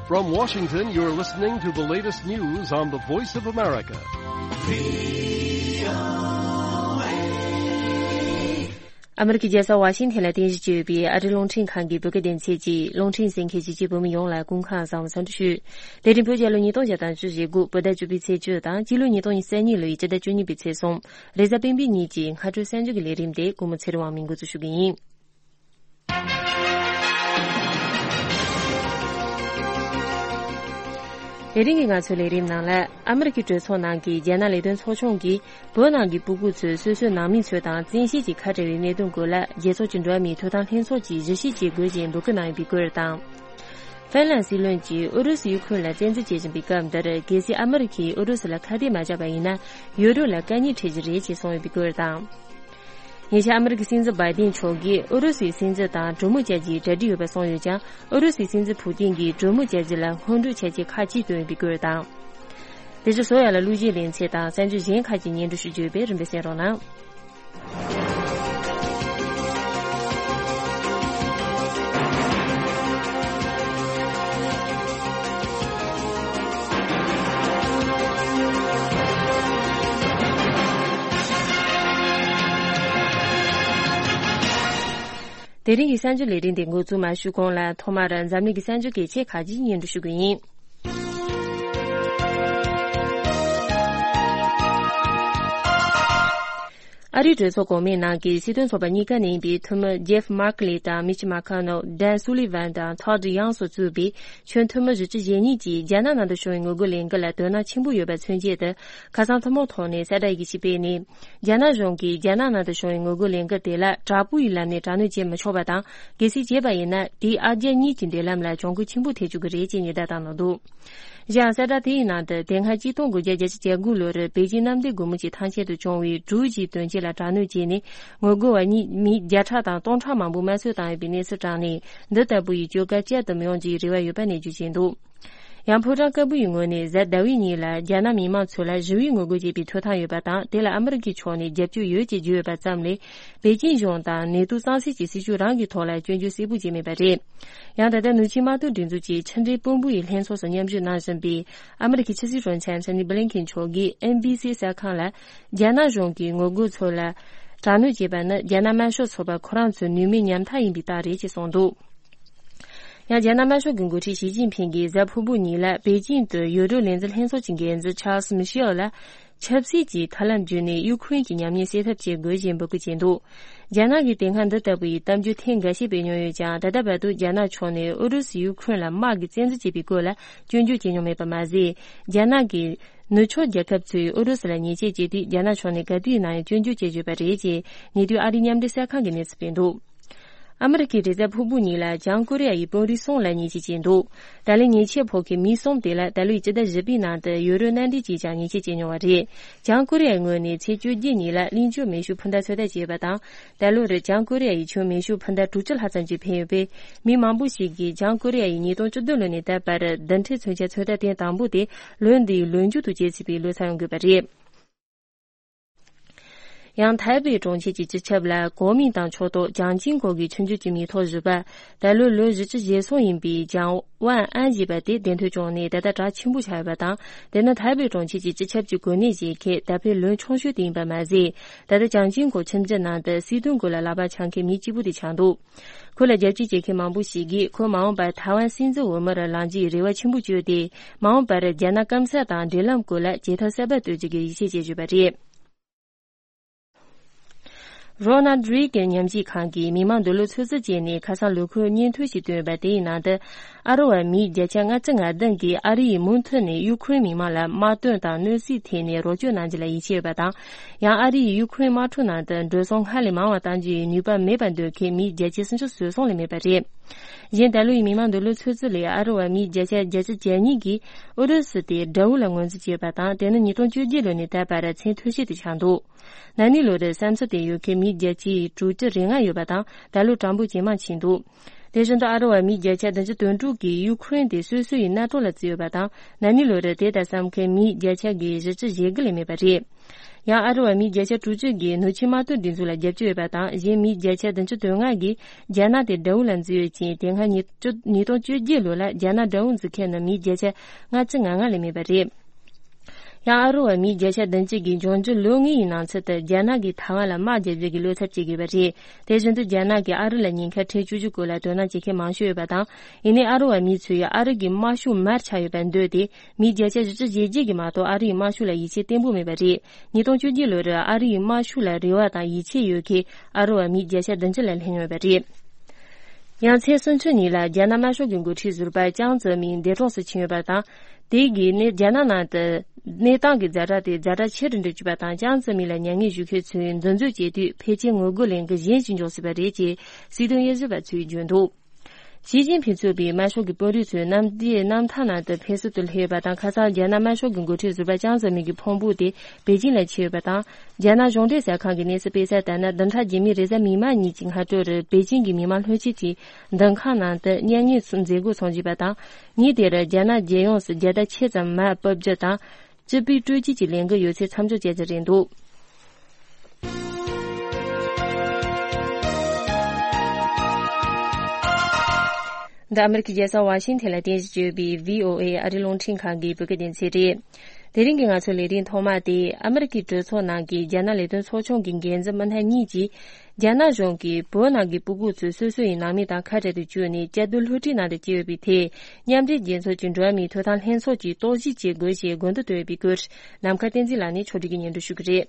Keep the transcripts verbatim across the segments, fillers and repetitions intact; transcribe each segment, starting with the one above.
From Washington, you're listening to the latest news on the Voice of America. ཨ་མི་རི་ཀའི་རྒྱལ་ས་ཝ་ཤིང་ཐན་ལ་རྟེན་གཞི་བྱས་ཡོད་པའི་ཨ་རིའི་རླུང་འཕྲིན་ཁང་གི་བོད་སྐད་སྡེ་ཚན་གྱིས་རླུང་འཕྲིན་གསན་མཁན་གཞིས་བྱེས་བོད་མི་ཡོངས་ལ་སྐུ་ཁམས་བཟང་བའི་འཚམས་འདྲི་ཞུ། དེ་རིང་བོད་རྒྱལ་ལོ་ཉིས་སྟོང་ཞེ་གྲངས་བཅུ་ཞེ་དགུ་བོད་ཟླ་བཅུ་པའི་ཚེས་བཅུ་དང་སྤྱི་ལོ་ཉིས་སྟོང་ཉི་ཤུ་རྩ་གཉིས་ལོའི་སྤྱི་ཟླ་བཅུ་གཉིས་པའི་ཚེས་གསུམ། རེས་གཟའ་སྤེན་པའི་ཉིན་གྱི་སྔ་དྲོའི་གསར་འགྱུར་གྱི་ལས་རིམ་དེ་ཀུན་མོ་ཚེ་རིང་དབང་མོས་འགོ་འཛུགས་ཞུ་གི་ཡིན། དེ་རིང་གི་ང་ཚོའི་ལས་རིམ་ནང་ལ། ཨ་མི་རི་ཀའི་གྲོས་ཚོགས་ནང་གི་རྒྱ་ནག་ལས་དོན་ཚོགས་ཆུང་གིས་བོད་ནང་གི་སྤུ་གུ་ཚོས་སོ་སོའི་ནང་མི་ཚོ་དང་བཙན་ཤེད་ཀྱིས་ཁ་བྲལ་བའི་གནད་དོན་སྐོར་ལ་རྒྱལ་ཚོགས་ཀྱི་འགྲོ་བ་མིའི་ཐོབ་ཐང་ལྷན་ཚོགས་ཀྱིས་གཞི་བྱེས་བྱེད་དགོས་ཞེས་འབོད་སྐུལ་གནང་ཡོད་པའི་སྐོར་དང་། ཧྥིན་ལན་སྲིད་བློན་གྱིས་ཨུ་རུ་སུས་ཡུ་ཁུ་རེན་ལ་བཙན་འཛུལ་བྱེད་བཞིན་པའི་སྐབས་འདིར། གལ་སྲིད་ཨ་མི་རི་ཀས་ཨུ་རུ་སུ་ལ་ཁ་གཏད་མ་བཅག་པ་ཡིན་ན། ཡུ་རོབ་ལ་དཀའ་ཉེན་འཕྲད་རྒྱུ་རེད་ཅེས་གསུངས་ཡོད་པའི་སྐོར་དང་། ཉེ་ཆར་ཨ་མི་རི་ཀའི་སྲིད་འཛིན་བྷའི་ཏིན་མཆོག་གིས་ཨུ་རུ་སུའི་སྲིད་འཛིན་དང་གྲོས་མོལ་བྱ་རྒྱུའི་གྲ་སྒྲིག་ཡོད་པ་གསུངས་ཡོད་ཀྱང་། ཨུ་རུ་སུའི་སྲིད་འཛིན་ཕུ་ཏིན་གྱིས་གྲོས་མོལ་བྱ་རྒྱུ་ལ་སྔོན་འགྲོའི་ཆ་རྐྱེན་ཁག་ཅིག་བཏོན་ཡོད་པའི་སྐོར་དང་། དེ་བཞིན་བཟོ་ཡ་ལ་གླུ་གཞས་ལེན་ཚད་དང་གསར་འགྱུར་གཞན་ཁག་ཅིག་སྙན་སྒྲོན་ཞུ་རྒྱུ་ཡོད་པས་རིམ་པས་གསན་རོགས་གནང་། དེ་རིང་གི་གསར་འགྱུར་ལས་རིམ་དེ་འགོ་འཛུགས་མ་ཞུས་གོང་ལ། ཐོག་མར་འཛམ་གླིང་གི་གསར་འགྱུར་གལ་ཆེ་ཁག་ཅིག་སྙན་སྒྲོན་ཞུ་གི་ཡིན། ཨ་རིའི་གྲོས་ཚོགས་གོང་མའི་ནང་གི་སྲིད་དོན་ཚོགས་པ་གཉིས་ཀ་ནས་ཡིན་པའི་འཐུས་མི་ཇེབ་མར་ཁེ་ལི་དང་མིཆ་མ་ཁ་ནོ། ཌན་སུ་ལི་ཝན་དང་ཐོ་ཌི་ཡང་སོགས་གཙོས་པའི་ཆོས་འཐུས་མི་བཞི་བཅུ་ཞེ་གཉིས་ཀྱིས་རྒྱ་ནག་ནང་དུ་བྱུང་བའི་ངོ་རྒོལ་ལས་འགུལ་ལ་དོ་སྣང་ཆེན་པོ་ཡོད་པ་མཚོན་བྱེད་དུ། ཁ་སང་ཐུན་མོང་ཐོག་ནས་གསལ་བསྒྲགས་ཡི་གེ་ཞིག་སྤེལ་ནས། རྒྱ་ནག་གཞུང་གིས་རྒྱ་ནག་ནང་དུ་བྱུང་བའི་ངོ་རྒོལ་ལས་འགུལ་དེ་ལ་དྲག་པོའི་ལམ་ནས་དྲག་གནོན་བྱེད་མི་ཆོག་པ་དང་། གལ་སྲིད་བྱས་པ་ཡིན་ན། དེས་ཨ་རྒྱ་གཉིས་ཀྱི་འབྲེལ་ལམ་ལ་གྱོང་གུན་ཆེན་པོ་ཐེབས་བཅུག་གི་རེད་ཅེས་ཉེན་བརྡ་བཏང་གནང་འདུག། གཞན་ཡང་གསལ་བསྒྲགས་དེའི་ནང་དུ། དེ་སྔ་ཆིག་སྟོང་དགུ་བརྒྱ་བརྒྱད་ཅུ་གྱ་དགུ་ལོར་པེ་ཅིང་གནམ་བདེ་སྒོ་མོ་ཆེའི་ཐང་ཆེན་དུ་བྱུང་བའི་གྲུ་བཞིའི་དོན་རྐྱེན་ལ་དྲག་གནོན་བྱས་ནས། ངོ་རྒོལ་བ་གཉིས་མི་བརྒྱ་ཕྲག་དང་སྟོང་ཕྲག་མང་པོ་དམར་གསོད་བཏང་ཡོད་པའི་གནས་ཚུལ་དྲངས་ནས། འདི་ལྟ་བུ་ཡི་བཅོས་སྒར་བསྐྱར་དུ་མི་ཡོང་རྒྱུའི་རེ་བ་ཡོད་པ་ནས་བརྗོད་བཞིན་འདུག། ཡང་ཕོ་བྲང་དཀར་པོ་ཡི་ངོས་ནས་གཟའ་ཟླ་བའི་ཉིན་ལ་རྒྱ་ནག་མི་མང་ཚོ་ལ་ཞི་བའི་ངོ་རྒོལ་བྱེད་པའི་ཐོབ་ཐང་ཡོད་པ་དང་། དེ་ལ་ཨ་མི་རི་ཀའི་ཕྱོགས་ནས་རྒྱབ་སྐྱོར་ཡོད་ཅེས་བརྗོད་ཡོད་པ་ཙམ་ལས། པེ་ཅིང་གཞུང་དང་ནེ་ཏུ་གཙང་སེལ་གྱི་སྲིད་བྱུས་རང་གི་ཐོག་ལ་སྐྱོན་བརྗོད་གསལ་པོ་བྱས་མེད་པ་རེད། ཡང་ད་ལྟ་ནུབ་ཆིངས་དམག་དོན་སྒྲིག་འཛུགས་ཀྱི་ཕྱི་འབྲེལ་དཔོན་པོ་ཡི་ལྷན་ཚོགས་སུ་མཉམ་ཞུགས་གནང་བཞིན་པའི་ཨ་མི་རི་ཀའི་ཕྱི་སྲིད་བློན་ཆེན་ཨན་ཐོ་ནི་བྷི་ལིན་ཁེན་མཆོག་གིས་ཨེན་བྷི་སི་གསར་ཁང་ལ། རྒྱ་ནག་གཞུང་གིས་ངོ་རྒོལ་ཚོ་ལ་དྲག་གནོན་བྱས་པ་ནི་རྒྱ་ནག་དམར་ཤོག་ཚོགས་པ་ཁོ་རང་ཚོའི་ནུས་མེད་ཉམ་ཐག་ཡིན་པའི་རྟགས་རེད་ཅེས་གསུངས་འདུག། ཡང་རྒྱ་ནག་དམར་ཤོག་གི་འགོ་ཁྲིད་ཞི་ཅིན་ཕིང་གིས་གཟའ་ཕུར་བུ་ཉིན་ལ་པེ་ཅིང་དུ་ཡུ་རོབ་ལས་འཛིན་ལྷན་ཚོགས་ཀྱི་འགན་འཛིན་ཆཱལ་སི་མི་ཤེལ་ལ། ཆབ་སྲིད་ཀྱི་ཐབས་ལམ་བརྒྱུད་ནས་ཡུ་ཁུ་རེན་གྱི་ཉམས་ཉེས་སེལ་ཐབས་བྱེད་དགོས་ཞེས་འབོད་སྐུལ་བྱས་འདུག། རྒྱ་ནག་གིས་དེ་སྔ་འདི་ལྟ་བུའི་གཏམ་བརྗོད་ཐེངས་འགའ་ཤས་སྤེལ་མྱོང་ཡོད་ཀྱང་། ད་ལྟ་བར་དུ་རྒྱ་ནག་ཕྱོགས་ནས་ཨུ་རུ་སུས་ཡུ་ཁུ་རེན་ལ་དམག་གི་བཙན་འཛུལ་བྱས་པའི་སྐོར་ལ་སྐྱོན་བརྗོད་བྱས་མྱོང་མེད་པ་མ་ཟད། རྒྱ་ནག་གིས་ནུབ་ཕྱོགས་རྒྱལ་ཁབ་ཚོས་ཨུ་རུ་སུ་ལ་ཉེས་ཆད་བཅད་དུས། རྒྱ་ནག་ཕྱོགས་ནས་ག་དུས་ཡིན་ན་ཡང་སྐྱོན་བརྗོད་བྱེད་བཞིན་པ་རེད་ཅེས་ཉེ་དུས་ཨ་རིའི་མཉམ་འབྲེལ་གསར་ཁང་གིས་གནས་ཚུལ་སྤེལ་འདུག། ཨ་མི་རི་ཀས་རེས་གཟའ་ཕུར་བུ་ཉིན་ལ་བྱང་ཀོ་རི་ཡ་ཡི་དཔོན་རིགས་གསུམ་ལ་ཉེས་ཆད་བཅད་འདུག། ད་ལན་ཉེས་ཆད་ཕོག་མཁན་མི་གསུམ་དེ་ལ་ད་ལོའི་སྤྱི་ཟླ་བཞི་པའི་ནང་དུ་ཡུ་རོབ་མནའ་འབྲེལ་གྱིས་ཀྱང་ཉེས་ཆད་བཅད་མྱོང་བ་རེད། བྱང་ཀོ་རི་ཡའི་ངོས་ནས་ཚེས་བཅོ་བརྒྱད་ཉིན་ལ་གླིང་ཆུ་མེ་ཤུགས་འཕུར་མདའ་ཚོད་ལྟ་བྱས་པ་དང་། ད་ལོར་བྱང་ཀོ་རི་ཡ་ཡི་ཆུ་མེ་ཤུགས་འཕུར་མདའ་དྲུག་ཅུ་ལྷག་ཙམ་ཅིག་འཕེན་ཡོད་པས། མི་མང་པོ་ཞིག་གིས་བྱང་ཀོ་རི་ཡ་ཡིས་ཉིས་སྟོང་བཅུ་བདུན་ལོ་ནས་ད་བར་རྡུལ་ཕྲན་མཚོན་ཆ་ཚོད་ལྟ་ཐེངས་དང་པོ་དེ་ལོ་འདིའི་ལོ་མཇུག་ཏུ་བྱེད་སྲིད་པའི་ལོ་ཚར་ཡོང་དགོས་པ་རེད། ཡང་ཐའེ་པེ་གྲོང་ཁྱེར་གྱི་སྤྱི་ཁྱབ་ལ་གོ་མིན་ཏང་ཕྱོགས་གཏོགས་ལྗང་ཅིང་གོ་གི་ཆུང་ཆུང་གི་མིང་ཐོ་བཞི་པ། ད་ལོ་ལོ་བཞི་བཅུ་ཞེ་གསུམ་ཡིན་པའི་ལྗང་ཝན་ཨན་ཞེས་པ་དེ་བདེ་འདོད་བྱུང་ནས་ད་ལྟ་གྲགས་ཆེན་པོ་ཆགས་ཡོད་པ་དང་། དེ་ནི་ཐའེ་པེ་གྲོང་ཁྱེར་གྱི་སྤྱི་ཁྱབ་ཀྱི་གོ་གནས་བཞེས་མཁན་ད་ཕན་ལོན་ཆུང་ཤོས་དེ་ཡིན་པ་མ་ཟད། ད་ལྟ་ལྗང་ཅིང་གོ་ཁྱིམ་རྒྱུད་ནང་དུ་སྲིད་དོན་སྐོར་ལ་ལག་པ་འཆང་མཁན་མི་གཅིག་པུ་དེ་ཆགས་འདུག། ཁོ་ལ་རྒྱབ་སྐྱོར་བྱེད་མཁན་མང་པོ་ཞིག་གིས་ཁོ་མ་འོངས་པར་ཐའེ་ཝན་སྲིད་འཛིན་འོས་མིར་ལངས་རྒྱུའི་རེ་བ་ཆེན་པོ་བཅོལ་ཏེ། མ་འོངས་པར་རྒྱ་ནག་སྐམ་ས་དང་འབྲེལ་ལམ་སྐོར་ལ་བྱེད་ཐབས་གསར་པ་གཏོད་རྒྱུ་གི་ཡིད་ཆེས་བྱེད་བཞིན་པ་རེད། རོ་ནལ་རེ་གན་ཉམས་ཞིབ་ཁང་གིས་མི་མང་འདོད་བློ་ཚོད་འཛིན་བྱས་ནས་ཁ་སང་ལོ་འཁོར་སྙན་ཐོ་ཞིག་བཏོན་ཡོད་པ་དེའི་ནང་དུ། ཨ་རི་བ་མི་བརྒྱ་ཆ་ལྔ་བཅུ་ང་བདུན་གིས་ཨ་རི་ཡིས་མུ་མཐུད་ནས་ཡུ་ཁུ་རེན་མི་མང་ལ་དམག་དོན་དང་གནོད་འཚེའི་ཐད་ནས་རོགས་སྐྱོར་གནང་རྒྱུ་ལ་ཡིད་ཆེས་ཡོད་པ་དང་། ཡང་ཨ་རི་ཡིས་ཡུ་ཁུ་རེན་དམག་འཁྲུག་ནང་དུ་འགྲོ་སོང་སྔར་ལས་མང་བ་གཏང་རྒྱུ་ཡི་ནུས་པ་མེད་པར་འདོད་མཁན་མི་བརྒྱ་ཆ་སུམ་ཅུ་སོ་གསུམ་ལས་མེད་པ་རེད། གཞན་ད་ལོ་ཡི་མི་མང་འདོད་བློ་ཚོད་འཛིན་ལས་ཨ་རི་བ་མི་བརྒྱ་ཆ་བརྒྱད་ཅུ་གྱ་གཉིས་ཀྱིས་ཨུ་རུ་སུ་དེ་དགྲ་བོ་ལ་ངོས་འཛིན་བྱས་པ་དང་། དེ་ནི་ཉིས་སྟོང་བཅོ་བརྒྱད་ལོ་ནས་ད་བར་མཚན་ཐོ་ཤིག་ཏུ་ཆགས་འདུག། ན་ནིང་ལོར་བསམ་ཚུལ་དེ་ཡོད་མཁན་མི་བརྒྱ་ཆ་དྲུག་ཅུ་རེ་ལྔ་ཡོད་པ་དང་། ད་ལོ་གྲངས་འབོར་ཇེ་མང་ཕྱིན་འདུག། དེ་བཞིན་དུ་ཨ་རི་བ་མི་བརྒྱ་ཆ་བདུན་ཅུ་དོན་དྲུག་གིས་ཡུ་ཁུ་རེན་དེ་སོ་སོ་ཡི་མནའ་གྲོགས་ལ་བརྩིས་ཡོད་པ་དང་། ན་ནིང་ལོར་དེ་ལྟར་བསམ་མཁན་མི་བརྒྱ་ཆ་གི་བཞི་བཅུ་ཞེ་དགུ་ལས་མེད་པ་རེད། ཡང་ཨ་རི་བ་མི་བརྒྱ་ཆ་དྲུག་ཅུ་གིས་ནུབ་ཆིངས་དམག་དོན་སྒྲིག་འཛུགས་ལ་རྒྱབ་སྐྱོར་ཡོད་པ་དང་། གཞན་མི་བརྒྱ་ཆ་བདུན་ཅུ་དོན་ལྔ་གིས་རྒྱ་ནག་དེ་དགྲ་བོ་ལ་འཛིན་ཡོད་ཅིང་། དེ་སྔ་ཉིས་བཅུ་ཉིས་སྟོང་བཅོ་བརྒྱད་ལོ་ལ་རྒྱ་ནག་དགྲ་བོ་འཛིན་མཁན་ནི་མི་བརྒྱ་ཆ་ལྔ་བཅུ་ང་ལྔ་ལས་མེད་པ་རེད། ཡང་ཨ་རི་བ་མི་བརྒྱ་ཆ་བདུན་ཅུ་གིས་འབྱུང་འགྱུར་ལོ་ལྔའི་ནང་ཚུད་དུ་རྒྱ་ནག་གིས་ཐའེ་ཝན་ལ་དམག་རྒྱག་རྒྱུ་གི་བློ་འཚབ་བྱེད་དགོས་པ་རེད། དེ་བཞིན་དུ་རྒྱ་ནག་གིས་ཨ་རི་ལ་ཉེན་ཁ་ཁྲལ་བཅུག་རྒྱུ་སྐོར་ལ་དོ་སྣང་བྱེད་མཁན་མང་ཤོས་ཡོད་པ་དང་། ཡིན་ནའི་ཨ་རི་བ་མི་ཚོས་ཡང་ཨ་རི་གི་དམར་ཤོག་མར་ཆག་ཡོད་པར་འདོད་དེ། མི་བརྒྱ་ཆ་བཞི་བཅུ་ཞེ་བརྒྱད་ཀྱིས་མ་གཏོགས་ཨ་རི་ཡི་དམར་ཤོག་ལ་ཡིད་ཆེས་བརྟན་པོ་མེད་པ་རེད། ཉིས་སྟོང་བཅོ་བརྒྱད་ལོར་ཨ་རི་ཡི་དམར་ཤོག་ལ་རེ་བ་དང་ཡིད་ཆེས་ཡོད་མཁན་ཨ་རི་བ་མི་བརྒྱ་ཆ་བདུན་ཅུ་ལ་སླེབས་ཡོད་པ་རེད། ཡང་ཚེས་སུམ་ཅུ་ཉིན་ལ་རྒྱ་ནག་དམར་ཤོག་གི་འགོ་ཁྲིད་ཟུར་པ་ཅང་ཙེ་མིན་འདས་གྲོངས་སུ་ཕྱིན་ཡོད་པ་དང་། དེ་གིས་ནི་རྒྱ་ནག་ནང་དུ་གནས་སྟངས་ཀྱི་ཛ་དྲག་དེ་ཛ་དྲག་ཆེ་རུ་འགྲོ་བཅུག་པ་དང་། ཅང་ཙེ་མིན་ལ་མྱ་ངན་ཞུ་མཁན་ཚོས་འཛིན་བཟུང་བྱས་དུས་ཕལ་ཆེར་ངོ་རྒོལ་ལས་འགུལ་གཞན་ཞིག་འབྱུང་སྲིད་པ་རེད་ཅེས་སྲིད་དོན་དབྱེ་ཞིབ་པ་ཚོས་བརྗོད་འདུག་ཞི་ཅིན་ཕིང་གཙོས་པའི་དམར་ཤོག་གི་དཔོན་རིགས་ཚོས་གནམ་བདེ་གནམ་ཐང་ནང་དུ་ཕེབས་བསུ་དུ་སླེབས་ཡོད་པ་དང་། ཁ་སང་རྒྱ་ནག་དམར་ཤོག་གི་འགོ་ཁྲིད་ཟུར་པ་ཅང་ཙེ་མིན་གྱི་ཕུང་པོ་དེ་པེ་ཅིང་ལ་ཁྱེར་ཡོད་པ་དང་། རྒྱ་ནག་གཞུང་འབྲེལ་གསར་ཁང་གིས་གནས་ཚུལ་སྤེལ་གསལ་ལྟར་ན། བདུན་ཕྲག་རྗེས་མའི་རེས་གཟའ་མིག་དམར་ཉིན་གྱི་སྔ་དྲོ་རུ་པེ་ཅིང་གི་མི་མང་ལྷན་རྒྱས་ཀྱི་འདུ་ཁང་ནང་དུ་མྱ་ངན་མཛད་སྒོ་འཚོགས་ཀྱི་ཡོད་པ་དང་། ཉིན་དེར་རྒྱ་ནག་རྒྱལ་ཡོངས་སུ་རྒྱལ་དར་ཆེ་ཙམ་མར་ཕབ་རྒྱུ་དང་། སྤྱི་པའི་སྤྲོ་སྐྱིད་ཀྱི་ལས་འགུལ་ཡོད་ཚད་མཚམས་འཇོག་བྱ་རྒྱུ་རེད་འདུག་འདི་ཨ་མེ་རི་ཁའི་རྒྱལ་ས་ཝ་ཤིང་ཐན་ལ་རྟེན་གཞི་བྱས་ཡོད་པའི་བྷི་ཨོ་ཨེ་ཨ་རིའི་རླུང་འཕྲིན་ཁང་གི་བོད་སྐད་སྡེ་ཚན་རེད། དེ་རིང་གི་ང་ཚོའི་ལས་རིམ་ཐོག་མ་དེ་ཨ་མེ་རི་ཁའི་གྲོས་ཚོགས་ནང་གི་རྒྱ་ནག་ལས་དོན་ཚོགས་ཆུང་གི་འགན་འཛིན་མི་སྣ་གཉིས་ཀྱིས། རྒྱ་ནག་གཞུང་གིས་བོད་ནང་གི་སྤུ་གུ་ཚོ་སོ་སོ་ཡི་ནང་མི་དང་ཁ་བྲལ་དུ་བཅུག་ནས། བཅའ་སྡོད་སློབ་ཁྲིད་ནང་དུ་བསྐྱལ་ཡོད་པའི་ཐད། མཉམ་འབྲེལ་རྒྱལ་ཚོགས་ཀྱི་འགྲོ་བ་མིའི་ཐོབ་ཐང་ལྷན་ཚོགས་ཀྱིས་རྟོག་ཞིབ་བྱེད་དགོས་ཞེས་དགོངས་དོན་བཏོན་ཡོད་པའི་སྐོར། ནམ་མཁའ་བསྟན་འཛིན་ལགས་ནས་ཕྱོགས་སྒྲིག་གིས་སྙན་སྒྲོན་ཞུ་གི་རེད།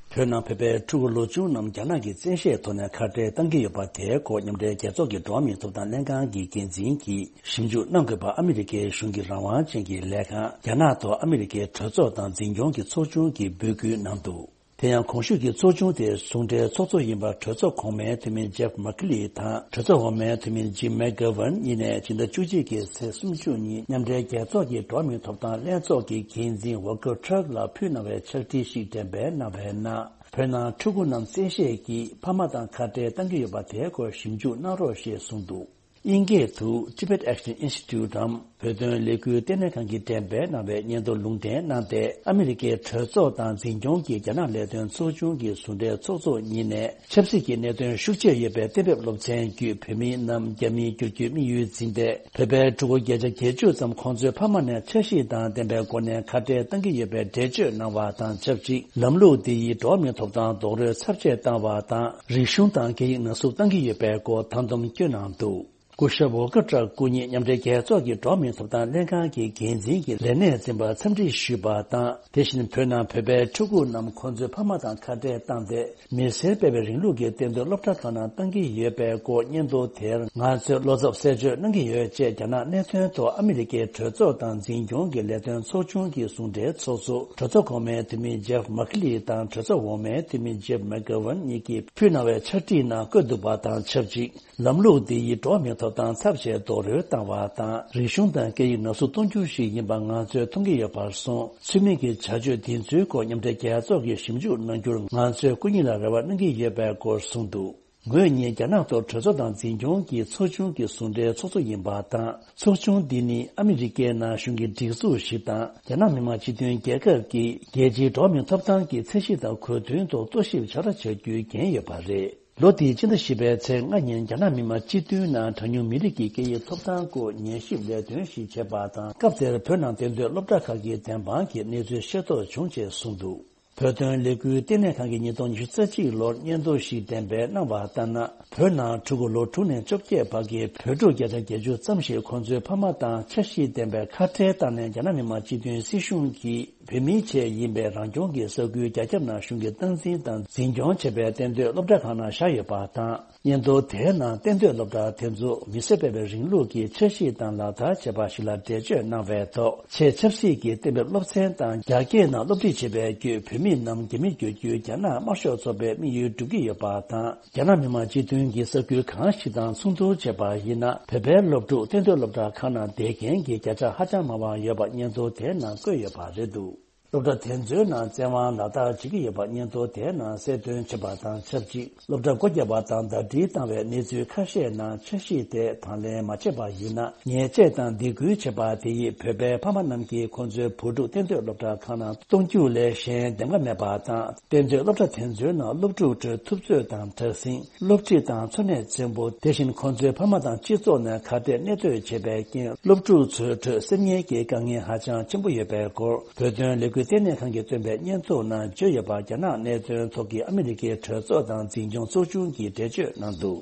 བོད་ནང་བོད་པའི་ཕྲུ་གུ་ལོ་ཆུང་རྣམས་རྒྱ་ནག་གི་བཙན་ཤེད་ཐོག་ནས་ཁ་བྲལ་གཏང་གི་ཡོད་པ་དེའི་སྐོར། མཉམ་འབྲེལ་རྒྱལ་ཚོགས་ཀྱི་འགྲོ་བ་མིའི་ཐོབ་ཐང་ལྷན་ཁང་གི་འགན་འཛིན་གྱིས་ཞིབ་འཇུག་གནང་དགོས་པ་ཨ་མི་རི་ཀའི་གཞུང་གི་རང་དབང་ཅན་གྱི་ལས་ཁང་རྒྱ་ནག་ཐོག་ཨ་མི་རི་ཀའི་གྲོས་ཚོགས་དང་འཛིན་སྐྱོང་གི་ཚོགས་ཆུང་གིས་འབོད་སྐུལ་གནང་འདུག་དེ་ཡང་གོང་ཞུས་ཀྱི་ཚོགས་ཆུང་དེའི་ཟུང་འབྲེལ་ཚོགས་གཙོ་ཡིན་པ་གྲོས་ཚོགས་གོང་མའི་འཐུས་མི་ཇེབ་མ་ཁི་ལི་དང་གྲོས་ཚོགས་འོག་མའི་འཐུས་མི་ཇིམ་མེག་གྷ་ཝན་གཉིས་ནས་སྤྱི་ཟླ་བཅུ་གཅིག་གི་ཚེས་སུམ་ཅུ་ཉིན་མཉམ་འབྲེལ་རྒྱལ་ཚོགས་ཀྱི་འགྲོ་བ་མིའི་ཐོབ་ཐང་ལྷན་ཚོགས་ཀྱི་འགན་འཛིན་ཝོལ་ཀར་ཊརྐ་ལ་ཕུལ་གནང་བའི་ཕྱག་བྲིས་ཤིག་འགྲེམས་སྤེལ་གནང་བའི་ནང་། བོད་ནང་ཕྲུ་གུ་རྣམས་བཙན་ཤེད་ཀྱིས་ཕ་མ་དང་ཁ་བྲལ་གཏང་གི་ཡོད་པ་དེའི་སྐོར་ཞིབ་འཇུག་གནང་རོགས་ཞེས་གསུངས་འདུག་དབྱིན་སྐད་དུ་Tibet Action Institute འམ་བོད་དོན་ལས་འགུལ་ལྟེ་གནས་ཁང་གི་འགྲེམས་སྤེལ་གནང་བའི་སྙན་ཐོ་ལུང་འདྲེན་གནང་སྟེ། ཨ་མི་རི་ཀའི་གྲོས་ཚོགས་དང་འཛིན་སྐྱོང་གི་རྒྱ་ནག་ལས་དོན་ཚོགས་ཆུང་གི་ཟུང་འབྲེལ་ཚོགས་གཙོ་གཉིས་ནས་ཆབ་སྲིད་ཀྱི་གནད་དོན་ཤུགས་ཆེ་ཡོད་པའི་གཏན་འབེབས་སློབ་ཚན་བརྒྱུད་བོད་མི་རྣམས་རྒྱ་མིར་བསྒྱུར་རྒྱུའི་དམིགས་ཡུལ་འཛིན་ཏེ། བོད་པའི་ཕྲུ་གུ་བརྒྱ་ཆ་བརྒྱད་ཅུ་ཙམ་ཁོང་ཚོའི་ཕ་མ་ནས་འཆར་གཞི་དང་ལྡན་པའི་སྒོ་ནས་ཁ་བྲལ་གཏང་གི་ཡོད་པའི་འགྲེལ་བརྗོད་གནང་བ་དང་ཆབས་ཅིག་ལམ་ལུགས་འདི་ཡིས་འགྲོ་བ་མིའི་ཐོབ་ཐང་རྡོག་རོལ་ཚབས་ཆེ་བཏང་བ་དང་། རིག་གཞུང་དང་སྐད་ཡིག་ནག་བསུབ་གཏང་གི་ཡོད་པའི་སྐོར་བཏང་སྡོམ་བསྐྱོན་གནང་འདུག་སྐུ་ཞབས་ཝོ་ཀར་ཊརྐ་སྐུ་ཉིད་མཉམ་འབྲེལ་རྒྱལ་ཚོགས་ཀྱི་འགྲོ་བ་མིའི་ཐོབ་ཐང་ལྷན་ཁང་གི་འགན་འཛིན་གྱི་ལས་གནས་འཛིན་པར་འཚམས་འདྲི་ཞུས་པ་དང་། དེ་བཞིན་བོད་ནང་བོད་པའི་ཕྲུ་གུ་རྣམས་ཁོང་ཚོའི་ཕ་མ་དང་ཁ་བྲལ་བཏང་སྟེ། མི་སེར་སྤེལ་བའི་རིང་ལུགས་ཀྱི་གཏན་སྡོད་སློབ་གྲྭ་ཁག་ནང་གཏང་གི་ཡོད་པའི་སྐོར་སྙན་ཐོ་དེར་ང་ཚོས་བློ་འཚབ་གསལ་བརྗོད་གནང་གི་ཡོད་ཅེས་རྒྱ་ནག་གནད་དོན་ཐོག་ཨ་མི་རི་ཀའི་གྲོས་ཚོགས་དང་འཛིན་སྐྱོང་གི་ལས་དོན་ཚོགས་ཆུང་གི་ཟུང་འབྲེལ་ཚོགས་གཙོ་གྲོས་ཚོགས་གོང་མའི་འཐུས་མི་ཇེབ་མ་ཁི་ལི་དང་གྲོས་ཚོགས་འོག་མའི་འཐུས་མི་ཇེབ་མེག་གྷ་ཝན་གཉིས་ཀྱིས་ཕུལ་གནང་བའི་ཕྱག་བྲིས་ནང་བཀོད་འདུག་པ་དང་ཆབས་ཅིག་ལམ་ལུགས་འདི་ཡིས་འགྲོ་བ་མིའི་ཐོབ་ཐང་ཚབས་ཆེ་རྡོག་རོལ་བཏང་བ་དང་། རིག་གཞུང་དང་སྐད་ཡིག་ནག་བསུབ་གཏོང་རྒྱུ་ཞིག་ཡིན་པ་ང་ཚོས་མཐོང་གི་ཡོད་པར་སོང་། ཚུལ་མིན་གྱི་བྱ་སྤྱོད་འདི་ཚོའི་སྐོར་མཉམ་འབྲེལ་རྒྱལ་ཚོགས་ཀྱིས་ཞིབ་འཇུག་གནང་རྒྱུར་ང་ཚོས་སྐུ་ཉིད་ལ་རེ་བ་གནང་གི་ཡོད་པའི་སྐོར་གསུངས་འདུག་ངོས་གཉིས་རྒྱ་ནག་ཐོག་གྲོས་ཚོགས་དང་འཛིན་སྐྱོང་གི་ཚོགས་ཆུང་གི་ཟུང་འབྲེལ་ཚོགས་གཙོ་ཡིན་པ་དང་། ཚོགས་ཆུང་འདི་ནི་ཨ་མི་རི་ཀའི་ནང་གཞུང་གི་སྒྲིག་འཛུགས་ཤིག་དང་། རྒྱ་ནག་མི་དམངས་སྤྱི་མཐུན་རྒྱལ་ཁབ་ཀྱི་རྒྱལ་སྤྱིའི་འགྲོ་བ་མིའི་ཐོབ་ཐང་གི་ཚད་གཞི་དང་གོ་མཐུན་ཐོག་རྟོག་ཞིབ་བྱ་ར་བྱ་རྒྱུའི་འགན་ཡོད་པ་རེད། ལོ་འདིའི་ཕྱི་ཟླ་བཞི་པའི་ཚེས་ལྔ་ཉིན་རྒྱ་ནག་མི་དམངས་སྤྱི་འཐུས་ནང་གྲངས་ཉུང་མི་རིགས་ཀྱི་སྐད་ཡིག་ཐོབ་ཐང་སྐོར་ཉན་ཞིབ་ལས་དོན་ཞིག་བྱས་པ་དང་། སྐབས་དེར་བོད་ནང་གཏན་སྡོད་སློབ་གྲྭ་ཁག་གི་བདེན་དཔང་གིས་གནས་ཚུལ་ཤེས་རྟོགས་བྱུང་ཅེས་གསུངས་འདུག་བོད་དོན་ལས་འགུལ་ལྟེ་གནས་ཁང་གིས་ཉིས་སྟོང་ཉི་ཤུ་རྩ་གཅིག་ལོར་སྙན་ཐོ་ཞིག་འགྲེམས་སྤེལ་གནང་བ་ལྟར་ན། བོད་ནང་ཕྲུ་གུ་ལོ་དྲུག་ནས་བཅོ་བརྒྱད་བར་གྱི་བོད་ཕྲུག་བརྒྱ་ཆ་བརྒྱད་ཅུ་ཙམ་ཞིག་ཁོང་ཚོའི་ཕ་མ་དང་འཆར་གཞི་ལྡན་པའི་ཁ་བྲལ་བཏང་ནས། རྒྱ་ནག་མི་དམངས་སྤྱི་མཐུན་སྲིད་གཞུང་གིས་བོད་མིའི་ཆེད་ཡིན་པའི་རང་སྐྱོང་གི་ས་ཁུལ་རྒྱ་ཁྱབ་ནང་གཞུང་གིས་སྟངས་འཛིན་དང་འཛིན་སྐྱོང་བྱས་པའི་གཏན་སྡོད་སློབ་གྲྭ་ཁག་ནང་བཞག་ཡོད་པ་དང་། སྙན་ཐོ་དེའི་ནང་གཏན་སྡོད་སློབ་གྲྭ་དེ་ཚོ་མི་སེར་སྤེལ་བའི་རིང་ལུགས་ཀྱི་འཆར་གཞི་དང་ལག་བསྟར་བྱས་པ་ཞིག་ལ་འགྲེལ་བརྗོད་གནང་བའི་ཐོག་ཆེས་ཆབ་སྲིད་ཀྱི་གཏན་འབེབས་སློབ་ཚན་དང་རྒྱ་སྐད་ནང་སློབ་ཁྲིད་བྱེད་པའི་བརྒྱུད། བོད་མི་རྣམས་རྒྱ་མིར་བསྒྱུར་རྒྱུའི་རྒྱ་ནག་དམར་ཤོག་ཚོགས་པའི་དམིགས་ཡུལ་འགྲུབ་ཀྱི་ཡོད་པ་དང་། རྒྱ་ནག་མི་དམངས་སྤྱི་མཐུན་གྱི་ས་ཁུལ་གང་ཞིག་དང་མཚུངས་བསྡུར་བྱས་པ་ཡིན་ན། བོད་པའི་སློབ་ཕྲུག་གཏན་སྡོད་སློབ་གྲྭ་ཁག་ནང་བསྡད་མཁན་གྱི་བརྒྱ་ཆ་ཧ་ཅང་མང་བ་ཡོད་པ་སྙན་ཐོ་དེའི་ནང་བཀོད་ཡོད་པ་རེད་འདུག་སློབ་གྲྭ་དེ་ཚོའི་ནང་བཙན་དབང་ལག་བསྟར་བྱེད་ཀྱི་ཡོད་པ་སྙན་ཐོ་དེའི་ནང་གསལ་སྟོན་བྱས་པ་དང་ཆབས་ཅིག་སློབ་གྲྭ་སྒོ་བརྒྱབ་པ་དང་ཟླ་སྒྲིལ་བཏང་བའི་གནས་ཚུལ་ཁ་ཤས་ནང་འཆར་གཞི་དེ་དང་ལེན་མ་བྱས་པ་ཡིན་ན། ཉེས་ཆད་དང་སྡིགས་སྐུལ་བྱས་པ་དེ་ཡིས་བོད་པའི་ཕ་མ་རྣམས་ཀྱིས་ཁོང་ཚོའི་བུ་ཕྲུག་གཏན་སྡོད་སློབ་གྲྭ་ཁག་ནང་གཏོང་རྒྱུ་ལས་གཞན་འདེམས་ཀ་མེད་པ་དང་། གཏན་སྡོད་སློབ་གྲྭ་དེ་ཚོའི་ནང་སློབ་ཕྲུག་ཁྲོད་ཐུབ་ཚོད་དང་དྲག་ཟིང་། སློབ་ཁྲིད་དང་འཚོ་གནས་བཙན་པོ། དེ་བཞིན་ཁོང་ཚོའི་ཕ་མ་དང་སྤྱི་ཚོགས་ནས་ག་དེ་གནས་སྡོད་བྱས་པའི་རྐྱེན། སློབ་ཕྲུག་ཚོའི་ཁྲོད་སེམས་ངལ་གྱི་དཀའ་ངལ་ཧ་ཅང་ཆེན་པོ་ཡོད་པའི་སྐོར། བོད་དོན་ལས་འགུལ་ལྟེ་གནས་ཁང་གིས་བཏོན་པའི་སྙན་ཐོ་ནང་བརྗོད་ཡོད་པ། རྒྱ་ནག་གནད་དོན་ཐོག་གི་ཨ་མི་རི་ཀའི་གྲོས་ཚོགས་དང་འཛིན་སྐྱོང་ཚོགས་ཆུང་གིས་འགྲེལ་བརྗོད་གནང་འདུག་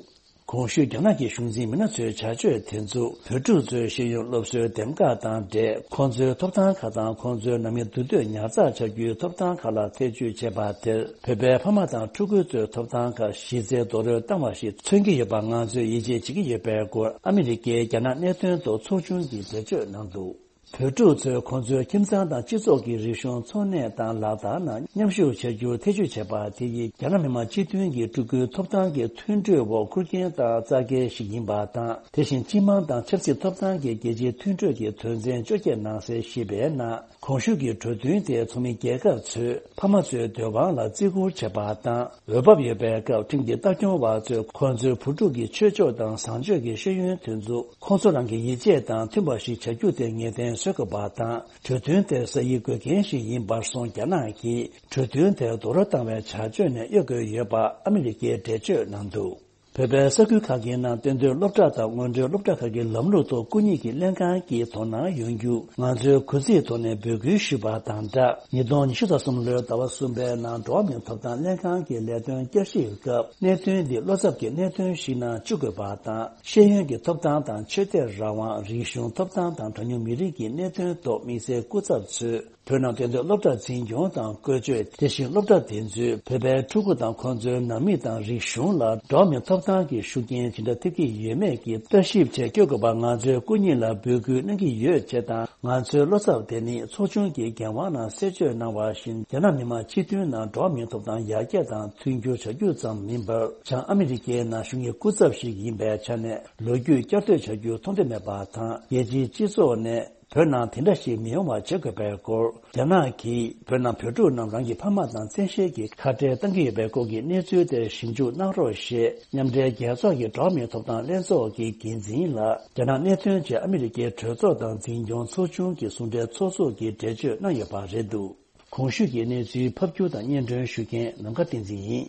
གོང་ཞུས་རྒྱ་ནག་གི་གཞུང་འཛིན་མི་སྣ་ཚོའི་བྱ་སྤྱོད་དེ་ཚོ་བོད་ཕྲུག་ཚོའི་ཤེས་ཡོན་སློབ་གསོའི་འདེམས་ཀ་དང་འབྲེལ། ཁོང་ཚོའི་ཐོབ་ཐང་ཁག་དང་ཁོང་ཚོའི་ནང་མི་འདུས་སྡོད་ཉར་ཚགས་བྱ་རྒྱུའི་ཐོབ་ཐང་ཁག་ལ་ཐེ་བྱུས་བྱས་པ་དེར། བོད་པའི་ཕ་མ་དང་ཕྲུ་གུ་ཚོའི་ཐོབ་ཐང་ཁག་གཞི་རྩའི་རྡོག་རོལ་བཏང་བ་ཞིག་མཚོན་གྱི་ཡོད་པ་ང་ཚོས་ཡིད་ཆེས་བྱེད་ཀྱི་ཡོད་པའི་སྐོར། ཨ་མི་རི་ཀའི་རྒྱ་ནག་གནད་དོན་ཐོག་ཚོགས་ཆུང་གིས་འགྲེལ་བརྗོད་གནང་འདུག་བོད་ཕྲུག་ཚོས་ཁོང་ཚོའི་ཁྱིམ་ཚང་དང་སྤྱི་ཚོགས་ཀྱི་རིག་གཞུང་འཚོ་གནས་དང་ལག་བསྟར་ནང་མཉམ་ཞུགས་བྱ་རྒྱུར་ཐེ་བྱུས་བྱས་པ་དེ་ཡིས་རྒྱ་ནག་མི་དམངས་སྤྱི་མཐུན་གྱི་ཕྲུ་གུའི་ཐོབ་ཐང་གི་མཐུན་གྲོས་འོག་ཁུར་མཁན་དང་བཙག་འཁེལ་ཞིག་ཡིན་པ་དང་། དེ་བཞིན་སྤྱི་དམངས་དང་ཆབ་སྲིད་ཐོབ་ཐང་གི་རྒྱལ་སྤྱིའི་མཐུན་གྲོས་ཀྱི་དོན་ཚན་བཅོ་བརྒྱད་ནང་གསལ་ཞེས་པའི་ནང་། གོང་ཞུས་ཀྱི་གྲོས་མཐུན་དེ་ཚོགས་མི་རྒྱལ་ཁབ་ཚོས་ཕ་མ་ཚོའི་འདོད་དབང་ལ་བརྩི་བཀུར་བྱེད་པ་དང་། འོས་བབ་ཡོད་པའི་སྐབས་ཁྲིམས་ཀྱི་ལྟ་སྐྱོང་བ་ཚོས་ཁོང་ཚོའི་བུ་ཕྲུག་གི་ཆོས་ཕྱོགས་དང་བཟང་སྤྱོད་ཀྱི་ཤེས་ཡོན་དེ་ཚོ་ཁོང་ཚོ་རང་གི་ཡིད་ཆེས་དང་མཐུན་པ་ཞིག་བྱ་རྒྱུ་དེ་ངེས་གཏན་བཟོ་དགོས་པ་དང་། གྲོས་མཐུན་དེ་ས་ཡིག་དགོས་མཁན་ཞིག་ཡིན་པར་སོང་རྒྱ་ནག་གིས་གྲོས་མཐུན་དེར་རྡོག་རོལ་བཏང་བའི་བྱ་སྤྱོད་ནས་གཡོལ་དགོས་ཡོད་པ་ཨ་མི་རི་ཀས་འགྲེལ་བརྗོད་གནང་འདུག་བོད་པའི་ས་ཁུལ་ཁག་གི་ནང་གཏན་སྡོད་སློབ་གྲྭ་དང་སྔོན་འགྲོའི་སློབ་གྲྭ་ཁག་གི་ལམ་ལུགས་ཐོག་སྐུ་ཉིད་ཀྱི་ལྷན་ཁང་གིས་དོ་སྣང་ཡོང་རྒྱུ་ང་ཚོས་གུས་བརྩིའི་ཐོག་ནས་འབོད་སྐུལ་ཞུས་པ་དང་སྦྲགས། ཉིས་སྟོང་ཉི་ཤུ་རྩ་གསུམ་ལོའི་ཟླ་བ་གསུམ་པའི་ནང་འགྲོ་བ་མིའི་ཐོབ་ཐང་ལྷན་ཁང་གི་ལས་དོན་བསྐྱར་ཞིབ་སྐབས་གནད་དོན་འདི་བློ་འཚབ་ཀྱི་གནད་དོན་ཞིག་ནང་བཅུག་དགོས་པ་དང་། ཤེས་ཡོན་གྱི་ཐོབ་ཐང་དང་ཆོས་དད་རང་དབང་། རིག་གཞུང་ཐོབ་ཐང་དང་གྲངས་ཉུང་མི་རིགས་ཀྱི་གནད་དོན་ཐོག་དམིགས་བསལ་སྐུ་ཚབ་ཚོས། བོད་ནང་གཏན་སྡོད་སློབ་གྲྭ་འཛིན་སྐྱོང་དང་བཀོལ་སྤྱོད། དེ་བཞིན་སློབ་གྲྭ་དེ་ཚོས་བོད་པའི་ཕྲུ་གུ་དང་ཁོང་ཚོའི་ནང་མི་དང་རིག་གཞུང་ལ་འགྲོ་བ་མིའི་ཐོབ་ཐང་གི་ཤུགས་རྐྱེན་ཇི་འདྲ་ཐེབས་ཀྱི་ཡོད་མེད་ཀྱི་ལྟ་ཞིབ་བྱེད་སྐྱོད་དགོས་པ་ང་ཚོས་སྐུ་ཉིད་ལ་འབོད་སྐུལ་གནང་གི་ཡོད་ཅེས་དང་། ང་ཚོའི་བློ་འཚབ་དེ་ནི་ཚོགས་ཆུང་གི་འགན་དབང་ནང་གསལ་བརྗོད་གནང་བ་བཞིན། རྒྱ་ནག་མི་དམངས་སྤྱི་མཐུན་ནང་འགྲོ་བ་མིའི་ཐོབ་ཐང་ཡར་རྒྱས་དང་མཐུན་འགྱུར་བྱ་རྒྱུ་ཙམ་མིན་པར། བྱང་ཨ་མི་རི་ཀའི་ནང་བཞུགས་མཁན་སྐུ་ཚབ་ཞིག་ཡིན་པའི་ཆ་ནས་ལོ་རྒྱུས་བསྐྱར་ཟློས་བྱ་རྒྱུ་མཐོང་འདོད་མེད་པ་དང་། རྒྱལ་སྤྱིའི་སྤྱི་ཚོགས་ནས། བོད་ནང་དེ་འདྲ་ཞིག་མི་ཡོང་བ་བྱེད་དགོས་པའི་སྐོར། རྒྱ་ནག་གིས་བོད་ནང་བོད་ཕྲུག་རྣམས་རང་གི་ཕ་མ་དང་བཙན་ཤེད་ཀྱིས་ཁ་བྲལ་བཏང་གི་ཡོད་པའི་སྐོར་གྱི་གནས་ཚུལ་དེར་ཞིབ་འཇུག་གནང་རོགས་ཞེས་མཉམ་འབྲེལ་རྒྱལ་ཚོགས་ཀྱི་འགྲོ་བ་མིའི་ཐོབ་ཐང་ལྷན་ཚོགས་ཀྱི་འགན་འཛིན་ལ་རྒྱ་ནག་གནད་དོན་བཅས་ཨ་མི་རི་ཀའི་གྲོས་ཚོགས་དང་འཛིན་སྐྱོང་ཚོགས་ཆུང་གི་ཟུང་འབྲེལ་ཚོགས་གཙོ་གིས་འགྲེལ་བརྗོད་གནང་ཡོད་པ་རེད་འདུག་གོང་ཞུས་ཀྱི་གནས་ཚུལ་ཕབ་སྒྱུར་དང་སྙན་སྒྲོན་ཞུ་མཁན་ནམ་མཁའ་བསྟན་འཛིན་ཡིན།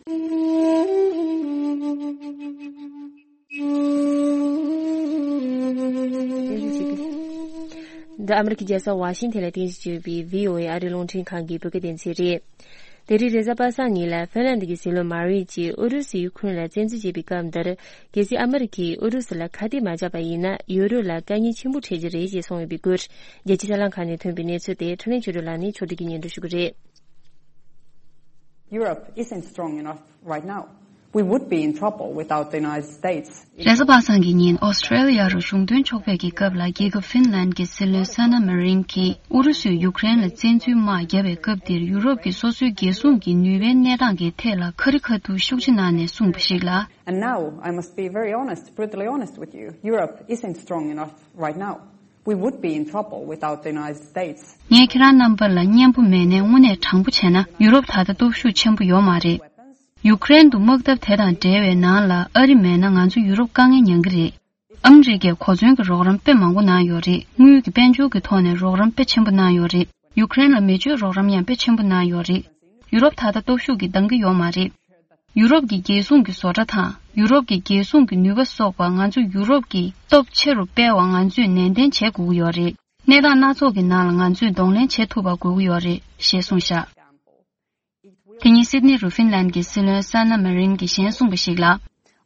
འདི་ཨ་མི་རི་ཀའི་རྒྱལ་ས་ཝ་ཤིང་ཐན་ལ་རྟེན་གཞི་བྱས་ཡོད་པའི་བྷི་ཨོ་ཨེ་ཨ་རིའི་རླུང་འཕྲིན་ཁང་གི་བོད་སྐད་སྡེ་ཚན་རེད། དེ་རིང་རེས་གཟའ་པ་སངས་ཉིན་ལ་ཧྥིན་ལན་ཌི་གི་སྲིད་བློན་མ་རི་ཡེ་ཡིས་ཨུ་རུ་སུས་ཡུ་ཁུ་རེན་ལ་བཙན་འཛུལ་བྱས་པའི་སྐབས་འདིར། གལ་སྲིད་ཨ་མི་རི་ཀས་ཨུ་རུ་སུ་ལ་ཁ་གཏད་མ་བཅག་པ་ཡིན་ན། ཡོ་རོབ་ལ་དཀའ་ངལ་ཆེན་པོ་འཕྲད་ཀྱི་རེད་ཅེས་གསུངས་ཡོད་པའི་སྐོར། རྒྱལ་སྤྱིའི་གསར་ལམ་ཁག་ནས་ཐོན་པའི་གནས་ཚུལ་དེ་འཕྲིན་ལས་ཆོས་སྒྲོན་ལགས་ནས་ཕྱོགས་སྒྲིག་གིས་སྙན་སྒྲོན་ཞུ་གི་རེད། Europe isn't strong enough right now. We would be in trouble without the United States. རེས་གཟའ་པ་སངས་ཀྱི་ཉིན་ཨོ་སི་ཀྲེ་ལི་ཡ་རུ་གཞུང་དོན་ཕྱོགས་ཕེབས་ཀྱི་སྐབས་ལ། རྒྱལ་ཁབ་ཧྥིན་ལན་གྱི་སྲིད་བློན་ས་ན་མ་རིན་གྱིས་ཨུ་རུ་སུས་ཡུ་ཀེ་རེན་ལ་བཙན་འཛུལ་དམག་བརྒྱབ་པའི་སྐབས་དེར། ཡུ་རོབ་ཀྱི་སོ་སོའི་རྒྱལ་སྲུང་གི་ནུས་པའི་གནས་སྟངས་ཀྱི་ཐད་ལ་ཁ་རི་ཁ་ཐུག་ཤུགས་ཆེ་གནང་ནས་གསུངས་པ་ཞིག་ལ། And now, I must be very honest, brutally honest with you. Europe isn't strong enough right now. We would be in trouble without the United States. ངས་ཁྱེད་རང་རྣམ་པ་ལ་སྙན་པོ་མེད་ནའི་དངོས་གནས་དྲང་པོ་བྱས་ན། ཡུ་རོབ་ད་ལྟ་སྟོབས་ཤུགས་ཆེན་པོ་ཡོད་མ་རེད། ཡུ་ཀེ་རེན་དུ་དམག་འཐབ་དེ་དང་འབྲེལ་བའི་ནང་ལ་ཨ་རི་མེད་ན་ང་ཚོ་ཡུ་རོབ་དཀའ་ངལ་མྱངས་ཀྱི་རེད། ཨ་མི་རི་ཀས་གོ་མཚོན་གྱི་རོགས་རམ་དཔེ་མང་པོ་གནང་ཡོད་རེད། དངུལ་གྱི་དཔལ་འབྱོར་གྱི་ཐོག་ནས་རོགས་རམ་དཔེ་ཆེན་པོ་གནང་ཡོད་རེད། ཡུ་ཀེ་རེན་ལ་མེ་མཆོད་རོགས་རམ་ཡང་དཔེ་ཆེན་པོ་གནང་ཡོད་རེད། ཡུ་རོབ་ད་ལྟ་སྟོབས་ཤུགས་ཀྱིས་འདང་གི་ཡོད་མ་རེད། ཡུ་རོབ་ཀྱི་རྒྱལ་སྲུང་གི་བཟོ་གྲྭ་དང་ཡུ་རོབ་ཀྱི་རྒྱལ་སྲུང་གི་ནུས་པ་སོགས་པ་ང་ཚོ་ཡུ་རོབ་ཀྱིས་སྟོབས་ཆེ་རུ་སྤེལ་བར་ང་ཚོས་ནན་ཏན་བྱེད་དགོས་ཀྱི་ཡོད་རེད། གནས་སྟངས་སྣ་ཚོགས་ཀྱི་ནང་ལ་ང་ཚོས་གདོང་ལེན་བྱེད་ཐུབ་པ་དགོས་ཀྱི་ཡོད་རེད་ཞེས་གསུངས་བཞག་དེ་ཉིན་སིད་ནི་རུ་ཧྥིན་ལན་གྱི་སྲིད་བློན་ས་ན་མ་རིན་གྱིས་གཞན་གསུངས་པ་ཞིག་ལ།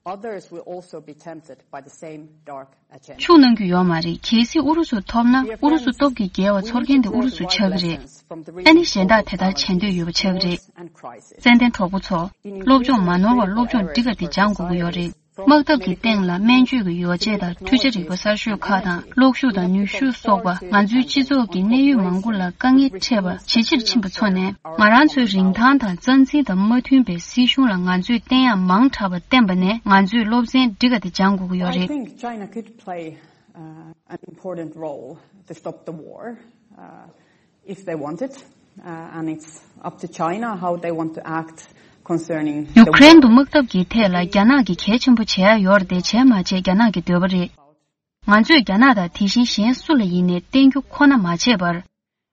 Others will also be tempted by the same dark agenda. ཤུགས་གནང་རྒྱུ་ཡོད་མ་རེད། གལ་སྲིད་ཨུ་རུ་སུ་ཐོབ་ན་ཨུ་རུ་སུ་སྟོབས་ཀྱིས་རྒྱལ་བ་ཚོར་མཁན་དེ་ཨུ་རུ་སུ་ཆགས་ཀྱི་རེད། ཨ་ནི་གཞན་དག་དེ་ལྟར་བྱེད་འདོད་ཡོད་པ་ཆགས་ཀྱི་རེད། ཙན་དན་གྲོགས་པོ་ཚོ། སློབ་སྦྱོང་མ་ནོར་བར་སློབ་སྦྱོང་འགྲིག་ག་དེ་སྦྱང་དགོས་ཀྱི་ཡོད་རེད། དམག་འཐབ་ཀྱི་སྟེང་ལ་སྨན་བཅོས་ཀྱི་ཡོ་བྱད་དང་འཕྲུལ་ཆས་རིག་པ་གསར་ཤོས་ཁག་དང་གློག་ཤུགས་དང་ནུས་ཤུགས་སོགས་པ་ང་ཚོའི་སྤྱི་ཚོགས་ཀྱི་གནད་ཡོད་མང་པོ་ལ་དཀའ་ངལ་འཕྲད་པ་ཇེ་ཆེར་ཕྱིན་པ་ཚོ་ནས། ང་རང་ཚོའི་རིན་ཐང་དང་རྩ་འཛིན་དང་མ་མཐུན་པའི་སྲིད་གཞུང་ལ་ང་ཚོས་བསྟན་ཡག་མང་དྲགས་པ་བསྟན་པ་ནས་ང་ཚོས་སློབ་ཚན་འགྲིག་ག་དེ་སྦྱང་དགོས་ཀྱི་ཡོད་I རེད། Think China could play, uh, an important role to stop the war, uh, if they wanted. Uh, and it's up to China how they want to act concerning the ཡུ་ཀེ་རེན་དུ་དམག་འཐབ་ཀྱི་ཐད་ལ་རྒྱ་ནག་གིས་གལ་ཆེན་པོ་བྱེད་ཡ་ཡོད་རེད་དེ། བྱས་མ་བྱས་རྒྱ་ནག་གི་འདོད་པ་རེད། ང་ཚོས་རྒྱ་ནག་དང་དེ་བཞིན་གཞན་སུ་ལ་ཡིན་ནས་བསྟན་རྒྱུ་ཁོ་ན་མ་བྱས་པར།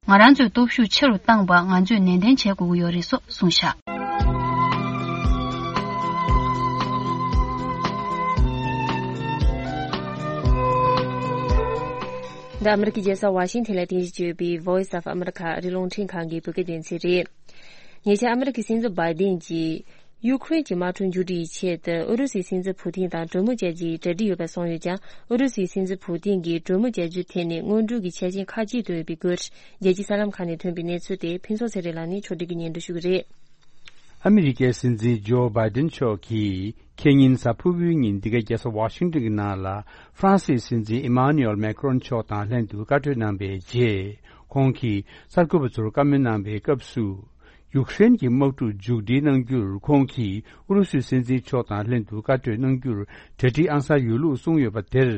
ང་རང་ཚོའི་སྟོབས་ཤུགས་ཆེ་རུ་བཏང་པ་ང་ཚོས་ནན་ཏན་བྱེད་དགོས་ཀྱི་ཡོད་རེད་སོགས་གསུངས་བཞག་འདི་ཨ་མི་རི་ཀའི་རྒྱལ་ས་ཝ་ཤིང་ཐན་ལ་རྟེན་གཞི་བྱས་ཡོད་པའི་Voice of America ཨ་རིའི་རླུང་འཕྲིན་ཁང་གི་བོད་སྐད་སྡེ་ཚན་རེད། ཉེ་ཆར་ཨ་མི་རི་ཀའི་སྲིད་འཛིན་བྷའི་ཏིན་གྱིས། ཡུ་ཁུ་རེན་གྱི་དམག་འཁྲུག་མཇུག་སྒྲིལ་ཡི་ཆེད་དུ་ཨུ་རུ་སུའི་སྲིད་འཛིན་ཕུ་ཏིན་དང་གྲོས་མོལ་བྱ་རྒྱུའི་གྲ་སྒྲིག་ཡོད་པ་གསུངས་ཡོད་ཀྱང་། ཨུ་རུ་སུའི་སྲིད་འཛིན་ཕུ་ཏིན་གྱིས་གྲོས་མོལ་བྱ་རྒྱུའི་ཐད་ནས་སྔོན་འགྲོའི་གི་ཆ་རྐྱེན་ཁག་ཅིག་བཏོན་ཡོད་པའི་སྐོར། རྒྱལ་སྤྱིའི་གསར་ལམ་ཁག་ནས་ཐོན་པའི་གནས་ཚུལ་དེ་ཕུན་ཚོགས་ཚེ་རིང་ལགས་ནས་ཕྱོགས་སྒྲིག་གིས་སྙན་སྒྲོན་ཞུ་གི་རེད། ཨ་མི་རི་ཀའི་སྲིད་འཛིན་ཇོ་བྷའི་ཏིན་མཆོག་གིས་ཁེ་ཉིན་གཟའ་ཕུར་བུའི་ཉིན་འདི་ག་རྒྱལ་ས་ཝ་ཤིང་ཏོན་གྱི་ནང་ལ་ཧྥ་རན་སིའི་སྲིད་འཛིན་ཨི་མཱ་ནུ་ཨེལ་མེ་ཁ་རོན་མཆོག་དང་ལྷན་དུ་བཀའ་གྲོས་གནང་པའི་རྗེས། ཁོང་གིས་གསར་འགོད་པ་ཚོར་བཀའ་མོལ་གནང་པའི་སྐབས་སུ། ཡུཀ་རེན་གྱི་དམག་འཁྲུག་མཇུག་སྒྲིལ་གནང་རྒྱུར་ཁོང་གིས་ཨུ་རུ་སུའི་སྲིད་འཛིན་མཆོག་དང་ལྷན་དུ་བཀའ་གྲོས་གནང་རྒྱུར་གྲ་སྒྲིག་ཨང་གསར་ཡོད་ལུགས་གསུངས་ཡོད་པ་དེར།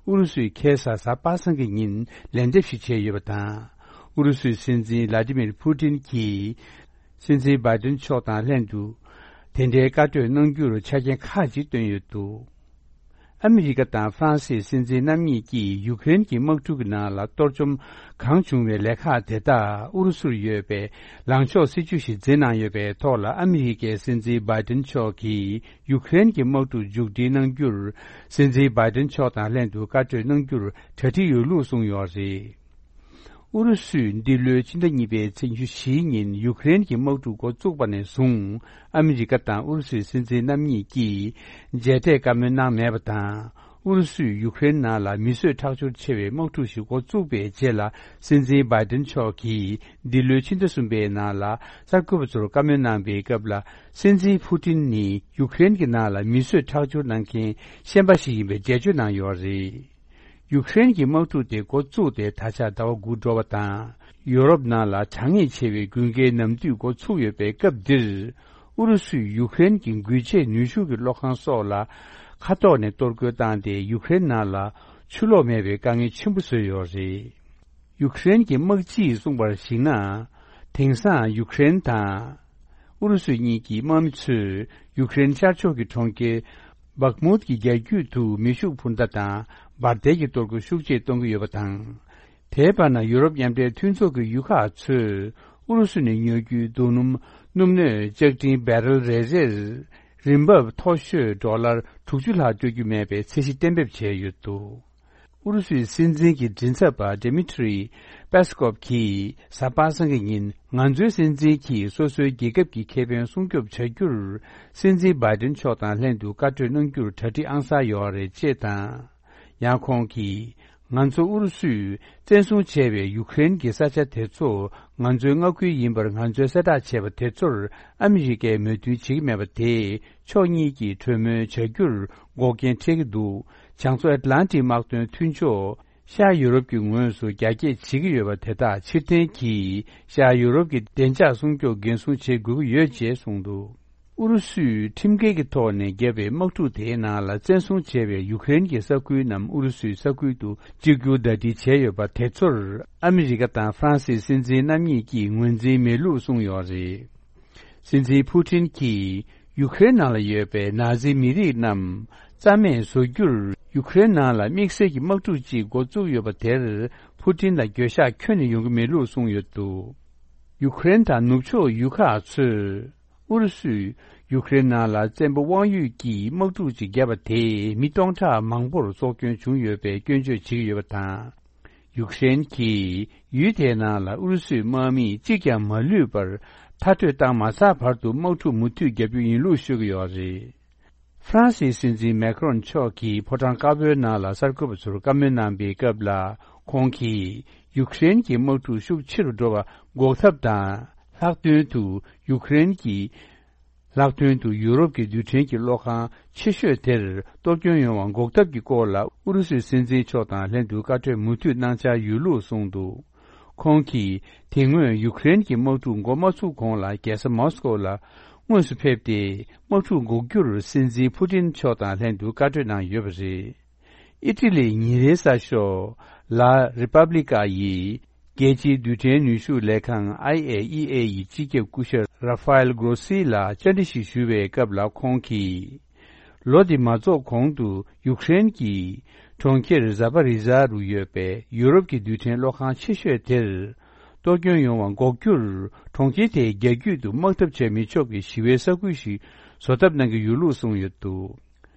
ཨུ་རུ་སུས་ཁ་སང་གཟའ་པ་སངས་ཀྱི་ཉིན་ལན་འདེབས་ཤིག་བྱས་ཡོད་པ་དང་། ཨུ་རུ་སུའི་སྲིད་འཛིན་ལ་ཏི་མིར་ཕུ་ཏིན་གྱིས། སྲིད་འཛིན་བྷའི་ཏིན་མཆོག་དང་ལྷན་དུ། དེ་འདྲའི་བཀའ་གྲོས་གནང་རྒྱུར་ཆ་རྐྱེན་ཁག་ཅིག་བཏོན་ཡོད་འདུག་ཨ་མི་རི་ཀ་དང་ཧྥ་རན་སིའི་སྲིད་འཛིན་རྣམ་གཉིས་ཀྱིས་ཡུཀ་རེན་གྱི་དམག་འཁྲུག་གི་ནང་ལ་གཏོར་བཅོམ་གང་བྱུང་བའི་ལས་ཁག་དེ་དག་ཨུ་རུ་སུར་ཡོད་པའི་ལངས་ཕྱོགས་སྲིད་ཇུས་ཤིག་འཛིན་གནང་ཡོད་པའི་ཐོག་ལ། ཨ་མི་རི་ཀའི་སྲིད་འཛིན་བྷའི་ཏིན་མཆོག་གིས་ཡུཀ་རེན་གྱི་དམག་འཁྲུག་མཇུག་སྒྲིལ་གནང་རྒྱུར། སྲིད་འཛིན་བྷའི་ཏིན་མཆོག་དང་ལྷན་དུ་བཀའ་གྲོས་གནང་རྒྱུར་གྲ་སྒྲིག་ཡོད་ལུགས་གསུངས་ཡོད་རེད། ཨུ་རུ་སུས་འདི་ལོའི་ཕྱི་ཟླ་གཉིས་པའི་ཚེས་ཉི་ཤུ་བཞིའི་ཉིན་ཡུཀ་རེན་གྱི་དམག་འཁྲུག་འགོ་བཙུགས་པ་ནས་བཟུང་། ཨ་མི་རི་ཀ་དང་ཨུ་རུ་སུའི་སྲིད་འཛིན་རྣམ་གཉིས་ཀྱིས་མཇལ་འཕྲད་བཀའ་མོལ་གནང་མེད་པ་དང་། ཨུ་རུ་སུས་ཡུཀ་རེན་ནང་ལ་མི་གསོད་ཁྲག་སྦྱོར་ཆེ་བའི་དམག་འཁྲུག་ཞིག་འགོ་བཙུགས་པའི་རྗེས་ལ། སྲིད་འཛིན་བྷའི་ཏིན་མཆོག་གིས་འདི་ལོའི་ཕྱི་ཟླ་གསུམ་པའི་ནང་ལ་གསར་འགོད་པ་ཚོར་བཀའ་མོལ་གནང་པའི་སྐབས་ལ། སྲིད་འཛིན་ཕུ་ཏིན་ནི་ཡུཀ་རེན་གྱི་ནང་ལ་མི་གསོད་ཁྲག་སྦྱོར་གནང་མཁན་ཤན་པ་ཞིག་ཡིན་པའི་འགྲེལ་བརྗོད་གནང་ཡོད་རེད། ཡུཀ་རེན་གྱི་དམག་འཁྲུག་དེ་འགོ་བཙུགས་ཏེ་ད་ཆ་ཟླ་བ་དགུ་འགྲོ་བ་དང་། ཡོ་རོབ་ནང་ལ་གྲང་ངར་ཆེ་བའི་དགུན་ཁའི་ནམ་དུས་འགོ་ཚུགས་ཡོད་པའི་སྐབས་འདིར། ཨུ་རུ་སུས་ཡུཀ་རེན་གྱི་འགུལ་ཆས་ནུས་ཤུགས་ཀྱི་གློག་ཁང་སོགས་ལ་མཁའ་ཐོག་ནས་གཏོར་རྒོལ་བཏང་སྟེ། ཡུཀ་རེན་ནང་ལ་ཆུ་ལོག་མེད་པའི་དཀའ་ངལ་ཆེན་པོ་བཟོས་ཡོད་རེད། ཡུཀ་རེན་གྱི་དམག་སྤྱིས་གསུངས་པར་གཞིགས་ན། དེང་སང་ཡུཀ་རེན་དང་ཨུ་རུ་སུ་གཉིས་ཀྱི་དམག་མི་ཚོས་ཡུཀ་རེན་ཤར་ཕྱོགས་ཀྱི་གྲོང་ཁྱེར་བག་མུད་ཀྱི་རྒྱ་རྒྱུད་དུ་མེ་ཤུགས་འཕུར་མདའ་དང་འབར་མདེལ་གྱི་གཏོར་རྒོལ་ཤུགས་ཆེ་གཏོང་གི་ཡོད་པ་དང་། དེའི་བར་ན་ཡུ་རོབ་མཉམ་འབྲེལ་མཐུན་ཚོགས་ཀྱི་ཡུལ་ཁག་ཚོས་ཨུ་རུ་སུ་ནས་ཉོ་རྒྱུའི་རྡོ་སྣུམ་སྣུམ་སྣོད་ལྕགས་ཀྲིན་བེ་རལ་རེ་རེར་རིན་འབབ་མཐོ་ཤོས་ཌོ་ལར་དྲུག་ཅུ་ལྷག་སྤྲོད་རྒྱུ་མེད་པའི་ཚད་གཞི་གཏན་འབེབས་བྱས་ཡོད་འདུག་ཨུ་རུ་སུའི་སྲིད་འཛིན་གྱི་མགྲིན་ཚབ་པ་Dmitry Peskov གིས་གཟའ་པ་སངས་ཀྱི་ཉིན། ང་ཚོའི་སྲིད་འཛིན་གྱིས་སོ་སོའི་རྒྱལ་ཁབ་ཀྱི་ཁེ་ཕན་སྲུང་སྐྱོབ་བྱ་རྒྱུར། སྲིད་འཛིན་བྷའི་ཏིན་མཆོག་དང་ལྷན་དུ་བཀའ་གྲོས་གནང་རྒྱུར་གྲ་སྒྲིག་ཨང་གསར་ཡོད་རེད་ཅེས་དང་། ཡང་ཁོང་གིས། ང་ཚོ་ཨུ་རུ་སུས་བཙན་བཟུང་བྱས་པའི་ཡུཀ་རེན་གྱི་ས་ཆ་དེ་ཚོ་ང་ཚོའི་མངའ་ཁུལ་ཡིན་པར་ང་ཚོས་གསལ་བསྒྲགས་བྱས་པ་དེ་ཚོར་ཨ་མི་རི་ཀས་མོས་མཐུན་བྱེད་ཀྱི་མེད་པ་དེས། ཕྱོགས་གཉིས་ཀྱིས་གྲོས་མོལ་བྱ་རྒྱུར་འགོག་རྐྱེན་འཕྲད་ཀྱི་འདུག་བྱང་མཚོ་ཨེཊ་ལན་ཊིག་དམག་དོན་མཐུན་ཕྱོགས། ཤར་ཡུ་རོབ་ཀྱི་ངོས་སུ་རྒྱ་སྐྱེད་བྱེད་ཀྱི་ཡོད་པ་དེ་དག་ཕྱིར་འཐེན་གྱིས། ཤར་ཡུ་རོབ་ཀྱི་བདེ་འཇགས་སྲུང་སྐྱོབ་འགན་སྲུང་བྱེད་དགོས་ཀྱི་ཡོད་ཅེས་གསུངས་འདུག་ཨུ་རུ་སུས་ཁྲིམས་འགལ་གྱི་ཐོག་ནས་བརྒྱབ་པའི་དམག་འཁྲུག་དེའི་ནང་ལ་བཙན་བཟུང་བྱས་པའི་ཡུཀ་རེན་གྱི་ས་ཁུལ་རྣམས་ཨུ་རུ་སུའི་ས་ཁུལ་དུ་གཅིག་གྱུར་ཟླ་སྒྲིལ་བྱས་ཡོད་པ་དེ་ཚོར་ཨ་མི་རི་ཀ་དང་ཧྥ་རན་སིའི་སྲིད་འཛིན་རྣམ་གཉིས་ཀྱིས་ངོས་འཛིན་མེད་ལུགས་གསུངས་ཡོད་རེད། སྲིད་འཛིན་ཕུ་ཏིན་གྱིས་ཡུཀ་རེན་ནང་ལ་ཡོད་པའི་ནཱ་ཛི་མི་རིགས་རྣམས་རྩ་མེད་བཟོ་རྒྱུར་ཡུཀ་རེན་ནང་ལ་དམིགས་བསལ་གྱི་དམག་འཁྲུག་ཅིག་འགོ་བཙུགས་ཡོད་པ་དེར་ཕུ་ཏིན་ལ་འགྱོད་བཤགས་ཁྱོན་ནས་ཡོང་གི་མེད་ལུགས་གསུངས་ཡོད་འདུག་ཡུཀ་རེན་དང་ནུབ་ཕྱོགས་ཡུལ་ཁག་ཚོས་ཨུ་རུ་སུས་ཡུཀ་རེན་ནང་ལ་བཙན་པོ་དབང་ཡོད་ཀྱིས་དམག་འཁྲུག་ཅིག་བརྒྱབ་པ་དེས་མི་སྟོང་ཕྲག་མང་པོར་སྲོག་སྐྱོན་བྱུང་ཡོད་པའི་སྐྱོན་བརྗོད་བྱེད་ཀྱི་ཡོད་པ་དང་། ཡུཀ་རེན་གྱིས་ཡུལ་དེའི་ནང་ལ་ཨུ་རུ་སུའི་དམག་མི་གཅིག་ཀྱང་མ་ལུས་པར་མཐར་སྐྲོད་བཏང་མ་ཚར་བར་དུ་དམག་འཁྲུག་མུ་མཐུད་བརྒྱབ་རྒྱུ་ཡིན་ལུགས་ཤོད་ཀྱི་ཡོད་རེད། ཧྥ་རན་སིའི་སྲིད་འཛིན་མེ་ཁ་རོན་མཆོག་གིས་ཕོ་བྲང་དཀར་པོའི་ནང་ལ་གསར་འགོད་པ་ཚོར་བཀའ་མོལ་གནང་པའི་སྐབས་ལ། ཁོང་གིས་ཡུཀ་རེན་གྱི་དམག་འཁྲུག་ཤུགས་ཆེ་རུ་འགྲོ་བ་འགོག་ཐབས་དང་། ལྷག་དོན་དུ་ཡུཀ་རེན་གྱི། ལྷག་དོན་དུ་ཡུ་རོབ་ཀྱི་རྡུལ་ཕྲན་གྱི་གློག་ཁང་ཆེ་ཤོས་དེར་གཏོར་སྐྱོན་ཡོང་བ་འགོག་ཐབས་ཀྱི་སྐོར་ལ་ཨུ་རུ་སུའི་སྲིད་འཛིན་མཆོག་དང་ལྷན་དུ་བཀའ་གྲོས་མུ་མཐུད་གནང་འཆར་ཡོད་ལུགས་གསུངས་འདུག་ཁོང་གིས་དེ་སྔོན་ཡུཀ་རེན་གྱི་དམག་འཁྲུག་འགོ་མ་ཚུགས་གོང་ལ་རྒྱལ་ས་མོ་སི་ཀོ་ལ་དངོས་སུ་ཕེབས་ཏེ། དམག་འཁྲུག་འགོག་རྒྱུར་སྲིད་འཛིན་ཕུ་ཏིན་མཆོག་དང་ལྷན་དུ་བཀའ་གྲོས་གནང་ཡོད་པ་རེད། ཨི་ཊ་ལིའི་ཉིན་རེའི་གསར་ཤོག་ལ་རི་པབ་ལི་ཀ་ཡིས། རྒྱལ་སྤྱིའི་རྡུལ་ཕྲན་ནུས་ཤུགས་ལས་ཁང་ཨའི་ཨེ་ཨི་ཨེ་ཡི་སྤྱི་ཁྱབ་སྐུ་ཞབས་ར་ཧྥ་ཨེལ་གྷོ་སི་ལ་བཅར་འདྲི་ཞིག་ཞུ་བའི་སྐབས་ལ་ཁོང་གིས། ལོ་འདི་མ་རྫོགས་གོང་དུ་ཡུཀ་རེན་གྱི་གྲོང་ཁྱེར་ཛ་པ་རི་ཛ་རུ་ཡོད་པའི་ཡུ་རོབ་ཀྱི་རྡུལ་ཕྲན་གློག་ཁང་ཆེ་ཤོས་དེར། གཏོར་སྐྱོན་ཡོང་བ་འགོག་རྒྱུར་གྲོང་ཁྱེར་དེའི་རྒྱ་རྒྱུད་དུ་དམག་འཐབ་བྱས་མི་ཆོག་པའི་ཞི་བའི་ས་ཁུལ་ཞིག་བཟོ་ཐབས་གནང་གི་ཡོད་ལུགས་གསུངས་ཡོད་འདུག་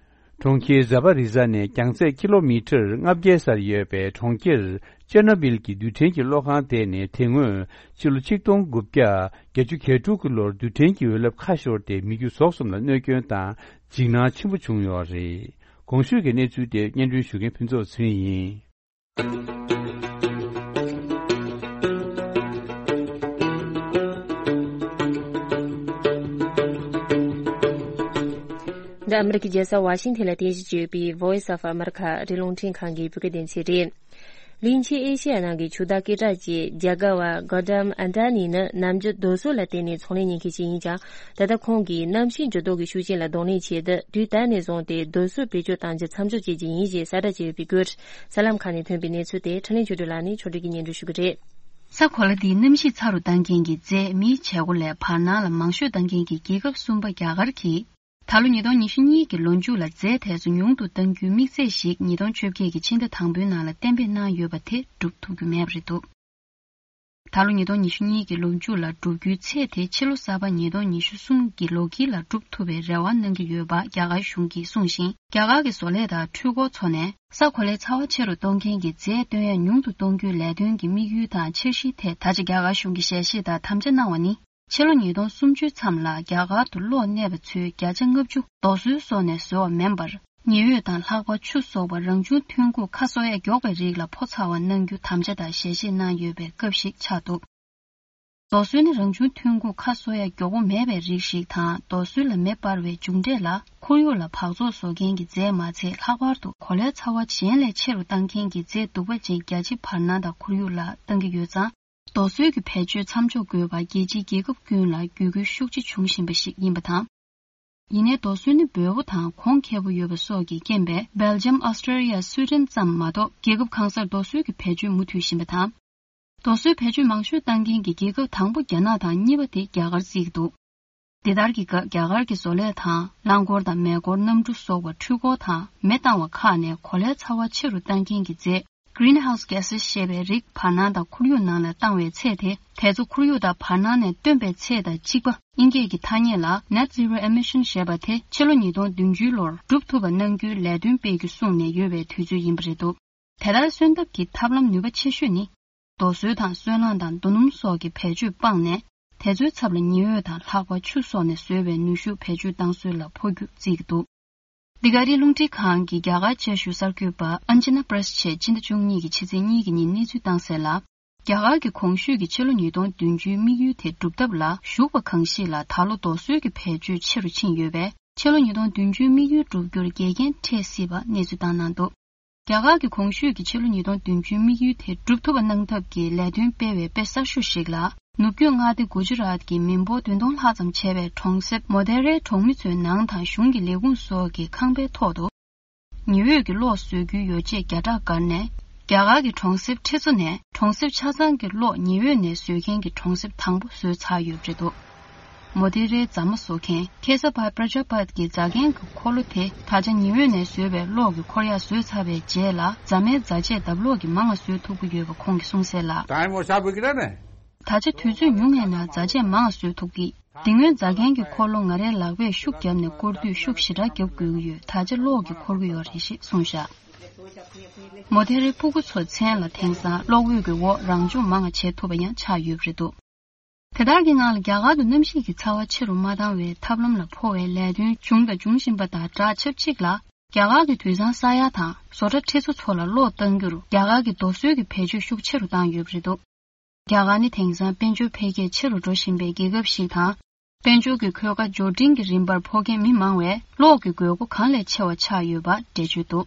གྲོང་ཁྱེར་ཛ་པ་རི་ཛ་ནས་རྒྱང་ཚད་ཀི་ལོ་མི་ཊར་ལྔ་བརྒྱའི་སར་ཡོད་པའི་གྲོང་ཁྱེར་ཅེར་ནོ་བིལ་གྱི་རྡུལ་ཕྲན་གྱི་གློག་ཁང་དེ་ནས་དེ་སྔོན་ཕྱི་ལོ་ཆིག་སྟོང་དགུ་བརྒྱ་བརྒྱད་ཅུ་གྱ་དྲུག་གི་ལོར་རྡུལ་ཕྲན་གྱི་འོད་རླབས་ཁ་ཤོར་ཏེ་མི་རྒྱུ་ཟོག་གསུམ་ལ་གནོད་སྐྱོན་དང་འཇིགས་སྣང་ཆེན་པོ་བྱུང་ཡོད་རེད། གོང་ཞུས་ཀྱི་གནས་ཚུལ་དེ་སྙན་སྒྲོན་ཞུ་མཁན་ཕུན་ཚོགས་ཚེ་རིང་ཡིན། འདི་ཨ་མི་རི་ཀའི་རྒྱལ་ས་ཝ་ཤིང་ཐན་ལ་རྟེན་གཞི་བྱས་ཡོད་པའི་Voice of America ཨ་རིའི་རླུང་འཕྲིན་ཁང་གི་བོད་སྐད་སྡེ་ཚན་རེད། གླིང་ཆེན་ཨེ་ཤེ་ཡ་ནང་གི་ཆུ་བདག་སྐད་གྲགས་ཅན་རྒྱ་དགའ་བ་Gautam Adani ནི་ནམ་རྒྱུན་རྡོ་སོལ་ལ་བརྟེན་ནས་ཚོང་ལས་གཉེར་མཁན་ཞིག་ཡིན་ཀྱང་། ད་ལྟ་ཁོང་གིས་གནམ་གཤིས་འགྱུར་ལྡོག་གི་ཤུགས་རྐྱེན་ལ་གདོང་ལེན་ཆེད་དུ་དུས་ད་ནས་བཟུང་སྟེ་རྡོ་སོལ་བེད་སྤྱོད་གཏང་རྒྱུ་མཚམས་འཇོག་བྱེད་ཀྱི་ཡིན་ཞེས་གསལ་བསྒྲགས་བྱས་ཡོད་པའི་སྐོར། གསར་ལམ་ཁག་ནས་ཐོན་པའི་གནས་ཚུལ་དེ་འཕྲིན་ལས་ཆོས་སྒྲོན་ལགས་ནས་ཕྱོགས་སྒྲིག་གིས་སྙན་སྒྲོན་ཞུ་གི་རེད། ས་གོ་ལ་འདིས་གནམ་གཤིས་ཚ་རུ་གཏང་མཁན་གྱི་རྫས་མིའི་བྱེད་སྒོ་ལས་བར་སྣང་ལ་མང་ཤོས་གཏང་མཁན་གྱི་རྒྱལ་ཁབ་གསུམ་པ་རྒྱ་གར་གྱིས། ད་ལོ་ཉིས་སྟོང་ཉི་ཤུ་གཉིས་ཀྱི་ལོ་མཇུག་ལ་རྫས་དེ་ཚོ་ཉུང་དུ་གཏང་རྒྱུའི་དམིགས་ཚད་ཞིག་ཉིས་སྟོང་བཅོ་བརྒྱད་ཀྱི་ཕྱི་ཟླ་དང་པོའི་ནང་ལ་གཏན་འབེབས་གནང་ཡོད་པ་དེ་འགྲུབ་ཐུབ་རྒྱུ་མེད་པ་རེད་འདུག་ད་ལོ་ཉིས་སྟོང་ཉི་ཤུ་གཉིས་ཀྱི་ལོ་མཇུག་ལ་བསྒྲུབ་རྒྱུའི་ཚད་དེ་ཕྱི་ལོ་གསར་པ་ཉིས་སྟོང་ཉི་ཤུ་གསུམ་གྱི་ལོ་དཀྱིལ་ལ་འགྲུབ་ཐུབ་པའི་རེ་བ་གནང་གི་ཡོད་པ་རྒྱ་གར་གཞུང་གིས་གསུངས་ཤིང་། རྒྱ་གར་གྱི་བཟོ་ལས་དང་འཕྲུལ་འཁོར་ཚོ་ནས་ས་གོ་ལའི་ཚ་བ་ཆེ་རུ་གཏོང་མཁན་གྱི་རྫས་བཏོན་ཡ་ཉུང་དུ་གཏོང་རྒྱུའི་ལས་དོན་གྱི་དམིགས་ཡུལ་དང་འཆར་གཞིའི་ཐད་ད་ཆ་རྒྱ་གར་གཞུང་གིས་ཞལ་བཞེས་དང་དམ་བཅའ་གནང་བ་ནི། ཕྱི་ལོ་ཉིས་སྟོང་སུམ་ཅུའི་མཚམས་ལ་རྒྱ་གར་དུ་གློག་གནས་པ་ཚོའི་བརྒྱ་ཆ་ལྔ་བཅུ་རྡོ་སོལ་སོགས་ནས་བཟོ་བ་མིན་པར། ཉི་འོད་དང་ལྷགས་པ་ཆུ་སོགས་པ་རང་བྱུང་ཐོན་ཁུངས་ཁ་གསོ་ཡ་མགྱོགས་པའི་རིགས་ལ་ཕོ་ཚ་བ་གནང་རྒྱུ་དམ་བཅའ་དང་ཞལ་བཞེས་གནང་ཡོད་པའི་སྐབས་ཤིག་ཆགས་འདུག་རྡོ་སོལ་ནི་རང་བྱུང་ཐོན་ཁུངས་ཁ་གསོ་ཡ་མགྱོགས་པོ་མེད་པའི་རིགས་ཤིག་དང་། རྡོ་སོལ་ལ་མེ་སྤར་བའི་མཇུག་འབྲས་ལ་ཁོར་ཡུག་ལ་འབག་བཙོག་བཟོ་མཁན་གྱི་རྫས་མ་ཚད་ལྷག་པར་དུ་གོ་ལའི་ཚ་བ་གཞན་ལས་ཆེ་རུ་གཏང་མཁན་གྱི་རྫས་གདུག་པ་ཅན་རྒྱ་ཆེ་བར་སྣང་དང་ཁོར་ཡུག་ལ་གཏང་གི་ཡོད་ཙང་། རྡོ་སོལ་གྱི་བེད་སྤྱོད་མཚམས་འཇོག་དགོས་པ་རྒྱལ་སྤྱིའི་རྒྱལ་ཁབ་ཀུན་ལ་བརྒྱུད་སྐུལ་ཤུགས་ཆེ་བྱུང་བཞིན་པ་ཞིག་ཡིན་པ་དང་། ཡིན་ནའི་རྡོ་སོལ་ནི་འབོལ་པོ་དང་གོང་ཁེ་པོ་ཡོད་པ་སོགས་ཀྱི་རྐྱེན་པས་སྦེལ་ཇམ། ཨོ་སི་ཀྲི་ཡ། སུའི་ཌེན་ཙམ་མ་གཏོགས་རྒྱལ་ཁབ་གང་སར་རྡོ་སོལ་གྱི་བེད་སྤྱོད་མུ་མཐུད་བཞིན་པ་དང་། རྡོ་སོལ་བེད་སྤྱོད་མང་ཤོས་གཏང་མཁན་གྱི་རྒྱལ་ཁབ་དང་པོ་རྒྱ་ནག་དང་གཉིས་པ་དེ་རྒྱ་གར་བརྩི་གི་འདུག་འདི་ལྟར་གྱི་སྐབས་རྒྱ་གར་གྱི་བཟོ་ལས་དང་རླངས་འཁོར་དང་མེ་འཁོར། གནམ་གྲུ་སོགས་པ་འཕྲུལ་འཁོར་དང་མེ་བཏང་བ་ཁག་ནས་གོ་ལའི་ཚ་བ་ཆེ་རུ་གཏང་མཁན་གྱི་རྫས། Greenhouse Gases ཞེས་པའི་རིགས་བར་སྣང་དང་ཁོར་ཡུག་ནང་ལ་བཏང་བའི་ཚད་དེ། དེ་ཚོ་ཁོར་ཡུག་དང་བར་སྣང་ནས་བཏོན་པའི་ཚད་དང་གཅིག་པ། དབྱིན་སྐད་ཀྱི་ཐ་སྙད་ལ་Net Zero Emission ཞེས་པ་དེ་ཕྱི་ལོ་ཉིས་སྟོང་བདུན་ཅུའི་ལོར་འགྲུབ་ཐུབ་པ་གནང་རྒྱུའི་ལས་དོན་སྤེལ་རྒྱུ་གསུངས་ནས་ཡོད་པའི་དུས་ཚོད་ཡིན་པ་རེད་འདུག་དེ་ལྟར་སོན་ཐབས་ཀྱི་ཐབས་ལམ་ནུས་པ་ཆེ་ཤོས་ནི། རྡོ་སོལ་དང་སོལ་རླངས་དང་རྡོ་སྣུམ་སོགས་ཀྱི་བེད་སྤྱོད་སྤངས་ནས། དེ་ཚོའི་ཚབ་ལ་ཉི་འོད་དང་ལྷགས་པ་ཆུ་སོགས་ནས་བཟོས་པའི་ནུས་ཤུགས་བེད་སྤྱོད་བཏང་སྲོལ་ལ་འཕོ་རྒྱུ་བརྩི་གི་འདུག་འདི་ག་རིའི་རླུང་འཕྲིན་ཁང་གི་རྒྱ་གར་བཅའ་བཞུགས་གསར་འགོད་པ་ཨན་ཇི་ན་པྲེ་སི་ཆས་སྤྱི་ཟླ་བཅུ་གཉིས་ཀྱི་ཕྱི་ཚེས་གཉིས་ཀྱི་ཉིན་གནས་ཚུལ་བཏང་གསལ་ལ། རྒྱ་གར་གྱི་གོང་ཞུས་ཀྱི་ཕྱི་ལོ་ཉིས་སྟོང་བདུན་ཅུའི་དམིགས་ཡུལ་དེ་སྒྲུབ་ཐབས་ལ་ཞུགས་པ་གང་ཞིག་ལ་ད་ལོ་རྡོ་སོལ་གྱི་བེད་སྤྱོད་ཆེ་རུ་ཕྱིན་ཡོད་པས། ཕྱི་ལོ་ཉིས་སྟོང་བདུན་ཅུའི་དམིགས་ཡུལ་སྒྲུབ་རྒྱུར་འགལ་རྐྱེན་འཕྲད་སྲིད་པ་གནས་ཚུལ་བཏང་གནང་འདུག་རྒྱ་གར་གྱི་གོང་ཞུས་ཀྱི་ཕྱི་ལོ་ཉིས་སྟོང་བདུན་ཅུའི་དམིགས་ཡུལ་དེ་སྒྲུབ་ཐུབ་པ་གནང་ཐབས་ཀྱི་ལས་དོན་སྤེལ་བའི་དཔེ་གསར་ཤོས་ཤིག་ལ། ནུབ་རྒྱུད་མངའ་སྡེ་གུ་ཇི་རཱཏ་ཀྱི་མི་འབོར་བདུན་སྟོང་ལྷག་ཙམ་བྱས་པའི་གྲོང་གསེབ་མོ་དེ་རའི་གྲོང་མི་ཚོའི་ནང་དང་གཞུང་གི་ལས་ཁུངས་སོགས་ཀྱི་ཁང་པའི་ཐོག་ཏུ། ཉི་འོད་ཀྱི་གློག་བཟོ་རྒྱུའི་ཡོ་བྱད་བརྒྱ་ཕྲག་བསྒར་ནས། རྒྱ་གར་གྱི་གྲོང་གསེབ་ཁྲི་ཚོ་ནས་གྲོང་གསེབ་ཆ་ཚང་གི་གློག་ཉི་འོད་ནས་བཟོ་མཁན་གྱི་གྲོང་གསེབ་དང་པོ་བཟོས་ཚར་ཡོད་པ་རེད་འདུག་མོ་དེ་རའི་རྫ་མ་བཟོ་མཁན་ཁེ་ས་བྷའི་པྲ་ཇ་པཱད་ཀྱི་རྫ་མཁན་གྱི་འཁོར་ལོ་དེ་ད་ཆ་ཉི་འོད་ནས་བཟོས་པའི་གློག་གི་འཁོར་ཡག་བཟོས་ཚར་བའི་རྗེས་ལ། རྫ་མའི་རྫ་ཆས་ལྡབ་གློག་གིས་མང་བ་བཟོ་ཐུབ་ཀྱི་ཡོད་པ་ཁོང་གིས་གསུངས་གསལ་ལ། ད་ཆ་དུས་ཚོད་ཉུང་ངའི་ནང་རྫ་ཆས་མང་བ་བཟོ་ཐུབ་ཀྱི། དེ་སྔོན་རྫ་མཁན་གྱི་འཁོར་ལོ་ང་རའི་ལག་པས་ཤུགས་བརྒྱབ་ནས་བསྐོར་དུས་ཤུགས་ཞེ་དྲག་བརྒྱབ་དགོས་ཀྱི་ཡོད། ད་ཆ་གློག་གིས་འཁོར་གྱི་ཡོད་རེད་ཞེས་གསུངས་བཞག་མོ་དེ་རའི་སྤུ་གུ་ཚོ་མཚན་ལ་དེང་སང་གློག་འོད་ཀྱི་འོག་རང་སྦྱོང་མང་བ་བྱེད་ཐུབ་པ་ཡང་ཆགས་ཡོད་པ་རེད་འདུག་དེ་དག་གི་ནང་ལ་རྒྱ་གར་དུ་གནམ་གཤིས་ཀྱི་ཚ་བ་ཆེ་རུ་མ་བཏང་བའི་ཐབས་ལམ་ལ་འཕོ་བའི་ལས་དོན་བྱུང་དང་འབྱུང་བཞིན་པ་དང་སྦྲགས། ཆབས་ཅིག་ལ་རྒྱ་གར་གྱི་དུད་ཚང་ས་ཡ་དང་བཟོ་གྲྭ་ཁྲི་ཚོ་ཚོ་ལ་གློག་གཏང་རྒྱུར་རྒྱ་གར་གྱི་རྡོ་སོལ་གྱི་བེད་སྤྱོད་ཤུགས་ཆེ་རུ་བཏང་ཡོད་པ་རེད་འདུག་རྒྱ་གར་ནི་དེང་སང་དཔལ་འབྱོར་འཕེལ་རྒྱས་ཆེ་རུ་འགྲོ་བཞིན་པའི་རྒྱལ་ཁབ་ཞིག་དང་། དཔལ་འབྱོར་གྱི་འཁོས་ཀ་འབྱོར་འབྲིང་གི་རིམ་པར་འཕོ་མཁན་མི་མང་བས་གློག་གི་དགོས་མཁོ་གང་ལས་ཆེ་བ་ཆགས་ཡོད་པ་འགྲེལ་བརྗོད་འདུག་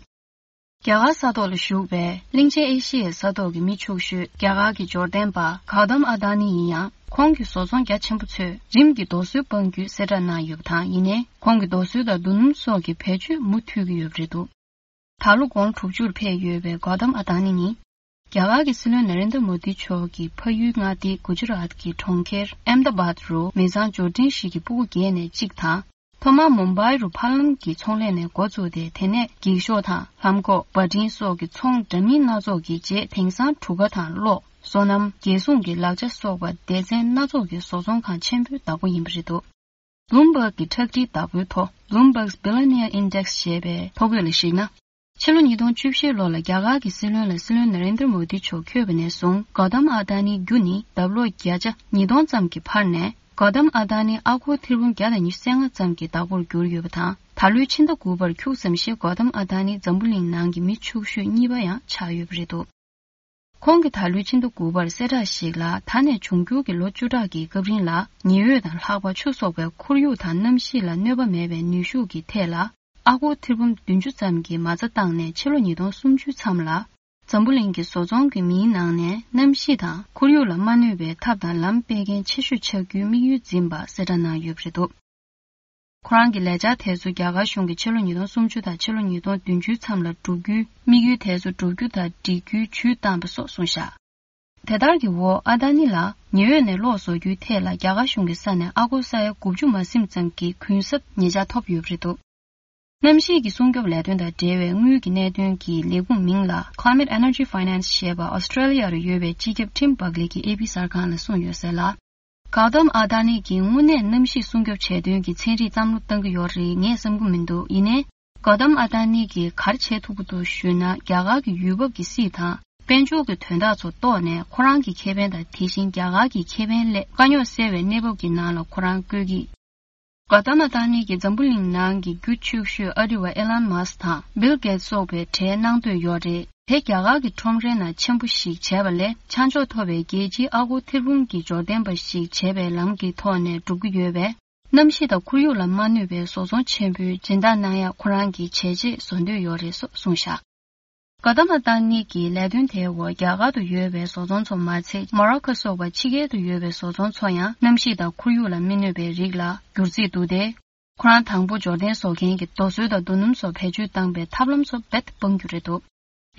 རྒྱ་གར་ས་ཐོག་ལ་བཞུགས་པའི་གླིང་ཆེན་ཨེ་ཤི་ཡའི་ས་ཐོག་གི་མི་ཕྱུག་ཤོས་རྒྱ་གར་གྱི་འབྱོར་ལྡན་པ་གའོ་ཏམ་ཨ་དྷ་ནི་ཡིན་ཡང་། ཁོང་གི་བཟོ་ཚོང་རྒྱ་ཆེན་པོ་ཚོས་རིམ་གྱིས་རྡོ་སོལ་སྤང་རྒྱུའི་གསལ་བསྒྲགས་གནང་ཡོད་པ་དང་། ཡིན་ནའི་ཁོང་གིས་རྡོ་སོལ་དང་རྡོ་སྣུམ་སོགས་ཀྱི་བེད་སྤྱོད་མུ་མཐུད་ཀྱི་ཡོད་པ་རེད་འདུག་ད་ལོ་དགུང་ལོ་དྲུག་ཅུར་ཕེབས་ཡོད་པའི་གའོ་ཏམ་ཨ་དྷ་ནི་ནི། རྒྱ་གར་གྱི་སྲིད་བློན་ན་རེན་དྲ་མོ་དི་མཆོག་གིས་ཕ་ཡུལ་མངའ་སྡེ་གུ་ཇི་རཱཏ་ཀྱི་གྲོང་ཁྱེར་ཨེམ་དཱ་བཱད་རུ་མི་ཚང་འབྱོར་འབྲིང་ཞིག་གི་སྤུ་གུ་བརྒྱད་ནས་གཅིག་དང་། ཐོག་མར་མུམ་བྷའི་རུ་ཕར་ལམ་གྱི་ཚོང་ལས་ནས་འགོ་བཙུགས་ཏེ། དེ་ནས་འགྱིག་ཤོག་དང་ལྷམ་གོག་འབའ་སྤྲིན་སོགས་ཀྱི་ཚོང་འདྲ་མིན་སྣ་ཚོགས་ཀྱི་རྗེས། དེང་སང་གྲུ་ཁ་དང་གློག་སོ་ནམ། རྒྱལ་སྲུང་གི་ལག་ཆ་སོགས་པ་སྡེ་ཚན་སྣ་ཚོགས་ཀྱི་བཟོ་ཚོང་ཁང་ཆེན་པོའི་བདག་པོ་ཡིན་པ་རེད་འདུག Bloomberg གི་ཁྲག་ཁྲིག་བདག་པོའི་ཐོ། Bloomberg's Billionaire Index ཞེས་པའི་ཐོ་འགོད་ལ་གཞིགས་ན། ཕྱི་ལོ་ཉིས་སྟོང་བཅུ་བཞི་ལོ་ལ་རྒྱ་གར་གྱི་སྲིད་བློན་ལ་སྲིད་བློན་ན་རེན་དྲ་མོ་དི་མཆོག་འཁོད་པ་ནས་བཟུང་། གོ་ཏམ་ཨ་དྷ་ནིའི་རྒྱུ་ནི་འདབ་ལོག་བརྒྱ་ཆ་ཉིས་སྟོང་ཙམ་གྱིས་འཕར་ནས། གོ་ཏམ་ཨ་དྷ་ནི་ཨ་སྒོར་ཐེར་འབུམ་བརྒྱ་དང་ཉི་ཤུ་རྩ་ལྔ་ཙམ་གྱི་བདག་པོར་གྱུར་ཡོད་པ་དང་། ད་ལོའི་ཕྱི་ཟླ་དགུ་པར་ཁྱུག་ཙམ་ཞིག་གོ་ཏམ་ཨ་དྷ་ནི་འཛམ་བུ་གླིང་ནང་གི་མི་ཕྱུག་ཤོས་གཉིས་པ་ཡང་ཆགས་ཡོད་པ་རེད་འདུག་ཁོང་གིས་ད་ལོའི་ཕྱི་ཟླ་དགུ་པར་གསལ་བསྒྲགས་ཤིག་ལ། ད་ནས་འབྱུང་འགྱུར་གྱི་ལོ་བཅུ་ཕྲག་གི་སྐབས་རིང་ལ། ཉི་འོད་དང་ལྷགས་པ་ཆུ་སོགས་པའི་ཁོར་ཡུག་དང་གནམ་གཤིས་ལ་གནོད་པ་མེད་པའི་ནུས་ཤུགས་ཀྱི་ཐད་ལ། ཨ་སྒོར་ཐེར་འབུམ་བདུན་ཅུ་ཙམ་གྱི་མ་རྩ་བཏང་ནས། ཕྱི་ལོ་ཉིས་སྟོང་སུམ་ཅུ་མཚམས་ལ། འཛམ་བུ་གླིང་གི་བཟོ་ཚོང་གི་མིའི་ནང་ནས། གནམ་གཤིས་དང་ཁོར་ཡུག་ལ་མ་གནོད་པའི་ཐབས་དང་ལམ་སྤེལ་མཁན་ཆེ་ཤོས་ཆགས་རྒྱུའི་དམིགས་ཡུལ་འཛིན་པ་གསལ་བསྒྲགས་གནང་ཡོད་པ་རེད་འདུག་ཁོ་རང་གི་ལས་འཆར་དེ་ཚོ་རྒྱ་གར་གཞུང་གིས་ཕྱི་ལོ་ཉིས་སྟོང་སུམ་ཅུ་དང་ཕྱི་ལོ་ཉིས་སྟོང་བདུན་ཅུ་མཚམས་ལ་བསྒྲུབ་རྒྱུའི་དམིགས་ཡུལ་དེ་ཚོ་བསྒྲུབ་རྒྱུ་དང་སྒྲིག་རྒྱུའི་ཇུས་བཏང་པ་སོགས་གསུངས་བཞག་དེ་ལྟར་གྱི་འོག་ཨ་དྷ་ནི་ལ་ཉི་འོད་ནས་གློག་བཟོ་རྒྱུའི་ཐད་ལ་རྒྱ་གར་གཞུང་གི་ས་ནས་ཨ་སྒོར་ས་ཡ་དགུ་བཅུ་མ་ཟིན་ཙམ་གྱི་གུན་གསབ་ཉེ་ཆར་ཐོབ་ཡོད་པ་རེད་འདུག་གནམ་གཤིས་ཀྱི་སྲུང་སྐྱོབ་ལས་དོན་དང་འབྲེལ་བའི་དངུལ་གྱི་གནད་དོན་གྱི་ལས་ཁུངས་མིང་ལ་Climate Energy Finance ཞེས་པ་ཨོ་སི་ཀྲེ་ལི་ཡ་རུ་ཡོད་པའི་སྤྱི་ཁྱབ་ཊིམ་བྷག་ལི་གིས་ཨེ་པི་གསར་ཁང་ལ་གསུངས་ཡོད་གསལ་ལ། གའོ་ཏམ་ཨ་དྷ་ནི་གིས་དངོས་གནས་གནམ་གཤིས་སྲུང་སྐྱོབ་བྱེད་དོན་གྱི་ཚན་རིག་བསམ་བློ་བཏང་གི་ཡོད་རེད་ངས་བསམ་གྱི་མི་འདུག་ཡིན་ནའི། གའོ་ཏམ་ཨ་དྷ་ནི་གིས་ག་རེ་བྱེད་ཐུབ་ཀྱི་འདུག་ཞུས་ན། རྒྱ་གར་གྱི་ཡུལ་བབ་ཀྱི་སྲིད་དང་། དཔལ་འབྱོར་གྱི་དོན་དག་ཚོ་རྟོགས་ནས། ཁོ་རང་གི་ཁེ་ཕན་དང་། དེ་བཞིན་རྒྱ་གར་གྱི་ཁེ་ཕན་སླད། དཀའ་རྙོག་སེལ་བའི་གནས་བབ་ཀྱི་ནང་ལ་ཁོ་རང་བཀོད་ཀྱི། གའོ་ཏམ་ཨ་དྷ་ནི་གིས་འཛམ་བུ་གླིང་ནང་གི་རྒྱུ་ཕྱུག་ཤོས་ཨ་རི་བ་ཨེ་ལན་མཱ་སི་དང་བིལ་གེ་ཏི་སོགས་པའི་གྲས་གནང་འདོད་ཡོད་རེད། དེ་རྒྱ་གར་གྱི་ཁྲོམ་རའི་ནང་ཆེན་པོ་ཞིག་བྱས་པ་ལས། ཆ་འཇོག་ཐོབ་པའི་རྒྱལ་སྤྱིའི་ཨ་སྒོར་ཐེར་འབུམ་གྱི་འབྱོར་ལྡན་པ་ཞིག་བྱས་པའི་ལམ་གྱི་ཐོག་ནས་སྒྲུབ་ཀྱི་ཡོད་པས། གནམ་གཤིས་དང་ཁོར་ཡུག་ལ་མ་གནོད་པའི་བཟོ་ཚོང་ཆེན་པོའི་སྦྱིན་བདག་གནང་ཡག་ཁོ་རང་གི་བྱས་རྗེས་བཟོ་འདོད་ཡོད་རེད་སོགས་གསུངས་བཞག་ག་ད་མ་ཏང་ནི་གི་ལས་དོན་དེའི་འོག་རྒྱ་གར་དུ་ཡོད་པའི་བཟོ་ཚོང་ཚོ་མ་ཚད། མོ་རོ་ཁོ་སོགས་པ་ཕྱི་རྒྱལ་དུ་ཡོད་པའི་བཟོ་ཚོང་ཚོ་ཡང་གནམ་གཤིས་དང་ཁོར་ཡུག་ལ་མི་གནོད་པའི་རིགས་ལ་བསྒྱུར་རྩིས་འདུག་སྟེ། ཁོ་རང་དང་པོ་འབྱོར་ལྡན་བཟོ་མཁན་གྱི་རྡོ་སོལ་དང་རྡོ་སྣུམ་སོགས་བེད་སྤྱོད་བཏང་པའི་ཐབས་ལམ་ཚོ་རྦད་དེ་སྤང་རྒྱུ་རེད་འདུག་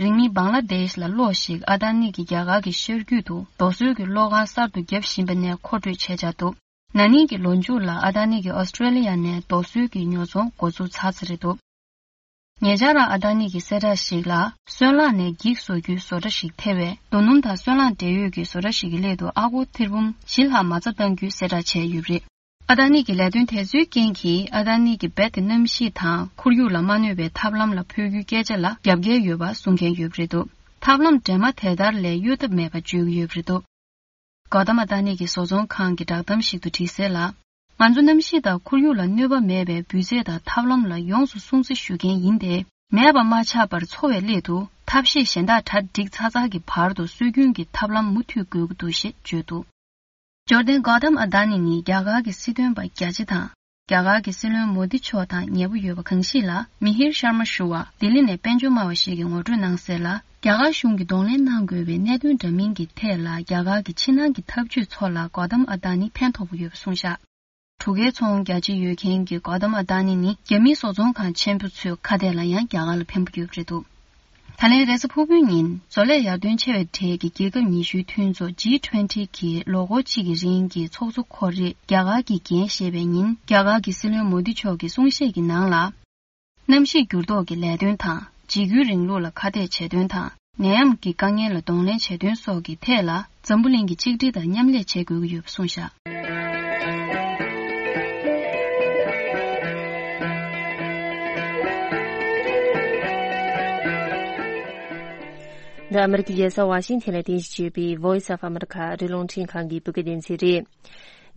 རིང་མིན་བང་ལ་དེཤ་ལ་གློག་ཞིག་ཨ་ཏཱ་ནི་གིས་རྒྱ་གར་གྱི་ཤར་རྒྱུད་དུ་རྡོ་སོལ་གྱི་གློག་ཁང་གསར་དུ་བརྒྱབ་བཞིན་པ་ནས་མཁོ་སྤྲོད་བྱས་འཆར་འདུག་ན་ནིང་གི་ལོ་མཇུག་ལ་ཨ་ཏཱ་ནི་གིས་ཨོ་སི་ཀྲེ་ལི་ཡ་ནས་རྡོ་སོལ་གྱི་ཉོ་ཚོང་འགོ་འཛུགས་ཚར་ཚར་རེད་འདུག་ཉེ་ཆར་ཨ་ཏཱ་ནི་གི་གསལ་བསྒྲགས་ཤིག་ལ། སོལ་རླངས་ནས་འགྱིག་བཟོ་རྒྱུའི་བཟོ་གྲྭ་ཞིག་ཐེ་བའི་རྡོ་སྣུམ་དང་སོལ་རླངས་འབྲེལ་ཡོད་ཀྱི་བཟོ་གྲྭ་ཞིག་གི་སླད་དུ་ཨ་སྒོར་ཐེར་འབུམ་བཞི་ལྷག་མ་རྩ་གཏང་རྒྱུའི་གསལ་བསྒྲགས་བྱས་ཡོད་པ་རེད། ཨ་ཏཱ་ནི་གི་ལས་དོན་དེ་ཚོའི་རྐྱེན་གྱིས་ཨ་ཏཱ་ནི་གི་རྦད་དེ་གནམ་གཤིས་དང་ཁོར་ཡུག་ལ་མ་གནོད་པའི་ཐབས་ལམ་ལ་འཕོ་རྒྱུའི་སྐད་ཆ་ལ་རྒྱབ་འགལ་ཡོད་པ་གསུང་མཁན་ཡོད་པ་རེད་འདུག་ཐབས་ལམ་འདྲེས་མ་དེ་ལྟར་ལས་གཡོལ་ཐབས་མེད་པ་བརྗོད་ཀྱི་ཡོད་པ་རེད་འདུག་གོ་ཏ་མ་ཏཱ་ནི་གི་བཟོ་ཚོང་ཁང་གི་བསྒྲགས་གཏམ་ཞིག་ཏུ་བྲིས་གསལ་ལ། ང་ཚོ་གནམ་གཤིས་དང་ཁོར་ཡུག་ལ་གནོད་པ་མེད་པའི་འབུད་རྫས་དང་ཐབས་ལམ་ལ་ཡོངས་སུ་སྲུང་བརྩི་ཞུ་མཁན་ཡིན་ཏེ། མེད་པ་མ་ཆགས་པར་འཚོ་བའི་སླད་དུ་ཐབས་ཤེས་གཞན་དག་གྲ་སྒྲིག་ཚར་ཚར་གྱི་བར་དུ་སྲོལ་རྒྱུན་གྱི་ཐབས་ལམ་མུ་མཐུད་དགོས་ཀྱི་འདུག་ཞེས་བརྗོད་འདུག་འབྱོར་ལྡན་གོ་ཏམ་ཨ་ཏཱ་ནི་ནི་རྒྱ་གར་གྱི་སྲིད་དོན་པ་རྒྱ་ཆེ་དང་། རྒྱ་གར་གྱི་སྲིད་བློན་མོ་དི་མཆོག་དང་ཉེ་པོ་ཡོད་པ་གང་ཞིག་ལ། མི་ཧིར་ཤར་མ་ཞུ་བ་ལྡི་ལི་ནས་དཔལ་འབྱོར་སྨྲ་བ་ཞིག་གིས་ངོ་སྤྲོད་གནང་གསལ་ལ། རྒྱ་གར་གཞུང་གིས་གདོང་ལེན་གནང་དགོས་པའི་གནད་དོན་འདྲ་མིན་གྱི་ཐད་ལ། རྒྱ་གར་གྱི་ཕྱི་ནང་གི་འཐབ་ཇུས་ཚོ་ལ་གོ་ཏམ་ཨ་ཏཱ་ནི་ཕན་ཐོགས་པོ་ཡོད་པ་གསུངས་བཞག་གྲུ་ཁའི་ཚོང་རྒྱ་ཆེ་ཡོད་མཁན་གྱི་གོ་ཏམ་ཨ་ཏཱ་ནི་ནི། རྒྱ་མིའི་བཟོ་ཚོང་ཁང་ཆེན་པོ་ཚོའི་ཁ་གཏད་ལ་ཡང་རྒྱ་གར་ལ་ཕན་པོ་ཡོད་པ་རེད་འདུག་ད་ལན་རེས་གཟའ་ཕུར་བུའི་ཉིན། བཟོ་ལས་ཡར་ཐོན་ཆེ་བའི་གྲས་ཀྱི་རྒྱལ་ཁབ་ཉི་ཤུའི་མཐུན་ཚོགས་ཇི་ཊུ་ཝེན་ཊི་གི་ལོ་འཁོར་གཅིག་གི་རིང་གི་ཚོགས་གཙོ་ཁོ་རེ་རྒྱ་གར་གྱིས་འགན་བཞེས་པའི་ཉིན། རྒྱ་གར་གྱི་སྲིད་བློན་མོ་དི་མཆོག་གིས་གསུང་བཤད་ཀྱི་ནང་ལ། གནམ་གཤིས་འགྱུར་ལྡོག་གི་ལས་དོན་དང་། འཇིགས་སྐུལ་རིང་ལུགས་ལ་ཁ་གཏད་བྱེད་དོན་དང་། ནད་ཡམས་ཀྱི་དཀའ་ངལ་ལ་གདོང་ལེན་བྱེད་དོན་སོགས་ཀྱི་ཐད་ལ། འཛམ་བུ་གླིང་གིས་གཅིག་སྒྲིལ་དང་མཉམ་ལས་བྱེད་དགོས་ཀྱི་ཡོད་པ་གསུངས་བཞག་འདི་ཨ་མི་རི་ཀའི་རྒྱལ་ས་ཝ་ཤིང་ཐན་ལ་རྟེན་གཞི་བྱས་པའི་Voice of America ཨ་རིའི་རླུང་འཕྲིན་ཁང་གི་བོད་སྐད་སྡེ་ཚན་རེད།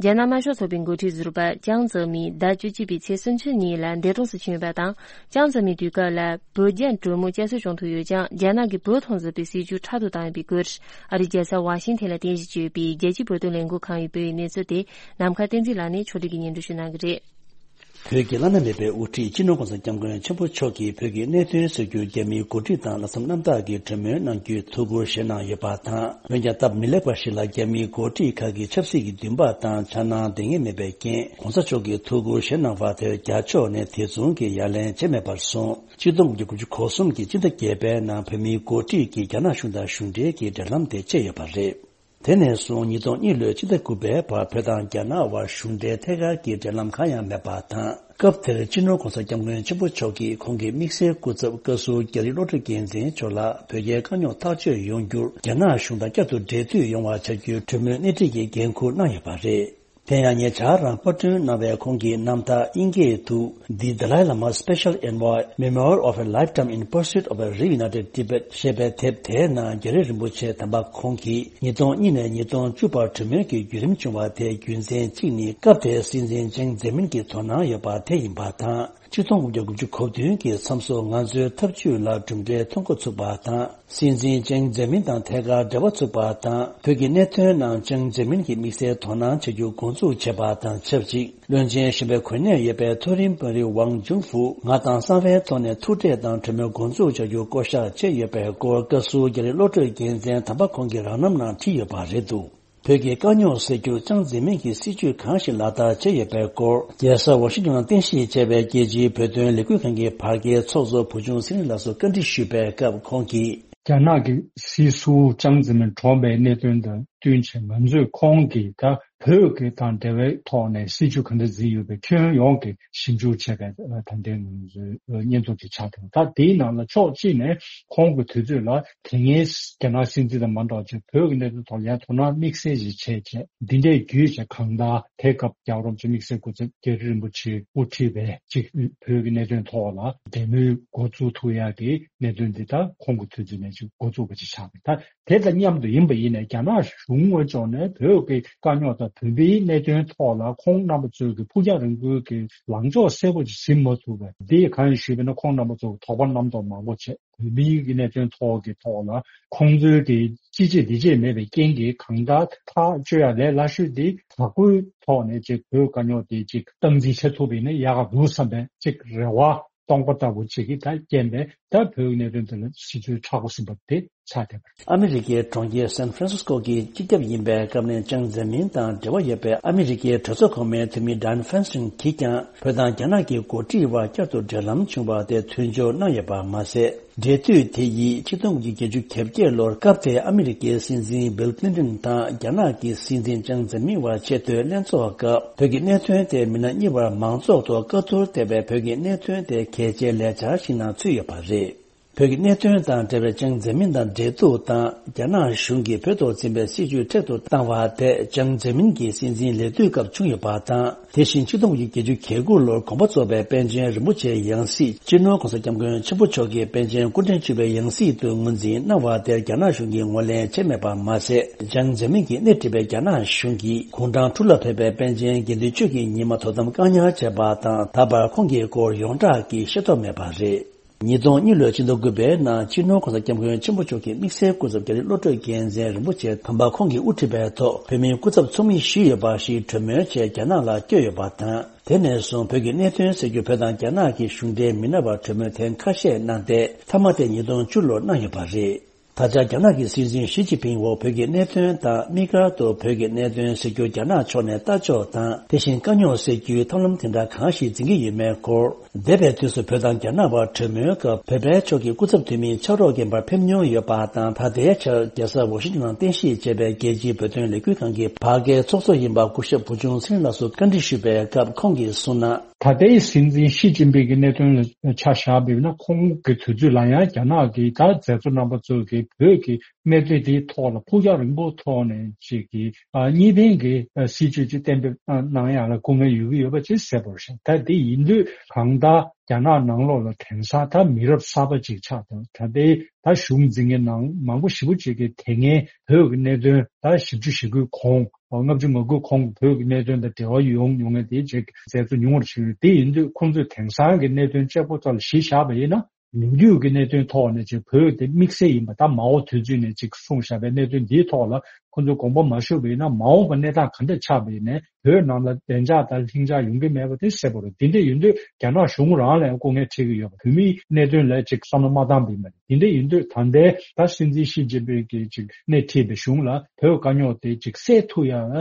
རྒྱ་ནག་དམར་ཤོག་ཚོགས་པའི་འགོ་ཁྲིད་ཟུར་པ་ཅང་ཙེ་མིན་ཟླ་བཅུ་གཅིག་པའི་ཚེས་སུམ་ཅུ་ཉིན་ལ་འདས་གྲོངས་སུ་ཕྱིན་ཡོད་པ་དང་། ཅང་ཙེ་མིན་དུས་སྐབས་ལ་བོད་རྒྱ་གྲོས་མོལ་བསྐྱར་གསོ་བྱུང་ཐུབ་ཡོད་ཀྱང་། རྒྱ་ནག་གིས་བོད་ཐོག་འཛིན་པའི་སྲིད་བྱུས་མཁྲེགས་པོ་བཏང་ཡོད་པའི་སྐོར། ཨ་རིའི་རྒྱལ་ས་ཝ་ཤིང་ཐན་ལ་རྟེན་གཞི་བྱས་ཡོད་པའི་རྒྱལ་སྤྱིའི་བོད་དོན་ལས་འགུལ་ཁང་གིས་སྤེལ་བའི་གནས་ཚུལ་དེ། ནམ་མཁའ་བསྟན་འཛིན་ལགས་ནས་ཕྱོགས་སྒྲིག་གིས་སྙན་སྒྲོན་ཞུ་གནང་གི་རེད། བོད་ཀྱི་བླ་ན་མེད་པའི་དབུ་ཁྲིད་སྤྱི་ནོར་༸གོང་ས་༸སྐྱབས་མགོན་ཆེན་པོ་མཆོག་གིས་བོད་ཀྱི་གནད་དོན་སེལ་རྒྱུར་རྒྱ་མིའི་འགོ་ཁྲིད་དང་ལྷག་བསམ་རྣམ་དག་གིས་གྲོས་མོལ་གནང་རྒྱུའི་ཐུགས་ཁུར་བཞེས་གནང་ཡོད་པ་དང་། འོན་ཀྱང་སྟབས་མི་ལེགས་པ་ཞིག་ལ་རྒྱ་མིའི་འགོ་ཁྲིད་ཁག་གིས་ཆབ་སྲིད་ཀྱི་འདུན་པ་དང་འཆར་སྣང་ལྡན་ངེས་མེད་པའི་རྐྱེན། ༸གོང་ས་མཆོག་གིས་ཐུགས་ཁུར་བཞེས་གནང་བ་དེར་རྒྱ་ཕྱོགས་ནས་དེ་མཚུངས་ཀྱི་ཡ་ལན་བྱས་མེད་པར་སོང་། ཆིག་སྟོང་དགུ་བརྒྱ་དགུ་བཅུ་གོ་གསུམ་གྱི་སྤྱི་ཟླ་བརྒྱད་པའི་ནང་བོད་མིའི་འགོ་ཁྲིད་ཀྱིས་རྒྱ་ནག་གཞུང་དང་གཞུང་འབྲེལ་གྱི་འབྲེལ་ལམ་དེ་བཅད་ཡོད་པ་རེད། དེ་ནས་བཟུང་ཉིས་སྟོང་གཉིས་ལོའི་ཕྱི་ཟླ་དགུ་པའི་བར་བོད་དང་རྒྱ་ནག་དབར་གཞུང་འབྲེལ་ཐད་ཀར་གྱི་འབྲེལ་ལམ་གང་ཡང་མེད་པ་དང་། སྐབས་དེར་སྤྱི་ནོར་༸གོང་ས་༸སྐྱབས་མགོན་ཆེན་པོ་མཆོག་གིས་ཁོང་གི་དམིགས་བསལ་སྐུ་ཚབ་བཀའ་ཟུར་རྒྱ་རི་བློ་གྲོས་རྒྱལ་མཚན་མཆོག་ལ་བོད་རྒྱའི་དཀའ་རྙོག་ཐག་གཅོད་ཡོང་རྒྱུར་རྒྱ་ནག་གཞུང་དང་བསྐྱར་དུ་འབྲེལ་མཐུད་ཡོང་བ་བྱ་རྒྱུའི་གྲོས་མོལ་སྣེ་ཁྲིད་ཀྱི་འགན་འཁུར་གནང་ཡོད་པ་རེད། དེ་ཡང་ཉེ་ཆར་རང་པར་སྐྲུན་གནང་བའི་ཁོང་གི་རྣམ་ཐར་དབྱིན་སྐད་དུ། The Dalai Lama's Special Envoy, Memoir of a Lifetime in Pursuit of a Reunited Tibet ཞེས་པའི་དེབ་དེའི་ནང་རྒྱ་རི་རིན་པོ་ཆེ་དམ་པ་ཁོང་གིས་ཉིས་སྟོང་གཉིས་ནས་ཉིས་སྟོང་བཅུ་བར་གྲོས་མོལ་གྱི་བརྒྱུད་རིམ་བྱུང་བ་དེའི་རྒྱུ་མཚན་གཅིག་ནི། སྐབས་དེའི་སྲིད་འཛིན་ཅང་ཙེ་མིན་གྱི་དོ་སྣང་ཡོད་པ་དེ་ཡིན་པ་དང་། ཆིག་སྟོང་དགུ་བརྒྱ་དགུ་བཅུ་གོ་བདུན་གྱི་མཚམས་སུ་ང་ཚོའི་ཐབས་ཇུས་ལ་གྲུབ་འབྲས་ཐོན་འགོ་ཚུགས་པ་དང་། སྲིད་འཛིན་ཅང་ཙེ་མིན་དང་ཐད་ཀར་འབྲེལ་བ་ཚུགས་པ་དང་། བོད་ཀྱི་གནད་དོན་ནང་ཅང་ཙེ་མིན་གྱི་དམིགས་བསལ་དོ་སྣང་བྱ་རྒྱུ་འགོ་འཛུགས་བྱས་པ་དང་ཆབས་ཅིག་བློན་ཆེན་གཞོན་པའི་གོ་གནས་ཡོད་པའི་མཐོ་རིམ་དཔོན་རིགས་ཝང་ཅུན་ཧྥུ་ང་དང་གསང་བའི་ཐོག་ནས་ཐུག་འཕྲད་དང་གྲོས་མོལ་འགོ་འཛུགས་བྱ་རྒྱུ་བསྐོ་གཞག་བྱས་ཡོད་པའི་སྐོར། བཀའ་ཟུར་རྒྱ་རི་བློ་གྲོས་རྒྱལ་མཚན་དམ་པ་ཁོང་གི་རང་རྣམ་ནང་བྲིས་ཡོད་པ་རེད་འདུག་བོད་ཀྱི་དཀའ་རྙོག་སེལ་རྒྱུར་ཅང་ཙེ་མིན་གྱི་སྲིད་བྱུས་གང་ཞིག་ལག་བསྟར་བྱས་ཡོད་པའི་སྐོར། རྒྱལ་ས་ཝ་ཤིང་ཏོན་ནང་རྟེན་གཞི་བྱས་པའི་རྒྱལ་སྤྱིའི་བོད་དོན་ལས་འགུལ་ཁང་གི་བར་བརྒལ་ཚོགས་གཙོ་བུ་ཆུང་ཚེ་རིང་ལགས་སུ་བཀའ་འདྲི་ཞུས་པའི་སྐབས་ཁོང་གིས། རྒྱ་ནག་གི་སྲིད་ཟུར་ཅང་ཙེ་མིན་གྲོངས་པའི་གནད་དོན་དང་བསྟུན་བྱས། ང་ཚོས་ཁོང་གིས་ད་བོད་ཀྱི་དང་འབྲེལ་བའི་ཐོག་ནས་སྲིད་བྱུས་ག་འདྲ་འཛིན་ཡོད་པའི་ཁྱོན་ཡོངས་ཀྱི་ཞིབ་འཇུག་བྱས་པའི་ད་ལྟའི་ང་ཚོའི་སྙན་ཐོ་དེ་ཆགས་འདུག་ད་དེའི་ནང་ལ་ཕྱོགས་གཅིག་ནས་ཁོང་གི་དུས་ཚོད་ལ་དེ་སྔའི་རྒྱ་ནག་སྲིད་འཛིན་དང་མ་འདྲ་བ་ཅིག་བོད་ཀྱི་གནད་དོན་ཐོག་ལ་ཡང་དོ་སྣང་དམིགས་བསལ་ཞིག་བྱས་བྱས། འདི་འདྲའི་བརྒྱུད་བྱས་གང་ལྟར་དེ་སྐབས་རྒྱལ་བ་རིན་པོ་ཆེ་དམིགས་བསལ་སྐུ་ཚབ་རྒྱ་རི་རིན་པོ་ཆེ་དབུ་ཁྲིད་པའི་ཅིག་བོད་ཀྱི་གནད་དོན་ཐོག་ལ་འབྲེལ་མོལ་འགོ་བཙུགས་ཐུབ་ཡག་གི་གནད་དོན་འདི་དག་ཁོང་གི་དུས་ཚོད་ནས་ཅིག་འགོ་བཙུགས་པ་ཅིག་ཆགས་པ་རེད། ད་དེ་དང་མཉམ་དུ་ཡིན་པ་ཡིན་ནའི་རྒྱ་ནག་གཞུང་ངོས་ཕྱོགས་ནས་བོད་ཀྱི་དཀའ་རྙོག་དང་བོད་མིའི་གནད་དོན་ཐོག་ལ་ཁོང་རྣམ་པ་ཚོས་ཀྱི་ཕུགས་རྒྱང་རིང་པོའི་གི་ལངས་ཕྱོགས་གསལ་པོ་ཅིག་ཟིན་མ་ཐུབ་པས། འདི་གང་ཡིན་ཞུས་པ་ན་ཁོང་རྣམ་པ་ཚོ་དོགས་པ་རྣམ་རྟོག་མང་པོ་བྱས། བོད་མིའི་གི་གནད་དོན་ཐོག་གི་ཐོག་ལ་ཁོང་ཚོའི་གི་ཅི་བྱེད་འདི་བྱེད་མེད་པའི་རྐྱེན་གྱིས་གང་ལྟར་ཐག་གཅོད་ཡ་ལས་སླ་ཤོས་དེ་དྲག་པོའི་ཐོག་ནས་ཅིག་བོད་དཀའ་རྙོག་དེ་ཅིག་སྟངས་འཛིན་བྱེད་ཐུབ་པ་ཡིན་ན་ཡག་ག་འདུག་བསམ་པའི་ཅིག་རེ་བ་སྟོང་པ་ལྟ་བུ་ཅིག་གིས་ད་རྐྱེན་པས་ད་བོད་ཀྱི་གནད་དོན་དེ་ལ་སྲིད་བྱུས་མཁྲེགས་པོ་ཟིན་པ་དེ་ཆགས་བསྡད་པ་རེད། ཨ་མི་རི་ཀའི་གྲོང་ཁྱེར་སན་ཧྥ་རན་སིས་ཀོ་གི་སྤྱི་ཁྱབ་ཡིན་པའི་སྐབས་ནས་ཅང་ཙེ་མིན་དང་འབྲེལ་བ་ཡོད་པའི་ཨ་མི་རི་ཀའི་གྲོས་ཚོགས་གོང་མའི་འཐུས་མི་ཌན་ཧྥན་སིན་གྱིས་ཀྱང་བོད་དང་རྒྱ་ནག་གི་འགོ་ཁྲིད་དབར་བསྐྱར་དུ་འབྲེལ་ལམ་བྱུང་བ་དེ་མཐུན་སྦྱོར་གནང་ཡོད་པ་མ་ཟད། འབྲེལ་མཐུད་དེ་ཡིས་ཆིག་སྟོང་དགུ་བརྒྱ་བརྒྱད་ཅུ་གྱ་བརྒྱད་ལོར་སྐབས་དེའི་ཨ་མི་རི་ཀའི་སྲིད་འཛིན་བིལ་ཀླིན་ཏོན་དང་རྒྱ་ནག་གི་སྲིད་འཛིན་ཅང་ཙེ་མིན་དབར་ཆེས་མཐོའི་ལྷན་ཚོགས་སྐབས་བོད་ཀྱི་གནད་དོན་དེ་མི་སྣ་གཉིས་བར་མང་ཚོགས་ཐོག་བཀའ་བསྡུར་ཐེབས་པའི་བོད་ཀྱི་གནད་དོན་དེ་གལ་ཆེའི་ལས་འཆར་ཞིག་ནང་ཚུད་ཡོད་པ་རེད། བོད་ཀྱི་གནད་དོན་དང་འབྲེལ་བའི་ཅང་ཙེ་མིན་དང་འབྲེལ་གཏུག་དང་། རྒྱ་ནག་གཞུང་གིས་བོད་ཐོག་འཛིན་པའི་སྲིད་བྱུས་མཁྲེགས་སུ་བཏང་བ་དེ་ཅང་ཙེ་མིན་གྱི་སྲིད་འཛིན་ལས་དུས་སྐབས་བྱུང་ཡོད་པ་དང་། དེ་བཞིན་ཆིག་སྟོང་དགུ་བརྒྱ་བརྒྱད་ཅུ་གྱ་དགུ་ལོར་དགོངས་པ་རྫོགས་པའི་པཎ་ཆེན་རིན་པོ་ཆེའི་ཡང་སྲིད་སྤྱི་ནོར་༸གོང་ས་༸སྐྱབས་མགོན་ཆེན་པོ་མཆོག་གིས་པཎ་ཆེན་སྐུ་ཕྲེང་བཅུ་པའི་ཡང་སྲིད་དུ་ངོས་འཛིན་གནང་བ་དེར་རྒྱ་ནག་གཞུང་གིས་ངོས་ལེན་བྱས་མེད་པ་མ་ཟད། ཅང་ཙེ་མིན་གྱིས་སྣེ་ཁྲིད་པའི་རྒྱ་ནག་གཞུང་གིས་དགུང་གྲངས་དྲུག་ལ་ཕེབས་པའི་པཎ་ཆེན་དགེ་འདུན་ཆོས་ཀྱི་ཉི་མ་དོ་དམ་བཀག་ཉར་བྱས་པ་དང་། ད་བར་ཁོང་གི་སྐོར་ཡོངས་གྲགས་ཀྱིས་ཤེས་རྟོགས་མེད་པ་རེད། ཉིས་སྟོང་གཉིས་ལོའི་ཕྱི་ཟླ་དགུ་པའི་ནང་སྤྱི་ནོར་༸གོང་ས་༸སྐྱབས་མགོན་ཆེན་པོ་མཆོག་གི་དམིགས་བསལ་སྐུ་ཚབ་རྒྱ་རི་བློ་གྲོས་རྒྱལ་མཚན་རིན་པོ་ཆེ་དམ་པ་ཁོང་གིས་དབུ་ཁྲིད་པའི་ཐོག་བོད་མིའི་སྐུ་ཚབ་ཚོགས་མི་ཞུས་ཡོད་པ་ཞིག་གྲོས་མོལ་ཆེད་རྒྱ་ནག་ལ་བསྐྱོད་ཡོད་པ་དང་། དེ་ནས་བཟུང་བོད་ཀྱི་གནད་དོན་སེལ་རྒྱུར་བོད་དང་རྒྱ་ནག་གི་གཞུང་འབྲེལ་མི་སྣ་བར་གྲོས་མོལ་ཐེངས་ཁ་ཤས་གནང་སྟེ། མཐའ་མ་དེ་ཉིས་སྟོང་བཅུ་ལོར་གནང་ཡོད་པ་རེད། ད་ཆ་རྒྱ་ནག་གི་སྲིད་འཛིན་ཞི་ཅིན་ཕིང་འོག་བོད་ཀྱི་གནད་དོན་དང་། དམིགས་བཀར་དུ་བོད་ཀྱི་གནད་དོན་སེལ་རྒྱུར་རྒྱ་ནག་ཕྱོགས་ནས་ལྟ་ཕྱོགས་དང་། དེ་བཞིན་དཀའ་རྙོག་སེལ་རྒྱུའི་ཐབས་ལམ་དེ་འདྲ་གང་ཞིག་འཛིན་གྱི་ཡོད་མེད་སྐོར། འདས་པའི་དུས་སུ་བོད་དང་རྒྱ་ནག་བར་གྲོས་མོལ་སྐབས་བོད་པའི་ཕྱོགས་ཀྱི་སྐུ་ཚབ་འཐུས་མི་ཕྱག་རོགས་རྒན་པར་ཕེབས་མྱོང་ཡོད་པ་དང་། ད་ལྟའི་ཆར་རྒྱལ་ས་ཝ་ཤིང་ཏོན་ནང་རྟེན་གཞི་བྱས་པའི་རྒྱལ་སྤྱིའི་བོད་དོན་ལས་འགུལ་ཁང་གི་བར་བརྒལ་ཚོགས་གཙོ་ཡིན་པ་སྐུ་ཞབས་བུ་ཆུང་ཚེ་རིང་ལགས་སུ་བཀའ་འདྲི་ཞུས་པའི་སྐབས་ཁོང་གིས་གསུངས་ན། ད་ལྟའི་སྲིད་འཛིན་ཞི་ཅིན་ཕིང་གི་གནད་དོན་ལ་ཆ་བཞག་པ་ཡིན་ན། ཁོང་གི་དུས་ཚོད་ལ་ཡང་རྒྱ་ནག་གི་ད་མཛད་གཙོ་རྣམ་པ་ཚོ་གིས་བོད་ཀྱི་གནད་དོན་དེའི་ཐོག་ལ་ཕུགས་རྒྱང་རིང་པོའི་ཐོག་ནས་ཅིག་གི་ཨ་གཉིས་ཕན་གྱི་ཨ་སྲིད་བྱུས་ཅིག་གཏན་འབེབས་གནང་ཡག་ལ་སྐུ་ངལ་ཡོད་ཀྱི་ཡོད་པ་ཅིག་གསལ་པོ་རེད་ཤག་ད་དེ་ཡིན་དུས་གང་ལྟར་རྒྱ་ནག་ནང་ལོགས་ལ་དེང་སང་ད་མི་རབས་གསར་པ་ཅིག་ཆགས་འདུག་ད་ལྟའི་ད་གཞུང་འཛིན་མཁན་ནང་མང་པོ་ཞེ་པོ་ཅིག་གིས་དེ་སྔའི་བོད་ཀྱི་གནད་དོན་ད་བཞི་བཅུ་ཞེ་དགུའི་གོང་ལྔ་བཅུ་ང་དགུའི་གོང་གི་བོད་ཀྱི་གནད་དོན་དང་འབྲེལ་བ་ཡོང་མྱོང་མཁན་དེ་ཅིག་མཛད་གཙོ་ཉུང་བར་ཕྱིན་ཡོད། དེ་ཡིན་དུས་ཁོང་ཚོས་དེང་སང་གི་གནད་དོན་གཅིག་པོ་ཐོག་ལ་གཞི་བཞག་པ་ཡིན་ན། ལོ་རྒྱུས་ཀྱི་གནད་དོན་ཐོག་ནས་ཅིག་བོད་དེ་དམིགས་བསལ་ཡིན་པ་ད་མ་འོངས་དུས་ཚོད་ནས་ཅིག་གསུངས་བཞག་པའི་གནད་དོན་འདིའི་ཐོག་ལ་ ཁོང་ཚོས་དགོངས་པ་མ་ཞུས་པ་ཡིན་ན། མ་འོངས་པ་གནས་སྟངས་ག་འདྲ་ཆགས་པ་ཡིན་ནའི་བོད་ནང་ལ་བདེ་འཇགས་དང་ལྷིང་འཇགས་ཡོང་གི་མེད་པ་དེ་གསལ་པོ་རེད། དེ་འདྲ་ཡིན་དུས་རྒྱ་ནག་གཞུང་རང་ལ་ཡང་སྐུ་ངལ་འཕྲད་ཀྱི་ཡོད་པ། བོད་མིའི་གནད་དོན་ལ་ཅིག་བསམ་བློ་མ་བཏང་པ་ཡིན་པ་རེད། དེ་འདྲ་ཡིན་དུས་ད་ལྟའི་ད་སྲིད་འཛིན་ཞི་ཅིན་ཕིང་གིས་ཅིག་སྣེ་ཁྲིད་པའི་གཞུང་ལ་བོད་དཀའ་རྙོག་དེ་ཅིག་སེལ་ཐུབ་ཡ་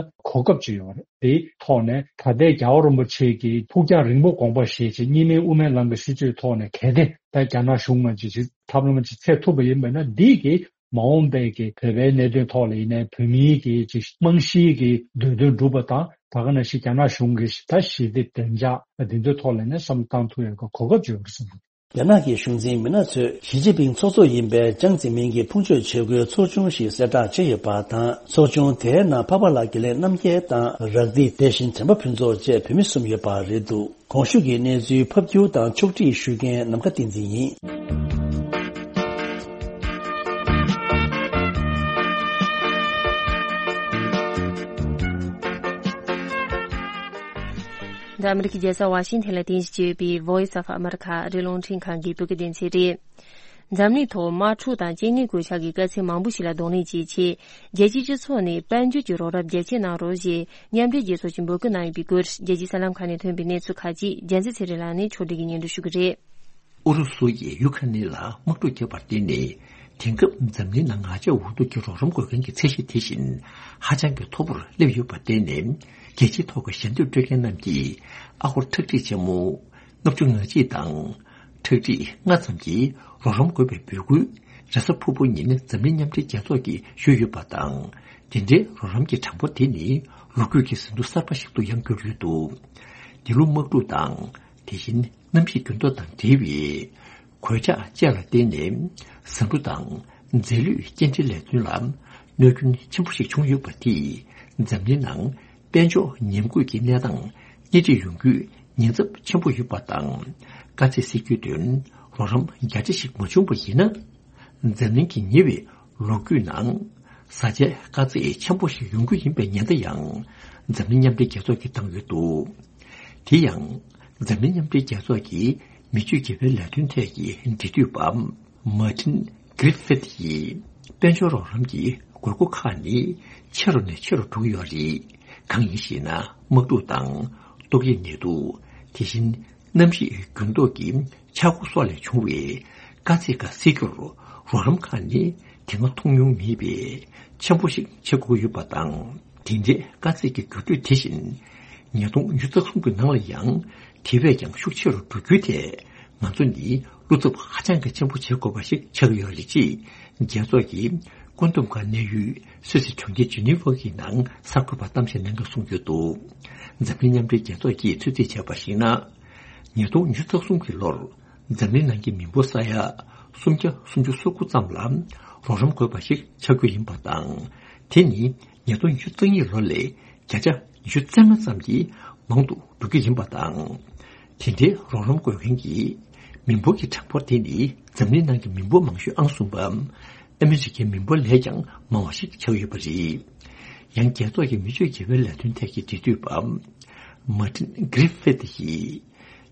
གོ་སྐབས་ཅིག་ཡོད་རེད། དེའི་ཐོག་ནས་ད་ལྟའི་རྒྱལ་བ་རིན་པོ་ཆེ་གི་ཕུགས་རྒྱང་རིང་པོ་དགོངས་པ་བཞེས་བྱས། གཉིས་སྨན་དབུ་མའི་ལམ་གྱི་སྲིད་བྱུས་ཐོག་ནས་གལ་ཏེ་ད་རྒྱ་ནག་གཞུང་ང་ཅིག་ཅིག་ཐབས་ལམ་ཅིག་འཚོལ་ཐུབ་པ་ཡིན་པ་ན། འདི་གིས་མ་འོངས་པའི་གི་བོད་པའི་གནད་དོན་ཐོག་ལ་ཡིན་ནའི་བོད་མིའི་གི་ཅིག་རྨང་གཞིའི་གི་འདོད་དོན་འགྲུབ་པ་དང་། ད་ག་ནང་བཞིན་རྒྱ་ནག་གཞུང་གི་ད་ཞི་བདེ་བདེ་འཇགས་འདི་ཚོའི་ཐོག་ལ་ནས་བསམ་བློ་བཏང་ཐུབ་ཡག་གི་གོ་སྐབས་ཅིག་ཡོད་རེད་བསམ་གི། རྒྱ་ནག་གི་གཞུང་འཛིན་མི་སྣ་ཚོས་ཞི་ཅིན་ཕིང་ཚོགས་གཙོ་ཡིན་པའི་ཅང་ཙེ་མིན་གྱི་ཕུང་མཆོད་ཆས་གོས་ཚོགས་ཆུང་ཞིག་གསལ་བསྒྲགས་བྱས་ཡོད་པ་དང་། ཚོགས་ཆུང་དེའི་ནང་འཕགས་པ་ལགས་དགེ་ལེགས་རྣམ་རྒྱལ་དང་། རག་སྡིས་དེ་བཞིན་དྲན་པ་ཕུན་ཚོགས་བཅས་བོད་མི་གསུམ་ཡོད་པ་རེད་འདུག། གོང་ཞུས་ཀྱི་གནས་ཚུལ་ཕབ་སྒྱུར་དང་ཕྱོགས་སྒྲིག་ཞུ་མཁན་ནམ་མཁའ་བསྟན་འཛིན་ཡིན། འདི་ཨ་མི་རི་ཀའི་རྒྱལ་ས་ཝ་ཤིང་ཐན་ལ་རྟེན་གཞི་བྱས་ཡོད་པའི་Voice of America ཨ་རིའི་རླུང་འཕྲིན་ཁང་གི་བོད་སྐད་སྡེ་ཚན་རེད། འཛམ་གླིང་ཐོག་དམག་འཁྲུག་དང་རྐྱེན་ངན་གོད་ཆག་གི་དཀའ་ཚེགས་མང་པོ་ཞིག་ལ་གདོང་ལེན་བྱེད་ཆེད། རྒྱལ་སྤྱིའི་སྤྱི་ཚོགས་ནས་དཔལ་འབྱོར་གྱི་རོགས་རམ་རྒྱ་ཆེ་གནང་རོགས་ཞེས་མཉམ་འབྲེལ་རྒྱལ་ཚོགས་ཀྱིས་འབོད་སྐུལ་གནང་ཡོད་པའི་སྐོར། རྒྱལ་སྤྱིའི་གསར་ལམ་ཁག་ནས་ཐོན་པའི་གནས་ཚུལ་ཁག་ཅིག་རྒྱལ་མཚན་ཚེ་རིང་ལགས་ནས་ཕྱོགས་སྒྲིག་གིས་སྙན་སྒྲོན་ཞུ་གི་རེད། ཨུ་རུ་སུ་ཡིས་ཡུ་ཁ་ནེ་ལ་དམག་འཁྲུག་བརྒྱབ་པར་བརྟེན་ནས། དེང་སྐབས་འཛམ་གླིང་ནང་ང་ཆ་འུ་ཐུག་གི་རོགས་རམ་དགོས་མཁན་གྱི་ཚད་གཞི་དེ་བཞིན་ཧ་ཅང་གི་མཐོ་པོར་སླེབས་ཡོད་པར་བརྟེན་ནས། རྒྱལ་སྤྱིའི་ཐོག་གི་ཞལ་འདེབས་སྤྲོད་མཁན་རྣམས་ཀྱིས་ཨ་སྒོར་ཁྲག་ཁྲིག་ཆེན་མོ་ལྔ་བཅུ་ང་གཅིག་དང་། ཁྲག་ཁྲིག་ལྔ་ཙམ་གྱི་རོགས་རམ་དགོས་པའི་འབོད་སྐུལ་རེས་གཟའ་ཕུར་བུ་ཉིན་འཛམ་གླིང་མཉམ་འབྲེལ་རྒྱལ་ཚོགས་ཀྱིས་ཞུས་ཡོད་པ་དང་། དེ་འདྲའི་རོགས་རམ་གྱི་གྲངས་འབོར་དེ་ནི་ལོ་རྒྱུས་ཀྱི་ཟིན་ཐོ་གསར་པ་ཞིག་ཏུ་ཡང་གྱུར་ཡོད་འདུག། འདི་ལོ་དམག་འཁྲུག་དང་། དེ་བཞིན་གནམ་གཤིས་འགྱུར་ལྡོག་དང་འབྲེལ་བའི་གོད་ཆག་བཅས་ལ་བརྟེན་ནས། ཟ་འབྲུ་དང་རྫས་ལུད་སྐྱེལ་འདྲེན་ལས་དོན་ལ་གནོད་སྐྱོན་ཆེན་པོ་ཞིག་བྱུང་ཡོད་པ་དེས། འཛམ་གླིང་ནང་དཔལ་འབྱོར་ཉམས་རྒུད་ཀྱི་གནས་སྟངས་སྣེ་ཁྲིད་ཡོང་རྒྱུའི་ཉེན་ཚབས་ཆེན་པོ་ཡོད་པ་དང་། དཀའ་ཚེགས་སེལ་རྒྱུའི་དོན་རོགས་རམ་རྒྱ་ཆེ་ཞིག་མ་བྱུང་བ་ཡིན་ན། འཛམ་གླིང་གི་ཉེ་བའི་ལོ་རྒྱུས་ནང་། བཟའ་བཅའི་དཀའ་ཚེགས་ཆེན་པོ་ཞིག་ཡོང་རྒྱུ་ཡིན་པའི་ཉེན་བརྡ་ཡང་། འཛམ་གླིང་མཉམ་འབྲེལ་རྒྱལ་ཚོགས་ཀྱིས་བཏང་ཡོད་འདུག། དེ་ཡང་། འཛམ་གླིང་མཉམ་འབྲེལ་རྒྱལ་ཚོགས་ཀྱི་མི་ཆོས་དགེ་བའི་ལས་དོན་ཐད་ཀྱི་འབྲེལ་མཐུད་པ། མར་ཏིན་གྷི་རི་ཕིད་ཡིས། དཔལ་འབྱོར་རོགས་རམ་གྱི་དགོས་མཁོ་ཁག་ནི་ཆེ་རུ་ནས་ཆེ་རུ་འགྲོ་གི་ཡོད་རེད། གང་ཡིན་ཞེ་ན། དམག་འཁྲུག་དང་། ཏོག་དབྱིབས་ནད་དུག། དེ་བཞིན། གནམ་གཤིས་འགྱུར་ལྡོག་གི་ཆག་སྒོ་སོགས་ལས་བྱུང་བའི་དཀའ་ཚེགས་ཁག་སེལ་རྒྱུར་རོགས་རམ་ཁག་ནི་དེ་སྔ་མཐོང་མྱོང་མེད་པའི་ཆེན་པོ་ཞིག་ཆགས་དགོས་ཡོད་པ་དང་། དེ་འདྲའི་དཀའ་ཚེགས་ཀྱི་འགྱུར་འགྲོས་དེ་བཞིན་ཉིས་སྟོང་ཉི་ཤུ་རྩ་གསུམ་གྱི་ནང་ལ་ཡང་དེ་བས་ཀྱང་ཤུགས་ཆེ་རུ་འགྲོ་རྒྱུའི་ཐད་ང་ཚོ་ནི་བློ་འཚབ་ཧ་ཅང་གི་ཆེན་པོ་བྱེད་དགོས་པ་ཞིག་ཆགས་ཀྱི་ཡོད་རེད། ཅེས་རྒྱལ་ཚོགས་ཀྱི་བཀོད་འདོམས་ཁང་གནད་ཡོད་སུད་སི་གྲོང་ཁྱེར་ཇི་ནི་ཝ་གི་ནང་གསར་འགོད་པར་གཏམ་བཤད་གནང་སྐབས་གསུངས་ཡོད་འདུག། འཛམ་གླིང་མཉམ་འབྲེལ་རྒྱལ་ཚོགས་ཀྱིས་ཚོད་རྩིས་བྱས་པར་གཞིགས་ན། ཉིས་སྟོང་ཉི་ཤུ་རྩ་གསུམ་གྱི་ལོར་འཛམ་གླིང་ནང་གི་མི་འབོར་ས་ཡ་སུམ་བརྒྱ་སུམ་ཅུ་སོ་དགུ་ཙམ་ལ་རོགས་རམ་དགོས་པ་ཞིག་ཆགས་རྒྱུ་ཡིན་པ་དང་། དེ་ནི་ཉིས་སྟོང་ཉི་ཤུ་རྩ་གཉིས་ལོ་ལས་བརྒྱ་ཆ་ཉི་ཤུ་རྩ་ལྔ་ཙམ་གྱིས་མང་དུ་འགྲོ་རྒྱུ་ཡིན་པ་དང་། དེ་འདྲའི་རོགས་རམ་དགོས་མཁན་གྱི་མི་འབོར་གྱི་གྲངས་འབོར་དེ་ནི་འཛམ་གླིང་ནང་གི་མི་འབོར་མང་ཤོས་ཨང་གསུམ་པ། ཨ་མི་རི་ཀའི་མི་འབོར་ལས་ཀྱང་མང་བ་ཞིག་ཆགས་ཡོད་པ་རེད། ཡང་རྒྱལ་ཚོགས་ཀྱི་མི་ཆོས་དགེ་བའི་ལས་དོན་ཐད་ཀྱི་འབྲེལ་མཐུད་པ། མར་ཏིན་གྷི་རི་ཕིད་ཡིས།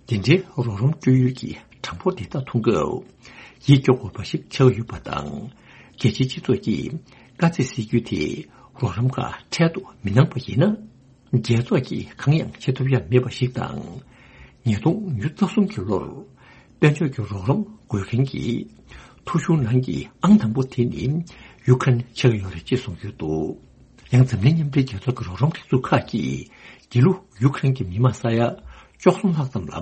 དེ་འདྲའི་རོགས་རམ་སྤྲོད་ཡུལ་གྱི་གྲངས་འབོར་དེ་དག་མཐོང་སྐབས། ཡིད་སྐྱོ་དགོས་པ་ཞིག་ཆགས་ཡོད་པ་དང་། རྒྱལ་སྤྱིའི་སྤྱི་ཚོགས་ཀྱིས་དཀའ་ཚེགས་སེལ་རྒྱུའི་ཐད་རོགས་རམ་ཁག་འཕྲལ་དུ་མི་གནང་པ་ཡིན་ན། རྒྱལ་ཚོགས་ཀྱིས་གང་ཡང་བྱེད་ཐུབ་ཡ་མེད་པ་ཞིག་དང་། ཉིས་སྟོང་ཉི་ཤུ་རྩ་གསུམ་གྱི་ལོར་དཔལ་འབྱོར་གྱི་རོགས་རམ་དགོས་མཁན་གྱི་ཐོ་གཞུང་ནང་གི་ཨང་དང་པོ་དེ་ནི་ཡུ་ཁ་རེན་ཆགས་ཡོད་རེད་ཅེས་གསུངས་ཡོད་འདུག། ཡང་འཛམ་གླིང་མཉམ་འབྲེལ་རྒྱལ་ཚོགས་ཀྱི་རོགས་རམ་སྒྲིག་འཛུགས་ཁག་གིས་འདི་ལོ་ཡུ་ཁ་རེན་གྱི་མི་མང་ས་ཡ་བཅུ་གསུམ་ལྷག་ཙམ་ལ་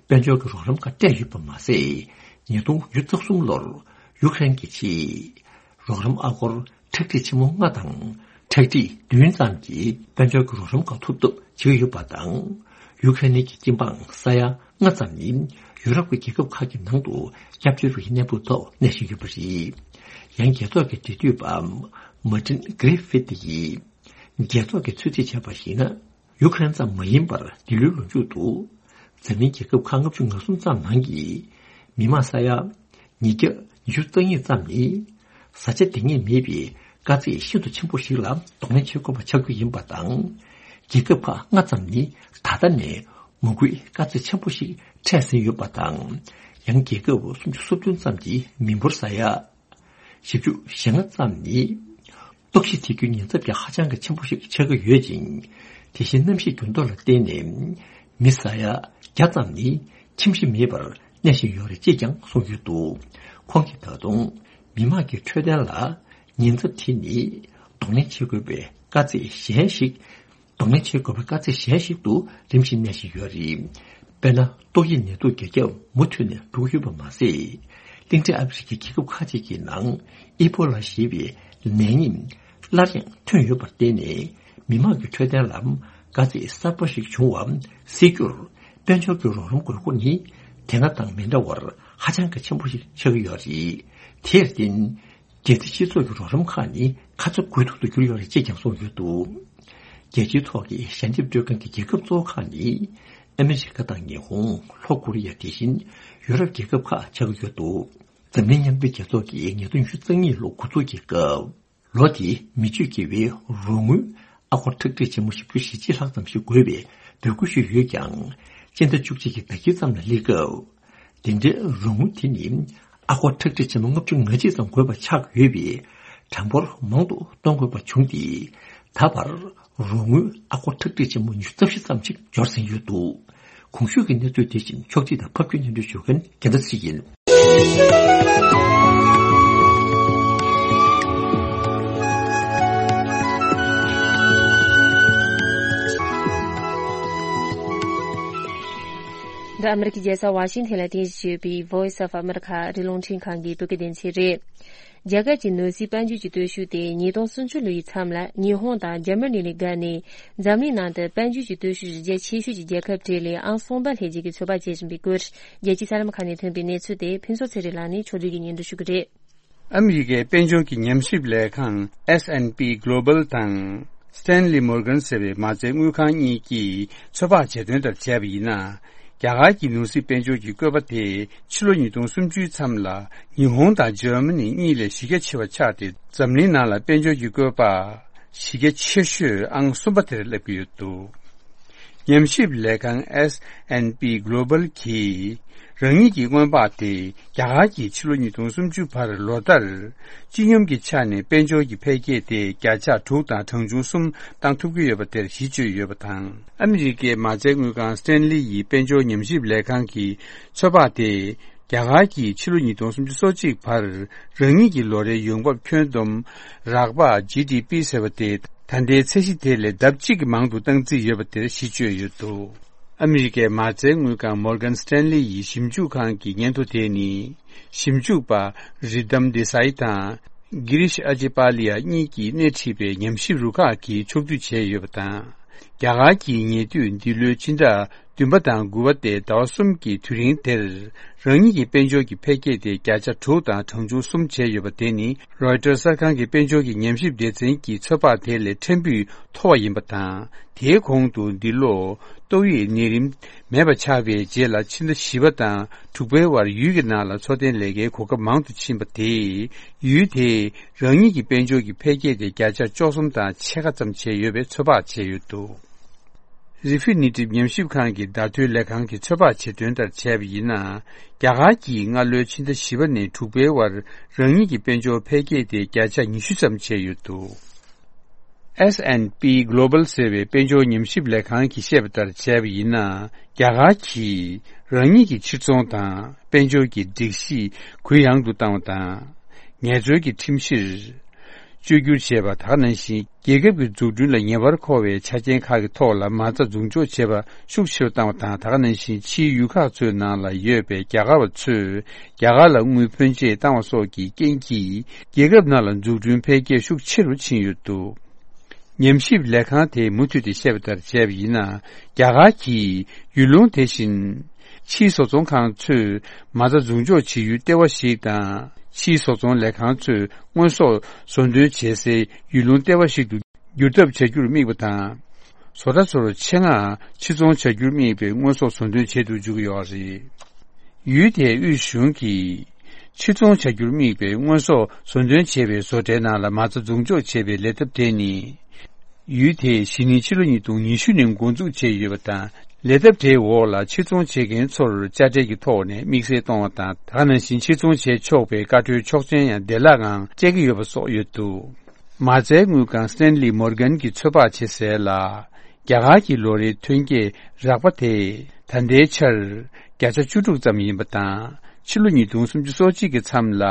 དཔལ་འབྱོར་གྱི་རོགས་རམ་ཁག་སྤྲད་ཡོད་པ་མ་ཟད། ཉིས་སྟོང་ཉི་ཤུ་རྩ་གསུམ་ལོར་ཡུ་ཁ་རེན་གྱི་ཆེད། རོགས་རམ་ཨ་སྒོར་ཁྲག་ཁྲིག་ཆེན་མོ་ལྔ་དང་ཁྲག་ཁྲིག་བདུན་ཙམ་གྱི་དཔལ་འབྱོར་གྱི་རོགས་རམ་ཁག་ཐོབ་ཐབས་བྱེད་ཀྱི་ཡོད་པ་དང་། ཡུ་ཁ་རེན་གྱི་སྤྱི་འབངས་ས་ཡ་ལྔ་ཙམ་ནི་ཡུ་རོབ་ཀྱི་རྒྱལ་ཁབ་ཁག་གི་ནང་དུ་སྐྱབས་བཅོལ་བའི་གནས་བབ་ཐོག་གནས་བཞིན་ཡོད་པ་རེད། ཡང་རྒྱལ་ཚོགས་ཀྱི་འབྲེལ་མཐུད་པ་མར་ཏིན་གྷི་རི་ཕིད་ཡིས་རྒྱལ་ཚོགས་ཀྱིས་ཚོད་རྩིས་བྱས་པར་གཞིགས་ན། ཡུ་ཁ་རེན་ཙམ་མ་ཡིན་པར་འདི་ལོའི་ལོ་མཇུག་ཏུ་འཛམ་གླིང་རྒྱལ་ཁབ་ཁག་ལྔ་བཅུ་ང་གསུམ་ཙམ་ནང་གི་མི་མང་ས་ཡ་ཉིས་བརྒྱ་ཉི་ཤུ་རྩ་གཉིས་ཙམ་ནི་བཟའ་བཅའ་འདང་ངེས་མེད་པའི་དཀའ་ཚེགས་ཤིན་ཏུ་ཆེན་པོ་ཞིག་ལ་གདོང་ལེན་བྱེད་དགོས་པ་ཆགས་རྒྱུ་ཡིན་པ་དང་། རྒྱལ་ཁབ་ཁག་ལྔ་ཙམ་ནི་ད་ལྟ་ནས་མ་དགོས་དཀའ་ཚེགས་ཆེན་པོ་ཞིག་འཕྲད་ཟིན་ཡོད་པ་དང་། ཡང་རྒྱལ་ཁབ་སུམ་ཅུ་སོ་བདུན་ཙམ་གྱི་མི་འབོར་ས་ཡ། བཞི་བཅུ་ཞེ་ལྔ་ཙམ་ནི། གཏུག་བཤེར་བྱེད་རྒྱུའི་ཉེན་ཚབས་ཀྱང་ཧ་ཅང་གི་ཆེན་པོ་ཞིག་ཆགས་ཀྱི་ཡོད་ཅིང་། དེ་བཞིན་གནམ་གཤིས་འགྱུར་ལྡོག་ལ་བརྟེན་ནས་མི་ཟ་ཡ་བརྒྱ་ཙམ་ནི་ཁྱིམ་གཞིས་མེད་པར་གནས་བཞིན་ཡོད་རེད་ཅེས་ཀྱང་གསུངས་ཡོད་འདུག་ཁོང་གིས་ད་དུང་མི་དམངས་ཀྱི་འཕྲོད་བསྟེན་ལ་ཉེན་ཚབས་དེ་ནི་གདོང་ལེན་བྱེད་དགོས་པའི་དཀའ་ཚེགས་གཞན་ཞིག་གདོང་ལེན་བྱེད་དགོས་པའི་དཀའ་ཚེགས་གཞན་ཞིག་ཏུ་རིམ་བཞིན་གནས་བཞིན་ཡོད་རེད། དཔེར་ན། ཏོག་དབྱིབས་ནད་དུག་རྒྱ་ཁྱབ་མུ་མཐུད་ནས་འགྲོ་གི་ཡོད་པ་མ་ཟད། གླིང་ཕྲན་ཨ་ཕི་རི་ཀའི་རྒྱལ་ཁབ་ཁག་ཅིག་གི་ནང་ཨི་པོ་ལ་ཞེས་པའི་ནད་ཉིད་སླར་ཡང་ཐོན་ཡོད་པར་བརྟེན་ནས། མི་དམངས་ཀྱི་འཕྲོད་བསྟེན་ལ་དཀའ་ཚེགས་གསར་པ་ཞིག་བྱུང་བ་སེལ་རྒྱུར། དཔལ་འབྱོར་གྱི་རོགས་རམ་དགོས་མཁོ་ནི་དེ་སྔ་དང་མི་འདྲ་བར་ཧ་ཅང་གི་ཆེན་པོ་ཞིག་ཆགས་ཀྱི་ཡོད་རེད། དེར་བརྟེན། རྒྱལ་སྤྱིའི་སྤྱི་ཚོགས་ཀྱི་རོགས་རམ་ཁག་ནི་ཁ་ཚ་དགོས་གཏུག་ཏུ་གྱུར་ཡོད་རེད་ཅེས་ཀྱང་གསུངས་ཡོད་འདུག་རྒྱལ་སྤྱིའི་ཐོག་གི་ཞལ་འདེབས་སྤྲོད་མཁན་གྱི་རྒྱལ་ཁབ་གཙོ་བོ་ཁག་ནི་ཨ་མི་རི་ཀ་དང་ཉི་ཧོང་། ལྷོ་ཀོ་རི་ཡ། དེ་བཞིན་ཡུ་རོབ་རྒྱལ་ཁབ་ཁག་ཆགས་ཀྱི་ཡོད་འདུག་འཛམ་གླིང་མཉམ་འབྲེལ་རྒྱལ་ཚོགས་ཀྱིས་ཉིས་སྟོང་ཉི་ཤུ་རྩ་གཉིས་ལོ་འགོ་འཛུགས་ཀྱི་སྐབས། ལོ་དེའི་མི་སྤྱོད་དགེ་བའི་རོགས་དངུལ་ཨ་སྒོར་ཁྲག་ཁྲིག་ཆེན་མོ་བཞི་བཅུ་ཞེ་གཅིག་ལྷག་ཙམ་ཞིག་དགོས་པའི་འབོད་སྐུལ་ཞུས་ཡོད་ཀྱང་། སྤྱི་ཟླ་བཅུ་གཅིག་གི་ཟླ་དཀྱིལ་ཙམ་ལ་སླེབས་སྐབས། དེ་འདྲའི་རོགས་དངུལ་དེ་ནི་ཨ་སྒོར་ཁྲག་ཁྲིག་ཆེན་མོ་ལྔ་བཅུ་ང་གཅིག་ཙམ་དགོས་པ་ཆགས་ཡོད་པས། གྲངས་འབོར་མང་དུ་གཏོང་དགོས་པ་བྱུང་སྟེ། ད་བར་རོགས་དངུལ་ཨ་སྒོར་ཁྲག་ཁྲིག་ཆེན་མོ་ཉི་ཤུ་རྩ་བཞི་ཙམ་ཞིག་འབྱོར་ཟིན་ཡོད་འདུག་གོང་ཞུས་ཀྱི་གནས་ཚུལ་དེ་བཞིན་ཕྱོགས་སྒྲིག་དང་ཕབ་སྒྱུར་སྙན་སྒྲོན་ཞུ་མཁན་རྒྱལ་མཚན་ཚེ་རིང་ཡིན། འདི་ཨ་མི་རི་ཀའི་རྒྱལ་ས་ཝ་ཤིང་ཐན་ལ་རྟེན་གཞི་བྱས་ཡོད་པའི་Voice of America ཨ་རིའི་རླུང་འཕྲིན་ཁང་གི་བོད་སྐད་སྡེ་ཚན་རེད། རྒྱ་གར་གྱི་ནོར་སྲིད་དཔལ་འབྱོར་གྱི་སྟོབས་ཤུགས་དེ་ཉིས་སྟོང་སུམ་ཅུ་ལོའི་མཚམས་ལ་ཉི་ཧོང་དང་འཇར་མ་ནི་ལས་བརྒལ་ནས། འཛམ་གླིང་ནང་དུ་དཔལ་འབྱོར་གྱི་སྟོབས་ཤུགས་གཞི་རྒྱ་ཆེ་ཤོས་ཀྱི་རྒྱལ་ཁབ་གྲས་ལས་ཨང་གསུམ་པ་སླེབས་རྒྱུ་གི་ཚོད་དཔག་བྱེད་བཞིན་པའི་སྐོར། རྒྱལ་སྤྱིའི་གསར་ལམ་ཁག་ནས་ཐོན་པའི་གནས་ཚུལ་དེ་ཕུན་ཚོགས་ཚེ་རིང་ལགས་ནས་ཕྱོགས་བསྒྲིགས་ཀྱིས་སྙན་སྒྲོན་ཞུ་གི་རེད། ཨ་མི་རི་ཀའི་དཔལ་འབྱོར་གྱི་ཉམས་ཞིབ་ལས་ཁང་S and P Global དང་Stanley Morgan ཟེར་བའི་མ་རྩའི་དངུལ་ཁང་གཉིས་ཀྱིས་ཚོད་དཔག་བྱས་དོན་ལྟར་བྱས་པ་ཡིན་ན། རྒྱ་གར་གྱི་ནོར་སྲིད་དཔལ་འབྱོར་གྱི་བཀོད་པ་དེ་ཕྱི་ལོ་ཉིས་སྟོང་སུམ་ཅུའི་མཚམས་ལ་ཉི་ཧོང་དང་འཇར་མ་ནི་གཉིས་ལས་གཞི་རྒྱ་ཆེ་བ་ཆགས་ཏེ། འཛམ་གླིང་ནང་ལ་དཔལ་འབྱོར་གྱི་བཀོད་པ་གཞི་རྒྱ་ཆེ་ཤོས་ཨང་གསུམ་པ་དེར་སླེབས་ཀྱི་ཡོད་འདུག་ཉམས་ཞིབ་ལས་ཁང་S and P Global གྱིས་རང་ཉིད་ཀྱི་སྔོན་དཔག་དེ་རྒྱ་གར་གྱིས་ཕྱི་ལོ་ཉིས་སྟོང་སུམ་ཅུ་བར་ལོ་ལྟར་སྤྱི་སྙོམས་ཀྱི་ཆ་ནས་དཔལ་འབྱོར་གྱི་འཕེལ་རྒྱས་དེ་བརྒྱ་ཆ་དྲུག་དང་གྲངས་ཆུང་གསུམ་བཏང་ཐུབ་ཀྱི་ཡོད་པ་དེར་གཞི་བཅོལ་ཡོད་པ་དང་། ཨ་མི་རི་ཀའི་མ་རྩའི་དངུལ་ཁང་Stanley ཡི་དཔལ་འབྱོར་ཉམས་ཞིབ་ལས་ཁང་གི་ཚོད་དཔག་དེ། རྒྱ་གར་གྱིས་ཕྱི་ལོ་ཉིས་སྟོང་སུམ་ཅུ་སོ་གཅིག་བར་རང་ཉིད་ཀྱི་ལོ་རེའི་ཡོང་འབབ་ཁྱོན་བསྡོམས་རགས་པ་G D P ཟེར་བ་དེ་ད་ལྟའི་ཚད་གཞི་དེ་ལས་ལྡབ་གཅིག་གིས་མང་དུ་བཏང་རྩིས་ཡོད་པ་དེར་གཞི་བཅོལ་ཡོད་འདུག་ཨ་མི་རི་ཀའི་མ་རྩའི་དངུལ་ཁང་Morgan Stanley ཡི་ཞིབ་འཇུག་ཁང་གི་སྙན་ཐོ་དེ་ནི། ཞིབ་འཇུག་པ་Ritam Desai དང་Girish Achhipalia གཉིས་ཀྱིས་སྣེ་ཁྲིད་པའི་ཉམས་ཞིབ་རུ་ཁག་གིས་ཕྱོགས་བསྡུས་བྱས་ཡོད་པ་དང་། རྒྱ་གར་གྱིས་ཉེ་དུས་འདི་ལོའི་ཕྱི་ཟླ་བདུན་པ་དང་དགུ་པ་སྟེ་ཟླ་བ་གསུམ་གྱི་དུས་རིང་དེར། རང་ཉིད་ཀྱི་དཔལ་འབྱོར་གྱི་འཕེལ་རྒྱས་དེ་བརྒྱ་ཆ་དྲུག་དང་གྲངས་ཆུང་གསུམ་བྱས་ཡོད་པ་དེ་ནི། Reuters གསར་ཁང་གི་དཔལ་འབྱོར་གྱི་ཉམས་ཞིབ་སྡེ་ཚན་གྱི་ཚོད་དཔག་དེ་ལས་ཕྲན་བུ་མཐོ་བ་ཡིན་པ་དང་། དེའི་གོང་དུ་འདི་ལོ་ཏོག་དབྱིབས་ནད་རིམས་མེད་པ་ཆགས་པའི་རྗེས་ལ་ཕྱི་ཟླ་བཞི་པ་དང་དྲུག་པའི་བར་ཡུལ་གྱི་ནང་ལ་འཚོ་རྟེན་ལས་ཀའི་གོ་སྐབས་མང་དུ་ཕྱིན་པ་དེས། ཡུལ་དེས་རང་ཉིད་ཀྱི་དཔལ་འབྱོར་གྱི་འཕེལ་རྒྱས་དེ་བརྒྱ་ཆ་བཅུ་གསུམ་དང་ཕྱེད་ཀ་ཙམ་བྱས་ཡོད་པའི་ཚོད་དཔག་བྱས་ཡོད་འདུག Refinitiv ཉམས་ཞིབ་ཁང་གི་བརྡ་ཐོའི་ལས་ཁང་གིས་ཚོད་དཔག་བྱེད་དོན་ལྟར་བྱས་པ་ཡིན་ན། རྒྱ་གར་གྱིས་སྔ་ལོའི་ཕྱི་ཟླ་བཞི་པ་ནས་དྲུག་པའི་བར་རང་ཉིད་ཀྱི་དཔལ་འབྱོར་འཕེལ་རྒྱས་དེ་བརྒྱ་ཆ་ཉི་ཤུ་ཙམ་བྱས་ཡོད་འདུག S and P Global ཟེར་བའི་དཔལ་འབྱོར་ཉམས་ཞིབ་ལས་ཁང་གིས་བཤད་པ་ལྟར་བྱས་པ་ཡིན་ན། རྒྱ་གར་གྱིས་རང་ཉིད་ཀྱི་ཕྱིར་ཚོང་དང་དཔལ་འབྱོར་གྱི་སྒྲིག་གཞི་གུ་ཡངས་དུ་བཏང་བ་དང་། ངལ་རྩོལ་གྱི་ཁྲིམས་གཞིར་བཅོས་བསྒྱུར་བྱས་པ། ད་ག་ནང་བཞིན་རྒྱལ་ཁབ་ཀྱི་འཛུགས་སྐྲུན་ལ་ཉེ་བར་མཁོ་བའི་ཆ་རྐྱེན་ཁག་གི་ཐོག་ལ་མ་རྩ་འཛུགས་འཇོག་བྱེད་པ་ཤུགས་ཆེ་རུ་བཏང་བ་དང་། ད་ག་ནང་བཞིན་ཕྱིའི་ཡུལ་ཁག་ཚོའི་ནང་ལ་ཡོད་པའི་རྒྱ་གར་བ་ཚོས་རྒྱ་གར་ལ་དངུལ་ཕོན་ཆེ་བཏང་བ་སོགས་ཀྱི་རྐྱེན་གྱིས། རྒྱལ་ཁབ་ནང་ལ་འཛུགས་སྐྲུན་འཕེལ་རྒྱས་ཤུགས་ཆེ་རུ་ཕྱིན་ཡོད་འདུག་ཉམས་ཞིབ་ལས་ཁང་དེས་མུ་མཐུད་དེ་བཤད་པ་ལྟར་བྱས་པ་ཡིན་ན། རྒྱ་གར་གྱིས་ཡུལ་ལུང་དེ་བཞིན་ཕྱིའི་བཟོ་ཚོང་ཁང་ཚོས་མ་རྩ་འཛུགས་འཇོག་བྱེད་ཡུལ་ལྟེ་བ་ཞིག་དང་། ཕྱིའི་བཟོ་ཚོང་ལས་ཁང་ཚོས་དངོས་ཟོག་བཟོ་འདོན་བྱེད་སའི་ཡུལ་ལུང་ལྟེ་བ་ཞིག་ཏུ་འགྱུར་ཐབས་བྱ་རྒྱུར་དམིགས་པ་དང་། བཟོ་གྲྭ་ཚོར་ཆེད་མངགས་ཕྱིར་ཚོང་བྱ་རྒྱུར་དམིགས་པའི་དངོས་ཟོག་བཟོ་འདོན་བྱེད་དུ་འཇུག་གི་ཡོད་རེད། ཡུལ་དེའི་དབུས་གཞུང་གིས་ཕྱིར་ཚོང་བྱ་རྒྱུར་དམིགས་པའི་དངོས་ཟོག་བཟོ་འདོན་བྱེད་པའི་བཟོ་གྲྭའི་ནང་ལ་མ་རྩ་འཛུགས་འཇོག་བྱེད་པའི་ལས་ཐབས་དེ་ནི། ཡུལ་དེས་གཞེས་ནིང་ཕྱི་ལོ་ཉིས་སྟོང་ཉི་ཤུ་ནས་འགོ་འཛུགས་བྱས་ཡོད་པ་དང་། ལས་ཐབས་དེའི་འོག་ལ་ཕྱིར་ཚོང་བྱེད་མཁན་ཚོར་དཔྱ་ཁྲལ་གྱི་ཐོག་ནས་དམིགས་བསལ་གཏོང་བ་དང་། ད་ག་ནང་བཞིན་ཕྱིར་ཚོང་བྱེད་ཆོག་པའི་བཀའ་འཁྲོལ་ཆོག་མཆན་ཡང་བདེ་བླག་ངང་སྤྲད་ཀྱི་ཡོད་པ་སོགས་ཡོད་འདུག་མ་རྩའི་དངུལ་ཁང་Stanley Morgan གྱིས་ཚོད་དཔག་བྱས་གསལ་ལ། རྒྱ་གར་གྱི་ལོ་རེའི་ཐོན་སྐྱེད་རགས་པ་དེ་ད་ལྟའི་ཆར་བརྒྱ་ཆ་བཅུ་དྲུག་ཙམ་ཡིན་པ་དང་། ཕྱི་ལོ་ཉིས་སྟོང་སུམ་ཅུ་སོ་གཅིག་གི་མཚམས་ལ་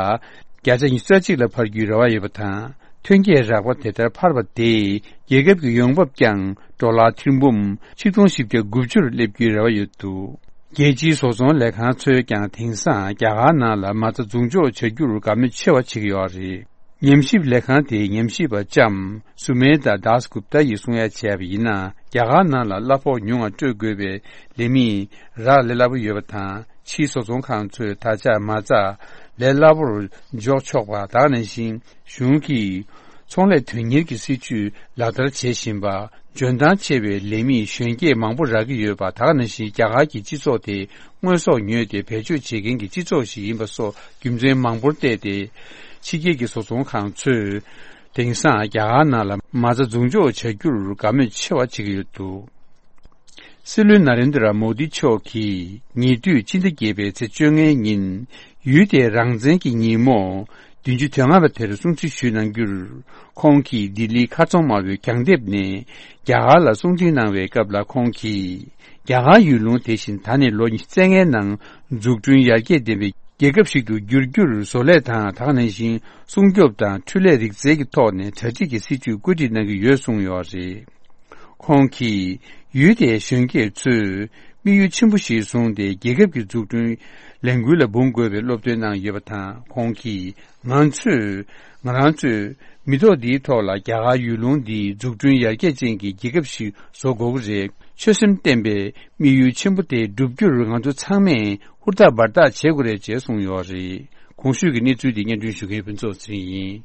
བརྒྱ་ཆ་ཉི་ཤུ་རྩ་གཅིག་ལ་འཕར་རྒྱུའི་རེ་བ་ཡོད་པ་དང་། ཐོན་སྐྱེད་རགས་པ་དེ་ལྟར་འཕར་བ་དེས་རྒྱལ་ཁབ་ཀྱི་ཡོང་འབབ་ཀྱང་ཌོ་ལར་ཐེར་འབུམ་ཆིག་སྟོང་བཞི་བརྒྱ་དགུ་བཅུ་ལ་སླེབས་རྒྱུའི་རེ་བ་ཡོད་འདུག་རྒྱལ་སྤྱིའི་བཟོ་ཚོང་ལས་ཁང་ཚོས་ཀྱང་དེང་སང་རྒྱ་གར་ནང་ལ་མ་རྩ་འཛུགས་འཇོག་བྱ་རྒྱུར་དགའ་མོས་ཆེ་བ་བྱེད་ཀྱི་ཡོད་རེད། ཉམས་ཞིབ་ལས་ཁང་དེའི་ཉམས་ཞིབ་པ་ལྕམ་སུ་མེ་ད་དཱས་གུབ་ཏཱ་ཡིས་གསུང་ཡ་བྱས་པ་ཡིན་ན། རྒྱ་གར་ནང་ལ་གླ་ཕོགས་ཉུང་བ་སྤྲོད་དགོས་པའི་ལས་མི་རག་ལས་སླ་པོ་ཡོད་པ་དང་། ཕྱིའི་བཟོ་ཚོང་ཁང་ཚོས་ད་ཆ་མ་རྩ་ལས་སླ་པོར་འཇོག་ཆོག་པ། ད་ག་ནང་བཞིན་གཞུང་གིས་ཚོང་ལས་དོན་གཉེར་གྱི་སྲིད་ཇུས་ལག་བསྟར་བྱེད་བཞིན་པ། འཇོན་ཐང་ཆེ་བའི་ལས་མི་གཞོན་སྐྱེས་མང་པོ་རག་གི་ཡོད་པ། ད་ག་ནང་བཞིན་རྒྱ་གར་གྱི་སྤྱི་ཚོགས་དེ་དངོས་ཟོག་ཉོས་ཏེ་བེད་སྤྱོད་བྱེད་མཁན་གྱི་སྤྱི་ཚོགས་ཤིག་ཡིན་པ་སོགས་རྒྱུ་མཚན་མང་པོར་བལྟས་ཏེ། ཕྱི་རྒྱལ་གྱི་བཟོ་ཚོང་ཁང་ཚོས་དེང་སང་རྒྱ་གར་ནང་ལ་མ་རྩ་འཛུགས་འཇོག་བྱ་རྒྱུར་དགའ་མོས་ཆེ་བ་བྱེད་ཀྱི་ཡོད་འདུག་སྲིད་བློན་ན་རེན་དྲ་མོ་དི་མཆོག་གིས་ཉེ་དུས་ཕྱི་ཟླ་བརྒྱད་པའི་ཚེས་བཅོ་ལྔའི་ཉིན། ཡུལ་དེའི་རང་བཙན་གྱི་ཉིན་མོ་བདུན་ཅུ་དོན་ལྔ་པ་དེར་སྲུང་བརྩི་ཞུས་གནང་རྒྱུར། ཁོང་གིས་ལྡི་ལིའི་ཁ་ཚོང་དམར་པོའི་གྱང་ལྡེབས་ནས་རྒྱ་གར་ལ་སྲུང་བརྩི་གནང་བའི་སྐབས་ལ། ཁོང་གིས་རྒྱ་གར་ཡུལ་ལུང་དེ་བཞིན་ད་ནས་ལོ་ཉི་ཤུ་རྩ་ལྔའི་ནང་འཛུགས་སྐྲུན་ཡར་རྒྱས་ལྡན་པའི་རྒྱལ་ཁབ་ཞིག་ཏུ་འགྱུར་རྒྱུར་བཟོ་ལས་དང་། ད་ག་ནང་བཞིན་སྲུང་སྐྱོབ་དང་འཕྲུལ་ལས་རིག་རྩལ་གྱི་ཐོག་ནས་གྲ་སྒྲིག་གི་སྲིད་ཇུས་བཀོད་སྒྲིག་གནང་གི་ཡོད་གསུངས་ཡོད་རེད། ཁོང་གིས་ཡུལ་དེའི་གཞོན་སྐྱེས་ཚོས་དམིགས་ཡུལ་ཆེན་པོ་ཞིག་བཟུང་སྟེ། རྒྱལ་ཁབ་ཀྱི་འཛུགས་སྐྲུན་ལས་འགུལ་ལ་འབུངས་དགོས་པའི་སློབ་སྟོན་གནང་ཡོད་པ་དང་། ཁོང་གིས་ང་ཚོས། ང་རང་ཚོས་མི་ཐོག་འདིའི་ཐོག་ལ་རྒྱ་གར་ཡུལ་ལུང་འདི་འཛུགས་སྐྲུན་ཡར་རྒྱས་ཅན་གྱི་རྒྱལ་ཁབ་ཞིག་བཟོ་དགོས་ཀྱི་རེད། ཆོད་སེམས་བརྟན་པའི་དམིགས་ཡུལ་ཆེན་པོ་དེ་བསྒྲུབ་རྒྱུར་ང་ཚོ་ཚང་མས་ཧུར་ཐག་འབད་ཐག་བྱེད་དགོས་རེད་ཅེས་གསུངས་ཡོད་རེད། གོང་ཞུས་ཀྱི་གནས་ཚུལ་འདི་སྙན་སྒྲོན་ཞུ་མཁན་ཕུན་ཚོགས་ཚེ་རིང་ཡིན།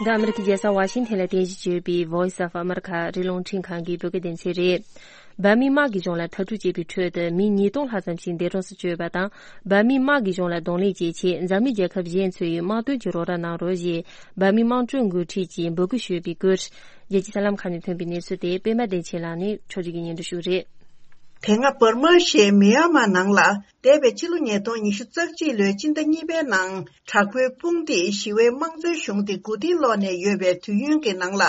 འདི་ཨ་མི་རི་ཀའི་རྒྱལ་ས་ཝ་ཤིང་ཐན་ལ་རྟེན་གཞི་བྱས་པའི་Voice of America རི་ཀླུང་འཕྲིན་ཁང་གི་བོད་སྐད་སྡེ་ཚན་རེད། འབར་མའི་དམག་གི་གཞུང་ལ་མཐར་སྐྲོད་བྱས་པའི་ཁྲོད་དུ་མི་ཉིས་སྟོང་ལྷག་ཙམ་ཞིག་འདས་གྲོངས་སུ་གྱུར་ཡོད་པ་དང་། འབར་མའི་དམག་གི་གཞུང་ལ་གདོང་ལེན་བྱེད་ཆེད་འཛམ་གླིང་རྒྱལ་ཁབ་གཞན་ཚོས་དམག་དོན་གྱི་རོགས་རམ་གནང་རོགས་ཞེས་འབར་མའི་དམངས་ཁྲོད་འགོ་ཁྲིད་ཀྱིས་འབོད་སྐུལ་ཞུས་པའི་སྐོར། རྒྱལ་སྤྱིའི་གསར་ལམ་ཁག་ནས་ཐོན་པའི་གནས་ཚུལ་དེ་པད་མ་བདེ་ཆེན་ལགས་ནས་ཕྱོགས་སྒྲིག་གིས་སྙན་སྒྲོན་ཞུ་གི་རེད། དེ་སྔ་འབར་མ་ཞེས་མི་ཡན་མར་ནང་ལ་འདས་པའི་ཕྱི་ལོ་ཉིས་སྟོང་ཉི་ཤུ་རྩ་གཅིག་ལོའི་སྤྱི་ཟླ་གཉིས་པའི་ནང་དྲག་པོའི་དཔུང་སྡེས་ཞི་བའི་དམངས་གཙོའི་གཞུང་དེ་མགོ་རྟིང་སློག་ནས་ཡོད་པའི་དུས་ཡུན་གྱི་ནང་ལ།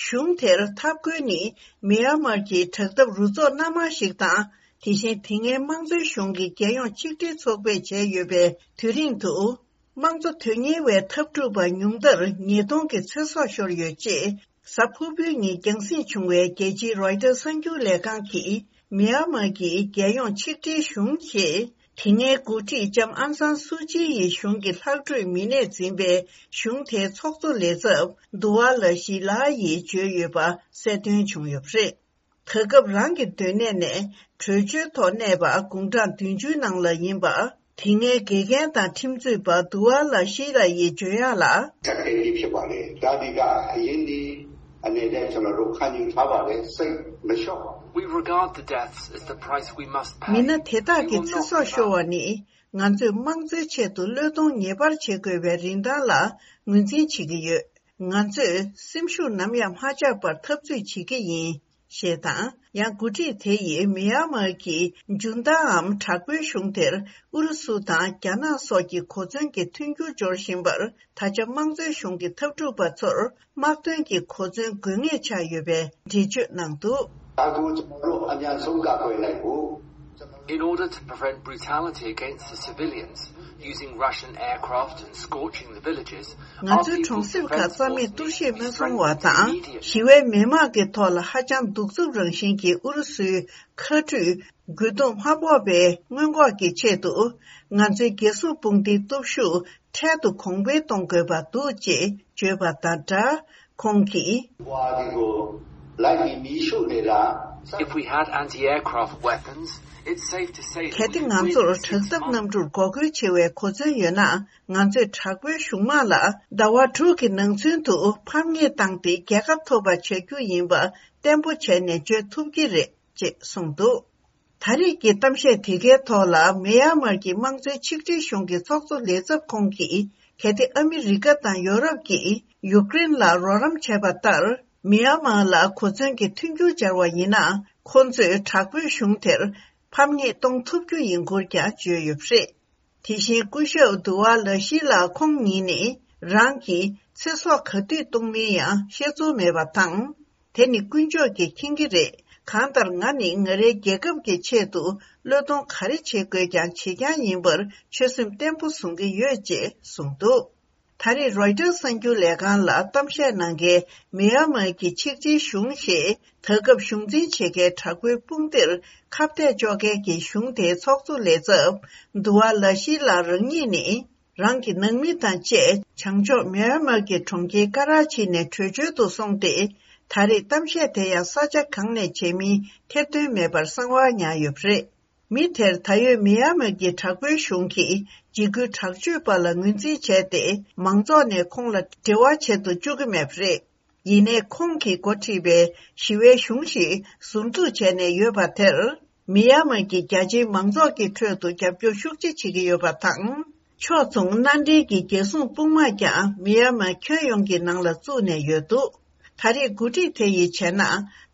གཞུང་དེར་འཐབ་རྒོལ་ནི་མི་ཡན་མར་གྱི་དྲག་འཐབ་རུ་ཚོགས་སྣ་མང་ཞིག་དང་། དེ་བཞིན་དེ་སྔའི་དམངས་གཙོའི་གཞུང་གི་རྒྱལ་ཡོངས་ཆིག་སྒྲིལ་ཚོགས་པས་བྱས་ཡོད་པའི་དུས་རིང་དུ། དམངས་གཙོ་དོན་གཉེར་བའི་འཐབ་འཁྲུག་པ་ཉུང་མཐར་ཉིས་སྟོང་གི་ཚེ་སྲོག་ཤོར་ཡོད་ཅེས། གཟའ་ཕུར་བུའི་ཉིན་རྒྱང་སྲིང་བྱུང་བའི་རྒྱལ་སྤྱིའི་Reuters གསར་འགྱུར་ལས་ཁང་གིས། མི་ཡན་མར་གྱི་རྒྱལ་ཡོངས་ཆིག་སྒྲིལ་གཞུང་ཞེས། དེ་སྔའི་འགོ་ཁྲིད་ལྕམ་ཨང་སང་སུའུ་ཅི་ཡི་གཞུང་གི་ལྷག་འཕྲོས་མི་སྣས་འཛིན་པའི་གཞུང་དེའི་ཚོགས་གཙོ་ལས་ཚབ་དུ་ཝ་ལ་ཤི་ལ་ཡིས་བརྗོད་ཡོད་པ་གསལ་སྟོན་བྱུང་ཡོད་པ་རེད། ད་སྐབས་རང་གི་སྡོད་གནས་ནས་བྲོས་བྱོལ་ཐོག་གནས་པ་དགུང་གྲངས་བདུན་ཅུའི་ནང་ལ་ཡིན་པ། དེ་སྔའི་དགེ་རྒན་དང་ཁྲིམས་རྩོད་པ་དུ་ཝ་ལ་ཤི་ལ་ཡིས་བརྗོད་ཡག་ལ། ཆ་རྐྱེན་འདི་ཕྱེ་བ་རེད། ད་འདི་ག་ཡིན་འདི་ཨ་ནེ་ལས་ཚོ་ལ་རོ་ཁ་ཉིན་ཁ་བ་རེད། སེམས་མི་ཤོག We regard the deaths as the price we must pay. མི་སྣ་དེ་དག་གི་ཚེ་སྲོག་ཤོར་བ་ནི་ང་ཚོས་དམངས་གཙོའི་ཆེད་དུ་བློས་གཏོང་ངེས་པར་བྱེད་དགོས་པའི་རིན་ཐང་ལ་ངོས་འཛིན་བྱེད་ཀྱི་ཡོད། ང་ཚོས་སེམས་ཤུགས་ནམ་ཡང་མ་ཆག་པར་འཐབ་རྩོད་བྱེད་ཀྱི་ཡིན། ཞེས་དང་། ཡང་འགོ་ཁྲིད་དེ་ཡིས་མི་ཡན་མར་གྱི་འཇུན་ཏཱའམ་དྲག་པོའི་གཞུང་དེར་ཨུ་རུ་སུ་དང་རྒྱ་ནག་སོགས་ཀྱི་གོ་མཚོན་གྱི་མཐུན་འགྱུར་སྦྱོར་བཞིན་པར། ད་ཆ་དམངས་གཙོའི་གཞུང་གི་འཐབ་འཁྲུག་པ་ཚོར་དམག་དོན་གྱི་གོ་མཚོན་དགོས་ངེས་ཆགས་ཡོད་པའི་འགྲེལ་བརྗོད་གནང་འདུག་ད་དུང་ཅི་མ་རོ་ཨ་ཉན་སུམ་ཀ་ཀོས་ལ་གོ། In order to prevent brutality against the civilians, using Russian aircraft and scorching the villages, ང་ཚོའི་གྲོང་གསེབ་ཁག་རྩ་མེད་གཏོར་བཤིག་མི་སོང་བ་དང་། ཞི་བའི་མི་དམངས་ཀྱི་ཐོག་ལ་ཧ་ཅང་གདུག་རྩུབ་རང་བཞིན་གྱི་ཨུ་རུ་སུའི་མཁའ་ཁྲུས་རྒོལ་རྡུང་མ་ཕོག་པའི་སྔོན་འགོག་གི་ཆེད་དུ། ང་ཚོའི་རྒྱལ་སྲུང་དཔུང་སྡེའི་སྟོབས་ཤུགས་འཕྲལ་དུ་གོང་འཕེལ་གཏོང་དགོས་པ་འདུག་ཅེས་བརྗོད་པ་དང་སྦྲགས། ཁོང་གིས། If we had anti-aircraft weapons, it's safe to say that གལ་ཏེ་ང་ཚོར་དྲག་འཐབ་གནམ་གྲུར་འགོག་རྒོལ་བྱེད་པའི་གོ་མཚོན་ཡོད་ན། ང་ཚོས་དྲག་པོའི་གཞུང་དམག་ལ་ཟླ་བ་དྲུག་གི་ནང་ཚུན་དུ་ཕམ་ཉེས་བཏང་སྟེ་རྒྱལ་ཁ་ཐོབ་པ་བྱ་རྒྱུ་ཡིན་པ་གཏན་པོ་བྱས་ནས་བརྗོད་ཐུབ་ཀྱི་རེད། ཅེས་གསུངས་འདུག་ད་རེས་ཀྱི་གཏམ་བཤད་དེ་གའི་ཐོག་ལ་མི་ཡན་མར་གྱི་དམངས་གཙོའི་ཆིག་སྒྲིལ་གཞུང་གི་ཚོགས་གཙོ་ལས་ཚབ་ཁོང་གིས། གལ་ཏེ་ཨ་མི་རི་ཀ་དང་ཡོ་རོབ་ཀྱིས་ཡུཀ་རེན་ལ་རོགས་རམ་བྱས་པ་ལྟར། མི་ཡན་མར་ལ་གོ་མཚོན་གྱི་མཐུན་འགྱུར་སྦྱར་བ་ཡིན་ན། ཁོ་ཚོས་དྲག་པོའི་གཞུང་དེར་ཕམ་ཉེས་གཏོང་ཐུབ་རྒྱུ་ཡིན་སྐོར་ཀྱང་བརྗོད་ཡོད་པ་རེད། དེ་བཞིན་སྐུ་ཞབས་དུ་ཝ་ལ་ཤི་ལགས་ཁོང་ཉིད་ནི་རང་གིས་ཚེ་སྲོག་ག་དུས་གཏོང་མིན་ཡང་བཤད་ཚོར་མེད་པ་དང་། དེ་ནི་དཀོན་མཆོག་གིས་མཁྱེན་གྱི་རེད། གང་ལྟར་ང་ནི་ང་རའི་རྒྱལ་ཁབ་ཀྱི་ཆེད་དུ་བློས་གཏོང་ག་རེ་བྱེད་དགོས་ཀྱང་བྱེད་རྐྱང་ཡིན་པར་ཆོད་སེམས་བརྟན་པོ་བཟུང་གི་ཡོད་ཅེས་གསུངས་འདུག་ད་རེས་རོའི་ཊར་གསར་འགྱུར་ལས་ཁང་ལ་གཏམ་བཤད་གནང་མཁན་མི་ཡན་མར་གྱི་ཆིག་སྒྲིལ་གཞུང་ཞེས་ད་སྐབས་གཞུང་འཛིན་བྱེད་མཁན་དྲག་པོའི་དཔུང་སྡེར་ཁ་གཏད་གཅོག་མཁན་གྱི་གཞུང་དེའི་ཚོགས་གཙོ་ལས་ཚབ་དུ་ཝ་ལ་ཤི་ལགས་རང་ཉིད་ནི། རང་གི་ནང་མི་དང་བཅས་བྱང་ཕྱོགས་མི་ཡན་མར་གྱི་གྲོང་ཁྱེར་ཀ་ར་ཆི་ནས་བྲོས་བྱོལ་དུ་སོང་སྟེ། ད་རེས་གཏམ་བཤད་དེ་ཡང་ས་ཆ་གང་ནས་བྱེད་མིན་ཐེར་འདོན་མེད་པར་གསང་བ་ཉར་ཡོད་པ་རེད། མི་དེར་ད་ཡོད་མི་ཡན་མར་གྱི་དྲག་པོའི་གཞུང་གིས་འཇིགས་སྐུལ་དྲག་སྤྱོད་པ་ལ་ངོས་འཛིན་བྱས་ཏེ། མང་ཚོགས་ནས་ཁོང་ལ་འབྲེལ་བ་བྱེད་དུ་བཅུག་གི་མེད་པ་རེད། ཡིན་ནའི་ཁོང་གིས་འགོ་ཁྲིད་པའི་ཞི་བའི་གཞུང་ཞིག་ཟུར་འཛུགས་བྱས་ནས་ཡོད་པ་དེར། མི་ཡན་མར་གྱི་རྒྱ་ཆེའི་མང་ཚོགས་ཀྱི་ཁྲོད་དུ་རྒྱབ་སྐྱོར་ཤུགས་ཆེ་བྱེད་ཀྱི་ཡོད་པ་དང་། ཕྱོགས་མཚུངས་མནའ་འབྲེལ་གྱི་རྒྱལ་སྲུང་དཔུང་དམག་ཀྱང་མི་ཡན་མར་ཁྱོན་ཡོངས་ཀྱི་ནང་ལ་བཙུགས་ནས་ཡོད་འདུག་ད་རེས་འགོ་ཁྲིད་དེ་ཡིས་བྱས་ན།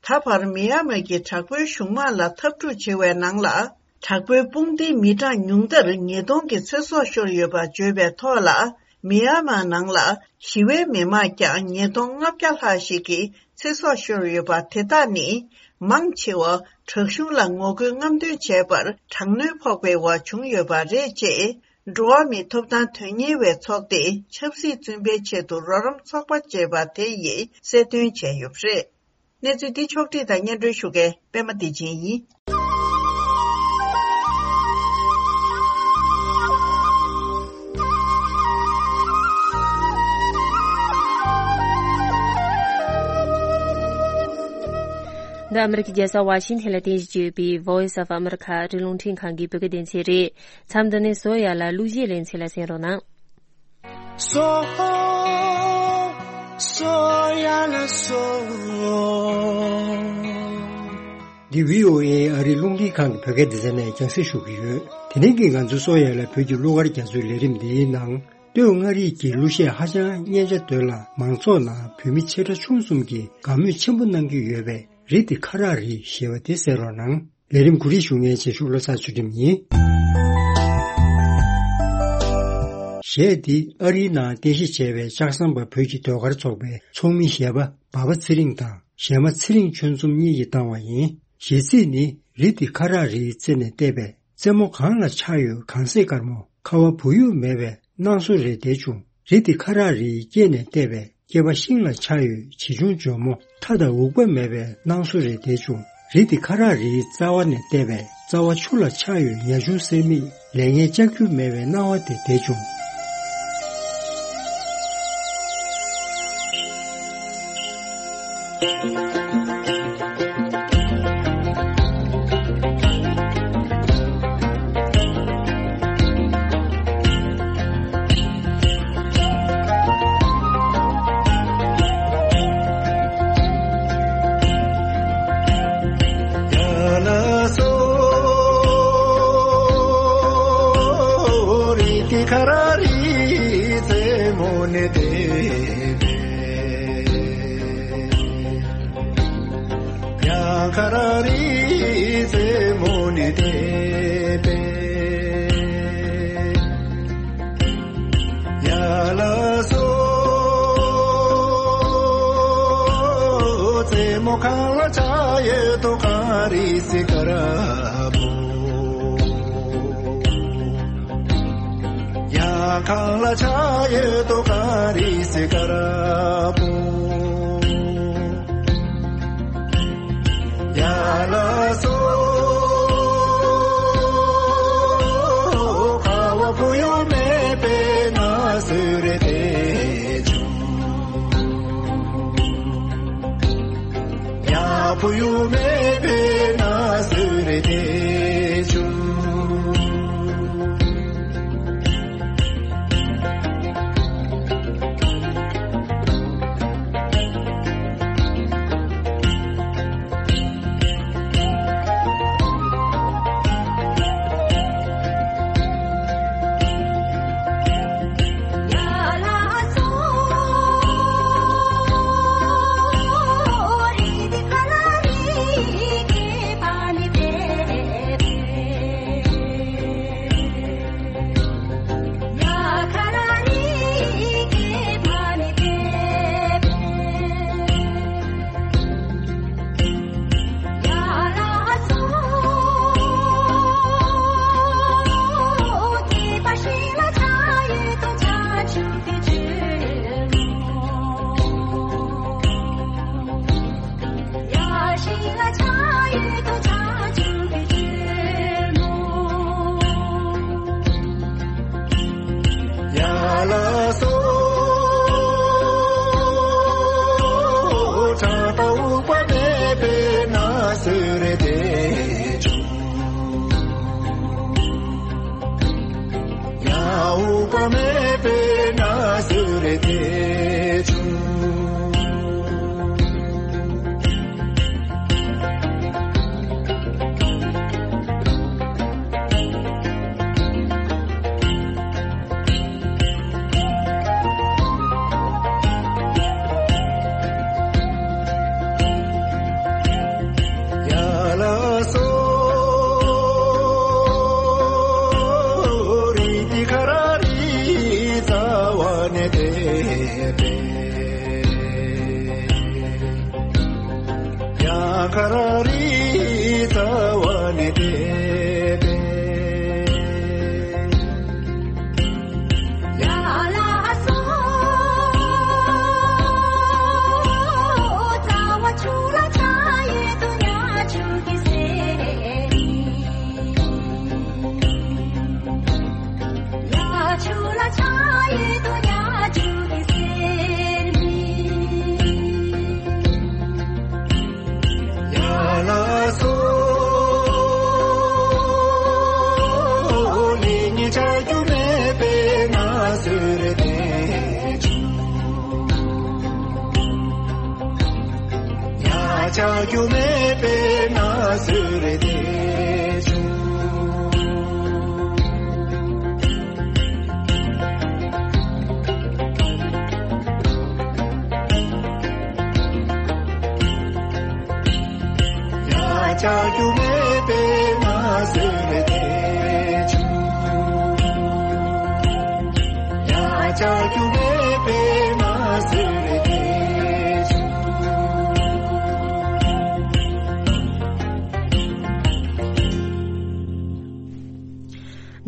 ད་བར་མི་ཡན་མར་གྱི་དྲག་པོའི་གཞུང་དམག་ལ་འཐབ་འཁྲུག་བྱེད་པའི་ནང་ལ། དྲག་པོའི་དཔུང་སྡེའི་མི་གྲངས་ཉུང་མཐར་ཉིས་སྟོང་གི་ཚེ་སྲོག་ཤོར་ཡོད་པ་བརྗོད་པའི་ཐོག་ལ། མི་ཡན་མར་ནང་ལ་ཞི་བའི་མི་དམངས་ཀྱང་ཉིས་སྟོང་ལྔ་བརྒྱ་ལྷག་ཞིག་གི་ཚེ་སྲོག་ཤོར་ཡོད་པ་དེ་དག་ནི། མང་ཆེ་བ་དྲག་གཞུང་ལ་ངོ་རྒོལ་རྔམ་སྟོན་བྱས་པར་དྲག་གནོན་ཕོག་པའི་འོག་བྱུང་ཡོད་པ་རེད་ཅེས། འགྲོ་བ་མིའི་ཐོབ་ཐང་དོན་གཉེར་བའི་ཚོགས་སྡེ་ཆབ་སྲིད་བཙོན་པའི་ཆེད་དུ་རོགས་རམ་ཚོགས་པ་ཅེས་པ་དེ་ཡིས་གསལ་སྟོན་བྱས་ཡོད་པ་རེད། གནས་ཚུལ་འདི་ཕྱོགས་བསྒྲིགས་དང་སྙན་སྒྲོན་ཞུ་མཁན་པད་མ་བདེ་ཆེན་ཡིན། འདི་ཨ་མི་རི་ཀའི་རྒྱལ་ས་ཝ་ཤིང་ཐན་ལ་རྟེན་གཞི་བྱས་ཡོད་པའི་Voice of America ཨ་རིའི་རླུང་འཕྲིན་ཁང་གི་བོད་སྐད་སྡེ་ཚན་རེད། མཚམས་འདི་ནས་བཟོ་ཡ་ལ་གླུ་གཞས་ལེ་ཚན་ལ་གསན་རོགས་གནང་། སོ། སོ་ཡ་ལ་སོ། འདི་བྷི་ཨོ་ཨེ་ཨ་རིའི་རླུང་འཕྲིན་ཁང་གི་བོད་སྐད་སྡེ་ཚན་ནས་རྒྱང་སྲིང་ཞུ་གི་ཡོད། དེ་རིང་གི་ང་ཚོའི་སོ་ཡ་ལ་བོད་ཀྱི་གླུ་གར་རྒྱ་མཚོའི་ལས་རིམ་འདིའི་ནང་། སྟོད་མངའ་རིས་ཀྱི་གླུ་གཞས་ཧ་ཅང་སྙན་ཆ་འདོད་ལ། མང་ཚོགས་ནང་བོད་མི་ཆེ་ཕྲ་ཆུང་གསུམ་གྱིས་དགའ་མོས་ཆེན་པོ་གནང་གི་ཡོད་པའི་རི་དེ་ཁ་རག་རི་ཞེས་པ་དེ་གསན་རོགས་གནང་། ལས་རིམ་གོ་སྒྲིག་ཞུ་མཁན་རྗེས་ཕྱོགས་བློ་བཟང་ཚུལ་ཁྲིམས་ཡིན། གཞས་འདི་ཨ་རིའི་ནང་རྟེན་གཞི་བྱས་པའི་ལྕགས་ཟམ་པ་བོད་ཀྱི་ཟློས་གར་ཚོགས་པའི་ཚོགས་མི་གཞས་པ་འབའ་པ་ཚེ་རིང་དང་གཞས་མ་ཚེ་རིང་ཆོས་འཛོམས་གཉིས་ཀྱིས་བཏང་བ་ཡིན། གཞས་ཚིག་ནི་རི་དེ་ཁ་རག་རིའི་རྩེ་ནས་བལྟས་པས། རྩེ་མོ་གངས་ལ་ཆགས་ཡོད་གངས་སེང་དཀར་མོ། ཁ་བ་བུ་ཡུག་མེད་པའི་སྣང་བཟོ་རེ་བསྡད་བྱུང་། རི་དེ་ཁ་རག་རིའི་སྐེད་ནས་བལྟས་པས། སྐེད་པ་ཤིང་ལ་ཆགས་ཡོད་བྱིའུ་ཆུང་འཇོལ་མོ། ཁྲ་དང་འུག་པ་མེད་པའི་སྣང་བཟོ་རེ་བསྡད་བྱུང་། རི་དེ་ཁ་རག་རིའི་རྩ་བ་ནས་བལྟས་པས། རྩ་བ་ཆུ་ལ་ཆགས་ཡོད་ཉ་ཆུང་གསེར་མིག། ལས་ངན་ལྕགས་ཀྱུ་མེད་པའི་སྣང་བ་དེ་བསྡད་བྱུང་། ཡང་ཁ་ར་རི་རྩེ་མོ་ནས་བལྟས་པས། ཡ་ལ་སོ། རྩེ་མོ་གངས་ལ་ཆགས་ཡོད་དོ་གངས་རི་སེང་དཀར་པོ། ཡང་གངས་ལ་ཆགས་ཡོད་དོ་གངས་རི་སེང་དཀར་པོ། ཡ་ལ་སོ། ཁ་བ་བུ་ཡུག་མེད་པའི་ན་ཟུག་རེ་བསྡད་བྱུང་། ཡ་བུ་ཡུག་མེད་པའི་ན་ཟུག་རེ་བསྡད་བྱུང་།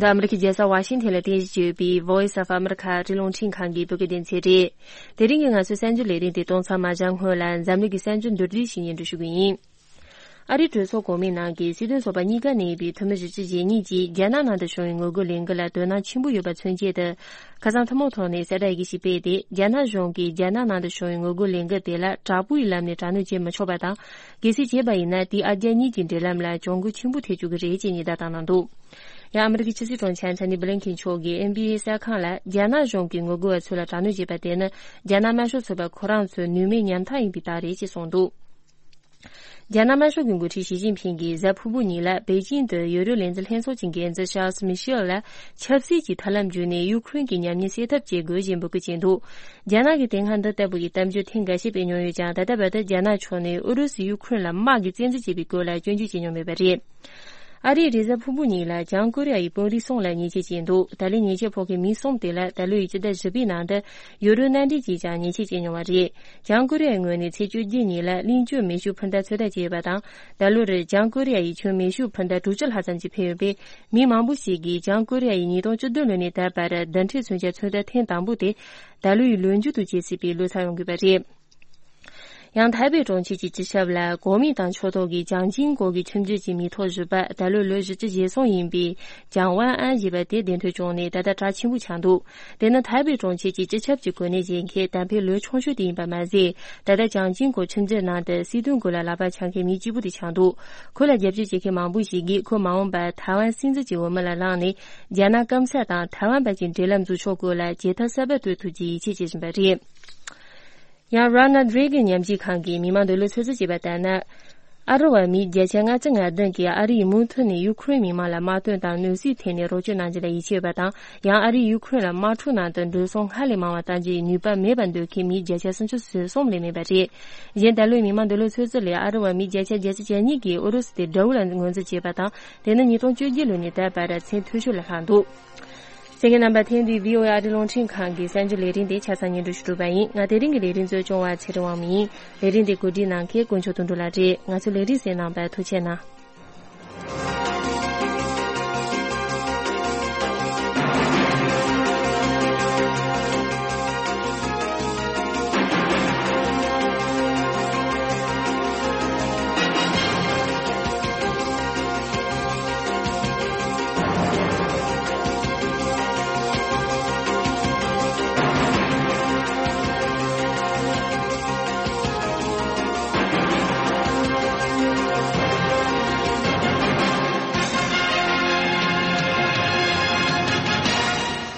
འདི་ཨ་མི་རི་ཀའི་རྒྱལ་ས་ཝ་ཤིང་ཐན་ལ་རྟེན་གཞི་བྱས་ཡོད་པའི་Voice of America ཨ་རིའི་རླུང་འཕྲིན་ཁང་གི་བོད་སྐད་སྡེ་ཚན་རེད། དེ་རིང་གི་ང་ཚོའི་གསར་འགྱུར་ལས་རིམ་དེ་གཏོང་མཚམས་མ་བཞག་སྔོན་ལ་འཛམ་གླིང་གི་གསར་འགྱུར་མདོར་བསྡུས་ཤིག་སྙན་སྒྲོན་ཞུ་གི་ཡིན། ཨ་རིའི་གྲོས་ཚོགས་གོང་མའི་ནང་གི་སྲིད་དོན་ཚོགས་པ་གཉིས་ཀ་ནས་ཡིན་པའི་འཐུས་མི་བཞི་བཅུ་ཞེ་གཉིས་ཀྱིས་རྒྱ་ནག་ནང་དུ་བྱུང་བའི་ངོ་རྒོལ་ལས་འགུལ་ལ་དོ་སྣང་ཆེན་པོ་ཡོད་པ་མཚོན་ཆེད་དུ། ཁ་སང་ཐུན་མོང་ཐོག་ནས་གསལ་བསྒྲགས་ཡི་གེ་ཞིག་སྤེལ་ཏེ། རྒྱ་ནག་གཞུང་གིས་རྒྱ་ནག་ནང་དུ་བྱུང་བའི་ངོ་རྒོལ་ལས་འགུལ་དེ་ལ་དྲག་པོའི་ལམ་ནས་དྲག་གནོན་བྱེད་མི་ཆོག་པ་དང་། གལ་སྲིད་བྱས་པ་ཡིན་ན། དེས་ཨ་རྒྱ་གཉིས་ཀྱི་འབྲེལ་ལམ་ལ་གྱོང་གུན་ཆེན་པོ་ཐེབས་བཅུག་གི་རེད་ཅེས་ཉེན་བརྡ་བཏང་གནང་འདུག། ཡང་ཨ་མི་རི་ཀའི་ཕྱི་སྲིད་དྲུང་ཆེ་ཨན་ཐོ་ནི་བྷི་ལིན་ཁེན་མཆོག་གིས་ཨེན་བྷི་ཨེ་གསར་ཁང་ལ། རྒྱ་ནག་གཞུང་གིས་ངོ་རྒོལ་བ་ཚོ་ལ་དྲག་གནོན་བྱས་པ་དེ་ནི། རྒྱ་ནག་དམར་ཤོག་ཚོགས་པ་ཁོ་རང་ཚོའི་ནུས་མེད་ཉམ་ཐག་ཡིན་པའི་རྟགས་རེད་ཅེས་གསུངས་འདུག། རྒྱ་ནག་དམར་ཤོག་གི་འགོ་ཁྲིད་ཞི་ཅིན་ཕིང་གིས་གཟའ་ཕུར་བུ་ཉིན་ལ་པེ་ཅིང་དུ་ཡུ་རོབ་ལས་འཛིན་ལྷན་ཚོགས་ཀྱི་འགན་འཛིན་ཤཱལ་སི་མི་ཤེལ་ལ། ཆབ་སྲིད་ཀྱི་ཐབས་ལམ་བརྒྱུད་ནས་ཡུ་ཁུ་རེན་གྱི་ཉམས་ཉེས་སེལ་ཐབས་བྱེད་དགོས་ཞེས་འབོད་སྐུལ་བྱས་འདུག། རྒྱ་ནག་གིས་དེ་སྔ་འདི་ལྟ་བུ་ཡི་གཏམ་བརྗོད་ཐེངས་འགའ་ཤས་སྤེལ་མྱོང་ཡོད་ཀྱང་། ད་ལྟ་བར་དུ་རྒྱ་ནག་ཕྱོགས་ནས་ཨུ་རུ་སུས་ཡུ་ཁུ་རེན་ལ་དམག་གིས་བཙན་འཛུལ་བྱས་པའི་སྐོར་ལ་སྐྱོན་བརྗོད་བྱས་མྱོང་མེད་པ་རེད། ཨ་རིས་རེས་གཟའ་ཕུར་བུ་ཉིན་ལ་བྱང་ཀོ་རི་ཡ་ཡི་དཔོན་རིགས་གསུམ་ལ་ཉེས་ཆད་བཅད་འདུག། ད་ལན་ཉེས་ཆད་ཕོག་མཁན་མི་གསུམ་དེ་ལ་ད་ལོའི་སྤྱི་ཟླ་བཞི་པའི་ནང་དུ་ཡུ་རོ་མནའ་འབྲེལ་གྱིས་ཀྱང་ཉེས་ཆད་བཅད་མྱོང་བ་རེད། བྱང་ཀོ་རི་ཡའི་ངོས་ནས་ཚེས་བཅོ་བརྒྱད་ཉིན་ལ་གླིང་བཅུ་མེ་ཤུགས་འཕུར་མདའ་ཚོད་ལྟ་བྱས་ཡོད་པ་དང་། ད་ལོར་བྱང་ཀོ་རི་ཡ་ཡིས་ཁྱོན་མེ་ཤུགས་འཕུར་མདའ་དྲུག་ཅུ་ལྷག་ཙམ་ཅིག་འཕེན་ཡོད་པས། མི་མང་པོ་ཞིག་གིས་བྱང་ཀོ་རི་ཡ་ཡིས་ཉིས་སྟོང་བཅུ་བདུན་ལོ་ནས་ད་བར་རྡུལ་ཕྲན་མཚོན་ཆ་ཚོད་ལྟ་ཐེངས་དང་པོ་དེ་ད་ལོའི་ལོ་མཇུག་ཏུ་བྱེད་སྲིད་པའི་བློ་འཚབ་ཡོང་གི་ཡོད་པ་རེད། ཡང་ཐའེ་པེ་གྲོང་ཁྱེར་གྱི་སྤྱི་ཁྱབ་ལ་གོ་མིན་ཏང་ཕྱོགས་གཏོགས་ཀྱི་ཅང་ཅིན་གོ་གི་ཁྲིམས་རྒྱུད་ཀྱི་མིང་ཐོ་བཞི་པ་ད་ལོ་ལོ་བཞི་བཅུ་ཞེ་གསུམ་ཡིན་པའི་ཅང་ཝན་ཨན་ཞེས་པ་དེ་བདེ་འཕྲོད་བྱུང་ནས་ད་ལྟ་གྲགས་ཆེན་པོ་ཆགས་འདུག། དེ་ནི་ཐའེ་པེ་གྲོང་ཁྱེར་གྱི་སྤྱི་ཁྱབ་ཀྱི་གོ་གནས་བཞེས་མཁན་གཏམ་དཔེ་ལོ་ཆུང་ཤོས་དེ་ཡིན་པ་མ་ཟད། ད་ལྟ་ཅང་ཅིན་གོ་ཁྲིམས་རྒྱུད་ནང་དུ་སྲིད་དོན་སྐོར་ལ་ལག་པ་འཆང་མཁན་མི་གཅིག་པུ་དེ་ཆགས་འདུག། ཁོ་ལ་རྒྱབ་སྐྱོར་བྱེད་མཁན་མང་པོ་ཞིག་གིས་ཁོ་མ་འོངས་པར་ཐའེ་ཝན་སྲིད་འཛིན་གྱི་འོས་མི་ལ་ལངས་ནས་རྒྱ་ནག་སྐམ་ས་དང་ཐའེ་ཝན་བར་གྱི་འབྲེལ་ལམ་འཛུགས་ཕྱོགས་སྐོར་ལ་བྱེད་ཐབས་གསར་པ་གཏོད་ཐུབ་ཀྱི་ཡིད་ཆེས་བྱེད་བཞིན་པ་རེད། ཡང་Ronald Reagan་ཉམས་ཞིབ་ཁང་གིས་མི་མང་འདོད་བློ་ཚོད་བསྲེ་བྱས་པ་ལྟར་ན། ཨ་རི་བ་མི་བརྒྱ་ཆ་ལྔ་བཅུ་ང་བདུན་གྱིས་ཨ་རི་ཡིས་མུ་མཐུད་ནས་ཡུ་ཁུ་རེན་མི་མང་ལ་དམག་དོན་དང་གནོད་འཚེའི་ཐད་ནས་རོགས་སྐྱོར་གནང་རྒྱུ་ལ་ཡིད་ཆེས་ཡོད་པ་དང་། ཡང་ཨ་རིས་ཡུ་ཁུ་རེན་ལ་དམག་འཁྲུག་ནང་དུ་འགྲོ་སོང་སྔར་ལས་མང་བ་གཏང་རྒྱུའི་ནུས་པ་མེད་པར་འདོད་མཁན་མི་བརྒྱ་ཆ་སུམ་ཅུ་སོ་གསུམ་ལས་མེད་པ་རེད། གཞན་ད་ལོའི་མི་མང་འདོད་བློ་ཚོད་བསྲེ་ལས་ཨ་རི་བ་མི་བརྒྱ་ཆ་བརྒྱད་ཅུ་གྱ་གཉིས་ཀྱིས་ཨུ་རུ་སུ་དེ་དགྲ་བོ་ལ་ངོས་འཛིན་བྱས་པ་དང་། དེ་ནི་ཉིས་སྟོང་བཅོ་བརྒྱད་ལོ་ནས་ད་བར་མཚན་མཐོ་ཤོས་ལ་ལྷག་འདུག། གསན་མཁན་རྣམ་པ། ཐེངས་འདིའི་བྷི་ཨོ་ཨེ་ཨ་རིའི་རླུང་འཕྲིན་ཁང་གི་གསར་འགྱུར་ལས་རིམ་དེ་ཆ་ཚང་སྙན་སྒྲོན་ཞུ་གྲུབ་པ་ཡིན། ང་དེ་རིང་གི་ལས་རིམ་གཙོ་སྐྱོང་བ་ཚེ་རིང་དབང་མོ་ཡིན། ལས་རིམ་དེ་གོ་སྒྲིག་གནང་མཁན་དཀོན་མཆོག་དོན་གྲུབ་ལགས་རེད། ང་ཚོའི་ལས་རིམ་གསན་གནང་བར་ཐུགས་རྗེ་གནང་།